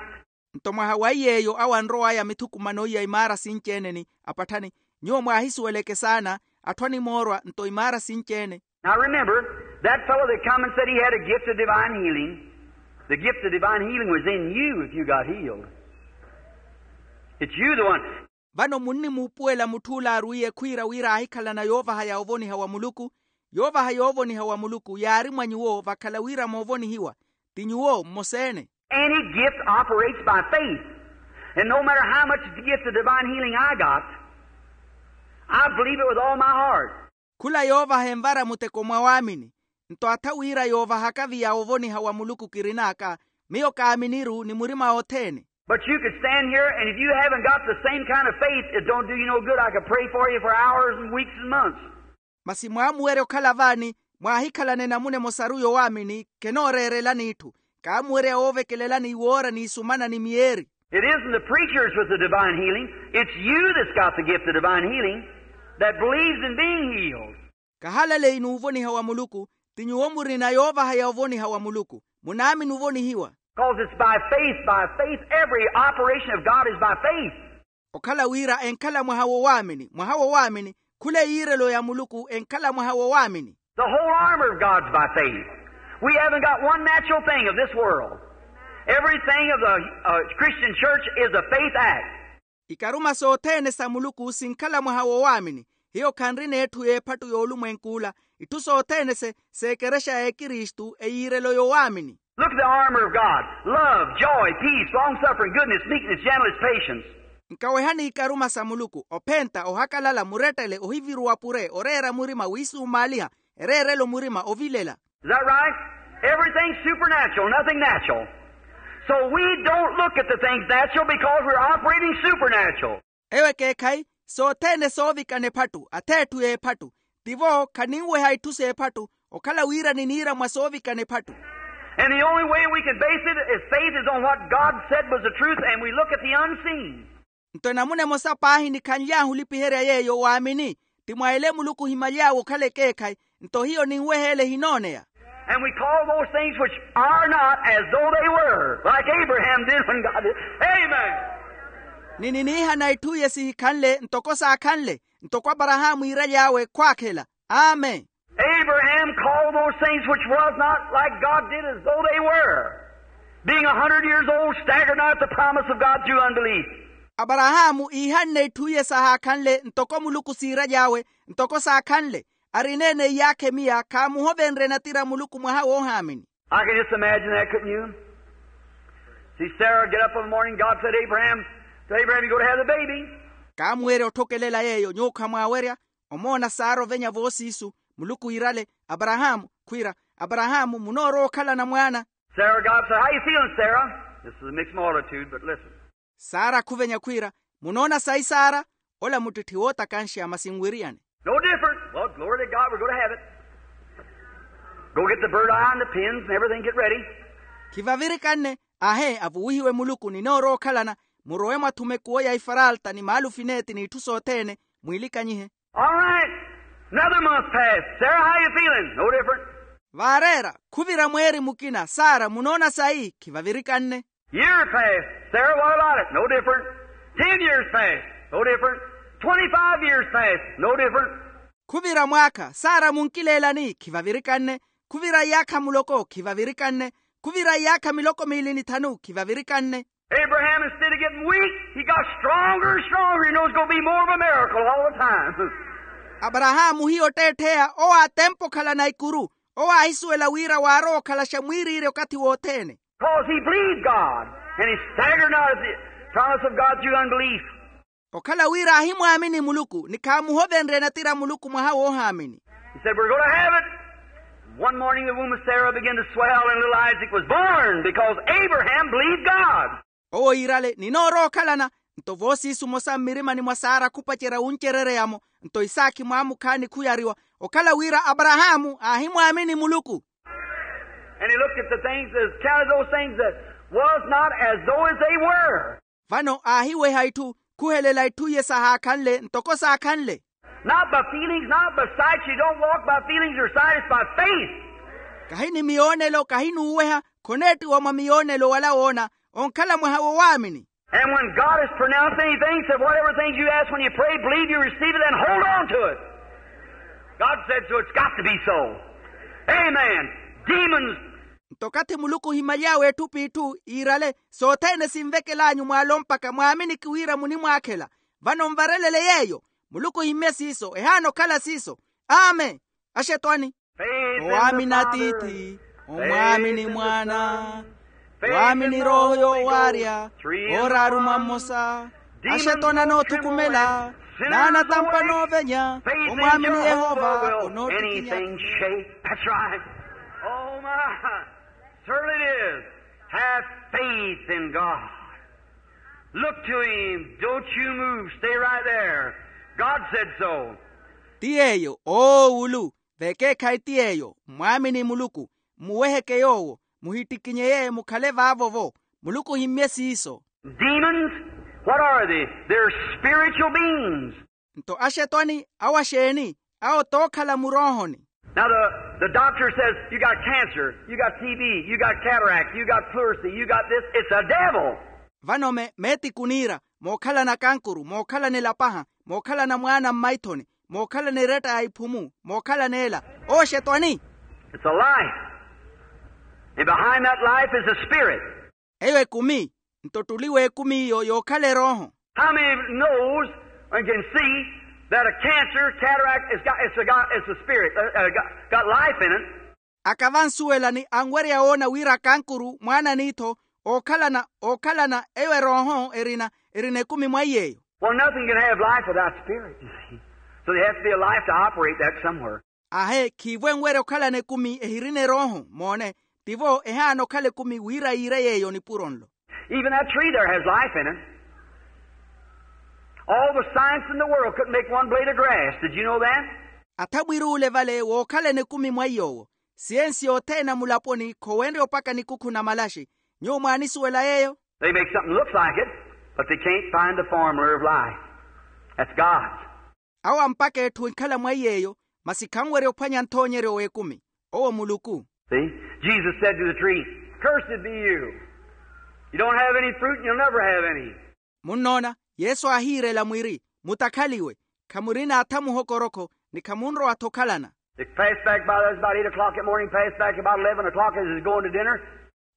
Nto mwaha wa iy'eyo awo anrow'aya mithukumano iya imaara sinci-ene ni apatthani, nyuwo mwaahisuweleke saana, atthu animoorwa nto imaara sinci-ene. Now remember, that fellow that come and said he had a gift of divine healing, the gift of divine healing was in you if you got healed. It's you the one. Vano munnimuupuwela mutthu ole aarwiiye khwiira wira aahikhalana yoovaha ya ovoniha wa muluku. Yoovaha yoovoniha wa muluku yaari mwa nyuwo vakhala wira moovonihiwa. Ti nyuwo mmosa-ene. Any gift operates by faith. And no matter how much gift of divine healing I got, I believe it with all my heart. Khula yoovaha envara muteko mwa waamini. Nto atha wira yoovahaka viya ovoniha wa muluku kirin'aka, miyo kaaminiru ni murima othene. But you could stand here, and if you haven't got the same kind of faith, it don't do you no good. I could pray for you for hours and weeks and months. Masi mwaamuwerya okhala vaani, mwaahikhalana enamuna emosaru yowaamini, khenooreerelani itthu. Kaamuwerya woovekelelani iwoora n'isumana ni miyeeri. It isn't the preachers with the divine healing. It's you that's got the gift of divine healing that believes in being healed. Kahalaleyi n'uvoniha wa muluku, ti nyuwo murina yoovaha ya ovoniha wa muluku. Munaamini ovonihiwa. Because it's by faith, by faith. Every operation of God is by faith. Okhala wira enkhala mwaha wowaamini, mwaha wowaamini. Khula eyiirelo ya muluku enkhala mwaha wowaamini. The whole armor of God's by faith. We haven't got one natural thing of this world. Everything of the uh, Christian church is a faith act. Ikaruma sothene sa muluku sinkhala mwaha wowaamini. Hiyo khanrina etthu y'ephattu y'olumwenk'ula. Itthu sothene se seekerexa ya ekristu eyiirelo yowaamini. Look at the armor of God: love, joy, peace, long suffering, goodness, meekness, gentleness, patience. Nkawehani ikaruma sa muluku: ophenta, ohakalala, murettele, ohiviruwa pure, oreera murima, wiisumaaliha, ereerelo murima, ovilela. Is that right? Everything's supernatural, nothing natural. So we don't look at the things natural because we're operating supernatural. Eyo ekeekhayi, sothene soovikana ephattu, atheetthu y'ephattu. Tivo khaninweha itthu s'ephattu, okhala wira niniira mwa soovikana ephattu. And the only way we can base it as faith is on what God said was the truth, and we look at the unseen. Nto enamuna emosa paahi nikhanly'ahu olipiherya yeeyo waamini, ti mwa ele muluku ohimaly'awe okhala ekeekhayi. Nto hiyo ninweha ele ehinooneya. And we call those things which are not as though they were, like Abraham did when God did. Amen. Ni niniihana itthu iye sihikhanle ntoko saakhanle, ntoko aparahaamu iiraly'awe khwaakhela. Amen. Abraham called those things which was not, like God did, as though they were. Being a hundred years old, staggered not at the promise of God through unbelief. Aparahaamu iihanne itthu iye sahaakhanle ntoko muluku siiraly'awe, ntoko saakhanle. Arineene iyaakha emiya khaamuhovenrye natira muluku mwaha woohaamini. I can just imagine that, couldn't you? See, Sarah get up in the morning, God said, Abraham, to Abraham, you're going to have the baby. Kaamuwerya otthokelela yeeyo nyuwo khamwaawerya. Omoona sara ovenya voosiisu, muluku iirale, aparahaamu, khwiira, aparahaamu munoorowa okhalana mwaana. Sarah, God said, how you feeling, Sarah? This is a mixed multitude, but listen. Sara khuvenya khwiira, munoona sayi sara? Ola muttitthe wootakanxya masi nwiriyane. No different. Well, glory to God, we're going to have it. Go get the bird eye and the pins and everything, get ready. Khivavirikanne. Ahe, avuwihiwe muluku ninoorowa okhalana. Murowe mwathuma ekuwo ya ifaralta ni maalufineeti n'itthu sothene. Mwiilikanyihe. All right. Another month passed. Sarah, how you feeling? No different. Vaareera. Khuvira mweeri mukina. Sara, munoona sayi? Khivavirikanne. Year passed. Sarah, what about it? No different. Ten years passed. No different. Twenty-five years passed. No different. Khuvira mwaakha. Sara, munkileelani? Khivavirikanne. Khuvira iyaakha muloko. Khivavirikanne. Khuvira iyaakha miloko miili ni thanu. Khivavirikanne. Abraham, instead of getting weak, he got stronger and stronger. He knows it's going to be more of a miracle all the time. Aparahaamu hiyo otteettheya owo aatempa okhalana ikuru. Owo aahisuwela wira waarowa okhalaxa mwiiriirya okathi wothene. Because he believed God, and he staggered not at the promise of God through unbelief. Okhala wira aahimwaamini muluku ni khaamuhovenrye natira muluku mwaha woohaamini. He said, we're going to have it. One morning the womb of Sarah began to swell, and little Isaac was born because Abraham believed God. Owo iirale ninoorowa okhalana. Nto voosiisu mmosa mmirimani mwa sara khupacerya wuncerereyamo. Nto isaakhi mwaamukhaani khuyariwa okhala wira aparahaamu aahimwaamini muluku. And he looked at the things, as counted those things that was not as though as they were. Vano aahiweha itthu khuhelela itthu iye sahaakhanle ntoko saakhanle. Not by feelings, not by sight. You don't walk by feelings or sight, it's by faith. Kahi ni miyoonelo kahi n'uweha. Khoneettiwa mwa miyoonelo wala woona. Onkhala mwaha wo waamini. And when God has pronounced anything, said, "Whatever things you ask when you pray, believe you receive it and hold on to it." God said so, it's got to be so. Amen. Demons. Nto okathi muluku ohimaly'awe etthu p'itthu iirale sothene sinvekel'anyu mwaalo mpakha mwaaminiki wira munimwaakhela. Vano nvarelele yeeyo. Muluku ohimmye siiso ehaana okhala siiso. Amen. Axetwani. Owaamini atiithi, omwaamini mwaana, waamini erooho yoowaarya, ooraaru mwa mmosa. Axetwani anoothukumela, n'anatampa anoovenya. Omwaamini yehova onoottikinya. Certainly it is. Have faith in God. Look to him. Don't you move. Stay right there. God said so. Ti yeeyo oowulu. Vekeekhayi ti yeeyo mmwaamini muluku. Mmuweheke yoowo. Muhittikinyeye mukhale vaavo-vo. Muluku ohimmye siiso. Demons, what are they? They're spiritual beings. Nto axetwani awo axeeni? Awo tookhala muroohoni. Now the, the doctor says, "You got cancer, you got T B, you got cataract, you got pleurisy, you got this." It's a devil. Vano me meetiku niira mookhalana kankuru mookhalana elapaha mookhalana mwaana mmaithoni mookhalana eretta ya iphumu mookhalana ela. Oxetwani. It's a life. And behind that life is a spirit. Eyo ekumi. Nto ottuli w'ekumi iyo yookhala erooho. How many knows and can see that a cancer, cataract, it's got, it's a, got, it's a spirit, uh, uh, got, got life in it? Aka vansuwelani anwerya woona wira kankuru mwaana n'ittho ookhalana ookhalana eyo erooho erina erina ekumi mwa iyeeyo. Well, nothing can have life without spirit, you see. So there has to be a life to operate that somewhere. Ahe khiivo enwerya okhalana ekumi ehirina erooho moone. Tivo ehaana okhala ekumi wira yiire yeeyo nipuro nlo. Even that tree there has life in it. All the science in the world couldn't make one blade of grass. Did you know that? Atha mwiruule vale wookhalana ekumi mwa iy'owo. Siyensi yothene ya mulaponi khowenrya opaka nikukhu na malaxi. Nyuwo mwaanisuwela yeeyo? They make something looks like it, but they can't find the formula of life. That's God's. Awo ampaka etthu enkhala mwa iyeeyo. Masi khanwerya ophwanya nthoonyeryo w'ekumi. Owo muluku. See? Jesus said to the tree, "Cursed be you. You don't have any fruit and you'll never have any." Munnoona? Yesu aahiirela mwiri, mutakhaliwe. Khamurina atha muhokorokho ni khamunrowa-tho okhalana. They passed back by, that was about eight o'clock that morning, passed back about eleven o'clock as they was going to dinner.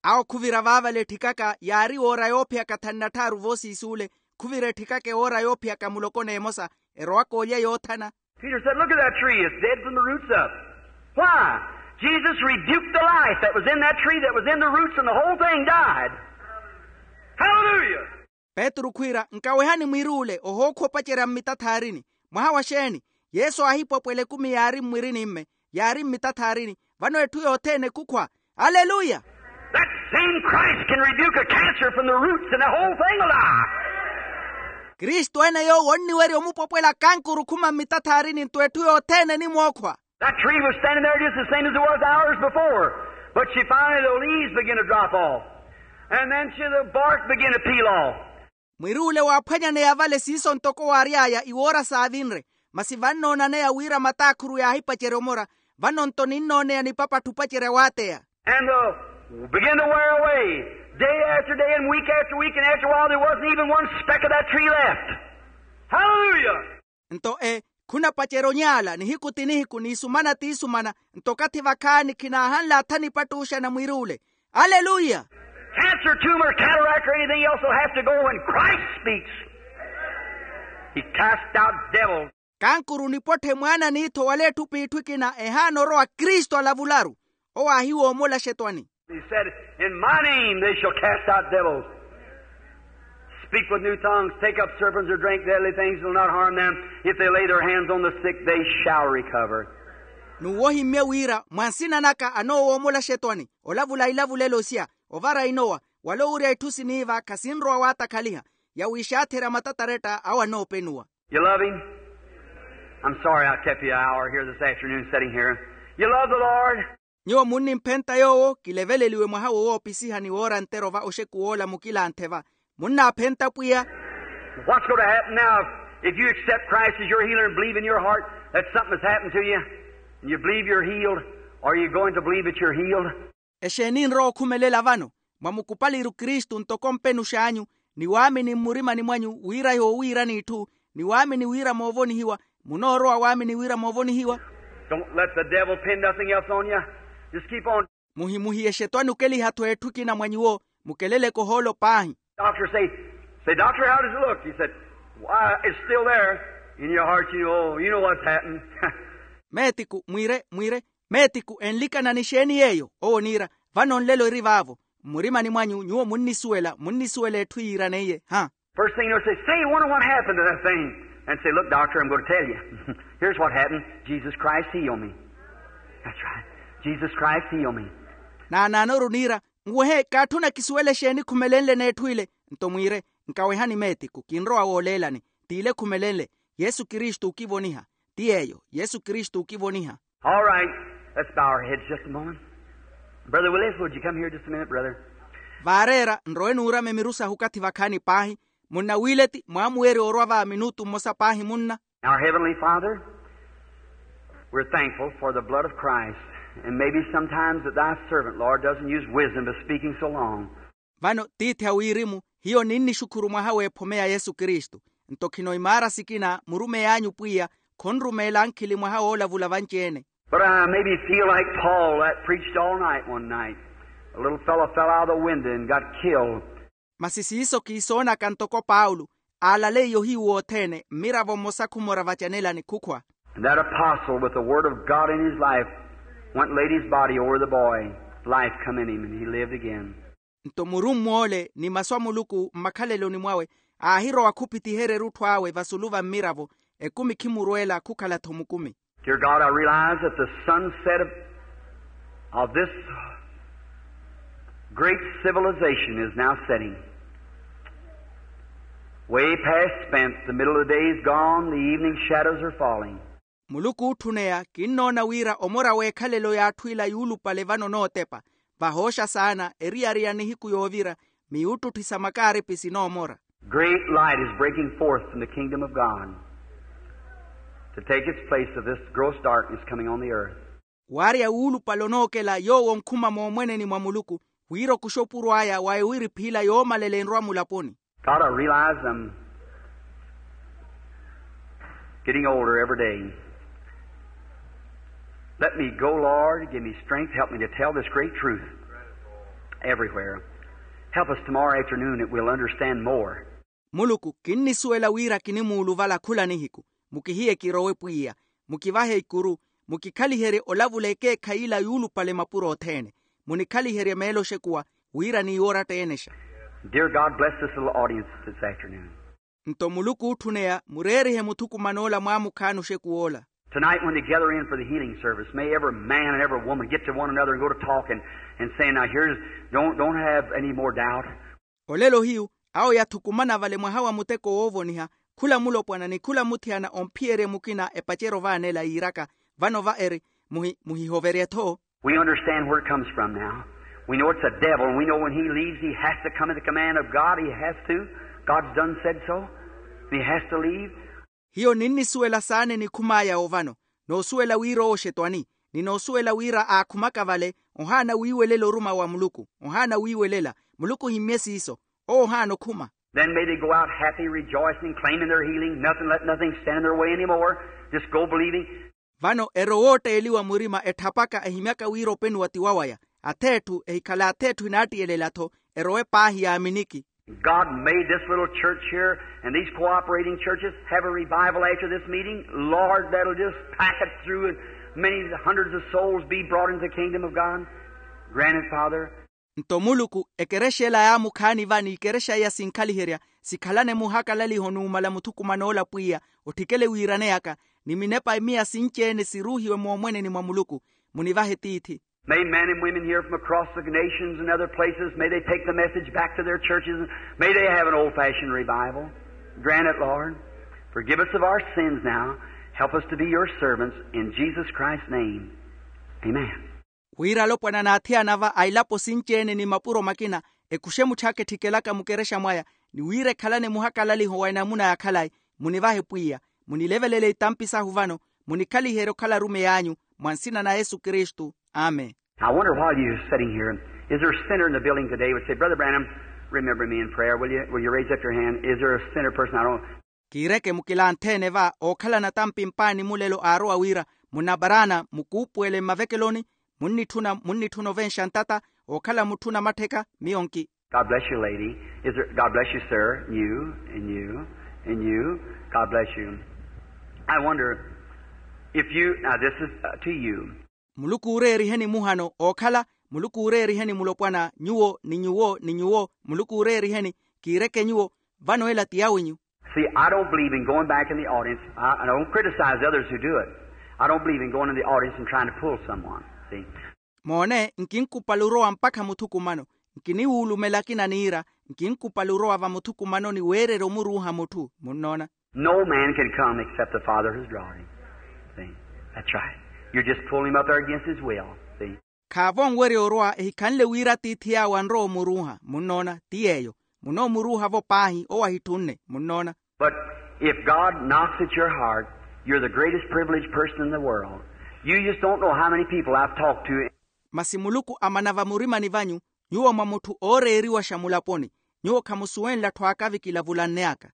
Awo khuvira vaavale etthikaka yaari woora yoophiyaka thanu na tthaaru voosiisuule. Khuvira etthikaka ewoora yoophiyaka muloko n'emosa erowaka olya yoothana. Peter said, "Look at that tree. It's dead from the roots up." Why? Jesus rebuked the life that was in that tree, that was in the roots, and the whole thing died. Hallelujah! Petru khwiira, nkawehani mwiruule ohookhwa opacerya mmitathaarini. Mwaha wa xeeni? Yesu aahipwapwela ekumi yaari mmwirinimme, yaari mmitathaarini. Vano etthu yothene ekhukhwa. Aleluya! That same Christ can rebuke a cancer from the roots and the whole thing will die. Kristu ene yoowo onniwerya omupwapwela kankuru khuma mmitathaarini nto etthu yothene enimwookhwa. That tree was standing there just the same as it was hours before. But she finally, the leaves begin to drop off. And then she, the bark begin to peel off. Mwiruule waaphwanyaneya vale siiso ntoko waary'aya iwoora saavinre. Masi vannoonanaya wira mataakhuru yaahipacerya omora. Vano nto ninnooneya nipapatthi opacerya waateya. And uh, begin to wear away. Day after day and week after week, and after a while there wasn't even one speck of that tree left. Hallelujah! Nto e khunapacerya onyaala nihiku ti nihiku n'isumana t'isumana. Nto okathi vakhaani khinaahanle atha nipattuuxana mwiruule. Aleluya! Cancer, tumor, cataract, or anything else will have to go when Christ speaks. He cast out devils. Kankuru nipotthe mwaana n'ittho wala etthu p'itthu ekina ehaana orowa kristu alavularu. Owo aahiwoomola axetwani. He said, "In my name they shall cast out devils, speak with new tongues, take up serpents or drink deadly things, will not harm them. If they lay their hands on the sick, they shall recover." N'uwo ohimmye wira mwa nsina naka anoowoomola axetwani, olavula ilavulelo sya, ovara inowa, Wala owurya itthu siniiva khasinrowa waatakhaliha. Yawiixaatherya matataretta awo anoopenuwa. You love him? I'm sorry I kept you an hour here this afternoon sitting here. You love the Lord? Nyuwo munnimphenta yoowo kileveleliwe mwaha wo woopisiha ni woora ntero va oxeku woola mukilanthe va. Munnaaphenta pwiya? What's going to happen now if you accept Christ as your healer and believe in your heart that something has happened to you and you believe you're healed? Are you going to believe that you're healed? Exeeni nrowa okhumelela vano? Mwamukupaliru kristu ntoko mpenux'anyu, ni waamini mmurimani mwanyu wira yoowiirani itthu, ni waamini wira moovonihiwa. Munoorowa waamini wira moovonihiwa? Don't let the devil pin nothing else on you. Just keep on. Muhimuhiye xetwani okeliha-tho etthu ekina mwa nyuwo. Mukeleleke ohoolo paahi. Doctor say, say, doctor, how does it look? He said, why, it's still there in your heart, you know, you know what's happened. Meetiku mwire mwire, meetiku enlikanani xeeni yeeyo? Owo oniira, vano nlelo eri vaavo. Mmurimani mwanyu nyuwo munnisuwela munnisuwela etthu yiiraneiye ha? First thing you know, say, say, wonder what happened to that thing. And say, look, doctor, I'm going to tell you. Here's what happened. Jesus Christ healed me. That's right. Jesus Christ healed me. Naanaanoru niira, nwehe kaatthuna kisuwele xeeni khumelenle n'etthu ile? Nto mwiire, nkawehani meetiku kinrowa wooleelani. T'ile khumelenle. Yesu kristu okivoniha. Ti yeeyo yesu kristu okivoniha. All right. Let's bow our heads just a moment. Brother Willis, would you come here just a minute, brother? Vaareera nrowe nuurame miru sahu okathi vakhaani paahi. Munna wiileti mwaamuweerya orwa va minutu mmosa paahi munna. Our Heavenly Father, we're thankful for the blood of Christ, and maybe sometimes that thy servant, Lord, doesn't use wisdom by speaking so long. Vano tiithi a wirimu, hiyo ninnixukhuru mwaha w'ephome ya yesu kristu. Nto khino imaara sikina murumey'anyu pwiya, khonrumeela ankhili mwaha woolavula vanci-ene. But I maybe feel like Paul that preached all night one night. A little fellow fell out of the window and got killed. Masi siiso kiisoonaka ntoko paulo, aalalaiye ohiyu wothene mmiravo mmosa khumora vacanelani khukhwa. And that apostle with the word of God in his life went and laid his body over the boy. Life come in him and he lived again. Nto murumm'ole ni masu a muluku mmakhaleloni mwawe, aahirowa khuphitiherya erutthu awe vasulu va mmiravo. Ekumi khimurweela khukhala-tho mukumi. Dear God, I realize that the sunset of, of this great civilization is now setting. Way past spent, the middle of the day is gone, the evening shadows are falling. Muluku ootthuneya, kinnoona wira omora w'ekhalelo y'atthu ila yuulupale vano onootepa. Vahooxa saana eriyari ya nihiku yoovira, miyuuttutthi sa makaaripi sinoomora. Great light is breaking forth from the kingdom of God to take its place of this gross darkness coming on the earth. Waarya wuulupale onookela yoowo onkhuma moomweneni mwa muluku, wira okuxa opuro aya wa ewiriphi ila yoomalela enrwa mulaponi. God, I realize I'm getting older every day. Let me go, Lord. Give me strength. Help me to tell this great truth everywhere. Help us tomorrow afternoon that we'll understand more. Muluku, kinnisuwela wira kinimuuluvala khula nihiku. Mukihiye kirowe pwiya. Mukivahe ikuru. Mukikhaliherye olavula ekeekhayi ila yuulupale mapuro othene. Munikhaliherye meelo oxekuwa, wira niiwoora ttenexa. Dear God, bless this little audience this afternoon. Nto muluku ootthuneya mureerihe muthukuman'ola mwaamukhaani oxekuw'ola. Tonight, when they gather in for the healing service, may every man and every woman get to one another and go to talking and saying, now here's, don't, don't have any more doubt. Olelo hiyu, awo yathukumana vale mwaha wa muteko woovoniha, khula mulopwana ni khula muthiyana omphiyerye mukina epaceryo vaanela yiiraka, vano va eri, muhi muhihoverye-tho. We understand where it comes from now. We know it's the devil, and we know when he leaves, he has to come at the command of God. He has to. God's done said so. He has to leave. Hiyo ninnisuwela saana enikhum'aya ovano, noosuwela wira owo oxetwani, ni noosuwela wira aakhumaka vale, ohaana wiiwelela oruma wa muluku. Ohaana wiiwelela. Muluku ohimmye siiso. Owo ohaana okhuma. Then may they go out happy, rejoicing, claiming their healing, nothing, let nothing stand in their way anymore. Just go believing. Vano erowe ootteeliwa murima etthapaka ehimyaka wira openiwa ti wawaya. Ath'etthu ehikhala ath'etthu enaattiyelela-tho. Erowe paahi yaaminiki. God, may this little church here and these cooperating churches have a revival after this meeting, Lord, that'll just pack it through and many hundreds of souls be brought into the kingdom of God. Grant it, Father. Nto muluku, ekerexa ela yaamukhaani va n'ikerexa iya sinkhaliherya, sikhalane muhakalaliho numala muthukuman'ola pwiya, otthikele wiiraneyaka, ni minepa miya sinci-ene siruuhiwe moomweneni mwa muluku. Munivahe tiithi. May men and women here from across the nations and other places, may they take the message back to their churches, and may they have an old-fashioned revival. Grant it, Lord. Forgive us of our sins now. Help us to be your servants in Jesus Christ's name. Amen. Wira alopwana n'athiyana va a ilapo sinci-ene ni mapuro makina, ekuxe mutthu akettikelaka mukerexa mwaya, ni wira ekhalane muhakalaliho wa enamuna ya khalayi. Munivahe pwiya, munilevelele itampi sahu vano, munikhaliherye okhala arumeyi anyu. Mwa nsina na yesu kristu. Amen. I wonder, while you're sitting here, is there a sinner in the building today would say, "Brother Branham, remember me in prayer, will you? Will you raise up your hand? Is there a sinner person I don't?" Kiireke mukilanthe-ene va ookhalana tampi mpaani mulelo aarowa wira, munabaraana mukuupuwele mmavekeloni, munnitthuna munnitthuna ovenxa ntata, ookhala mutthu namattheka miyo nki. God bless you, lady. Is there? God bless you, sir. And you and you and you. God bless you. I wonder if you, now this is, uh, to you. Muluku uureeriheni muhano ookhala, muluku uureeriheni mulopwana nyuwo ni nyuwo ni nyuwo, muluku uureeriheni. Kiireke nyuwo, vano ela ti yawinyu. See, I don't believe in going back in the audience. I, I don't criticize others who do it. I don't believe in going in the audience and trying to pull someone. See? Moone, nkinkupali orowa mpakha muthukumano. Nkiniwuulumela akina niira, nkinkupali orowa va muthukumanoni weererya omuruuha mutthu. Munnoona? No man can come except the Father has drawn him. See? That's right. You're just pulling him up there against his will. See? Khaavo onwerya orowa ehikhanle wira atiithi yaawo anrowa omuruuha. Munnoona? Ti yeeyo. Munoomuruuha-vo paahi owo ahitthunne. Munnoona? But if God knocks at your heart, you're the greatest privileged person in the world. You just don't know how many people I've talked to. Masi muluku amana vamurimani vanyu, nyuwo mwa mutthu ooreeriwaxa mulaponi. Nyuwo khamusuwenle atthu aakavi kilavulanneyaka.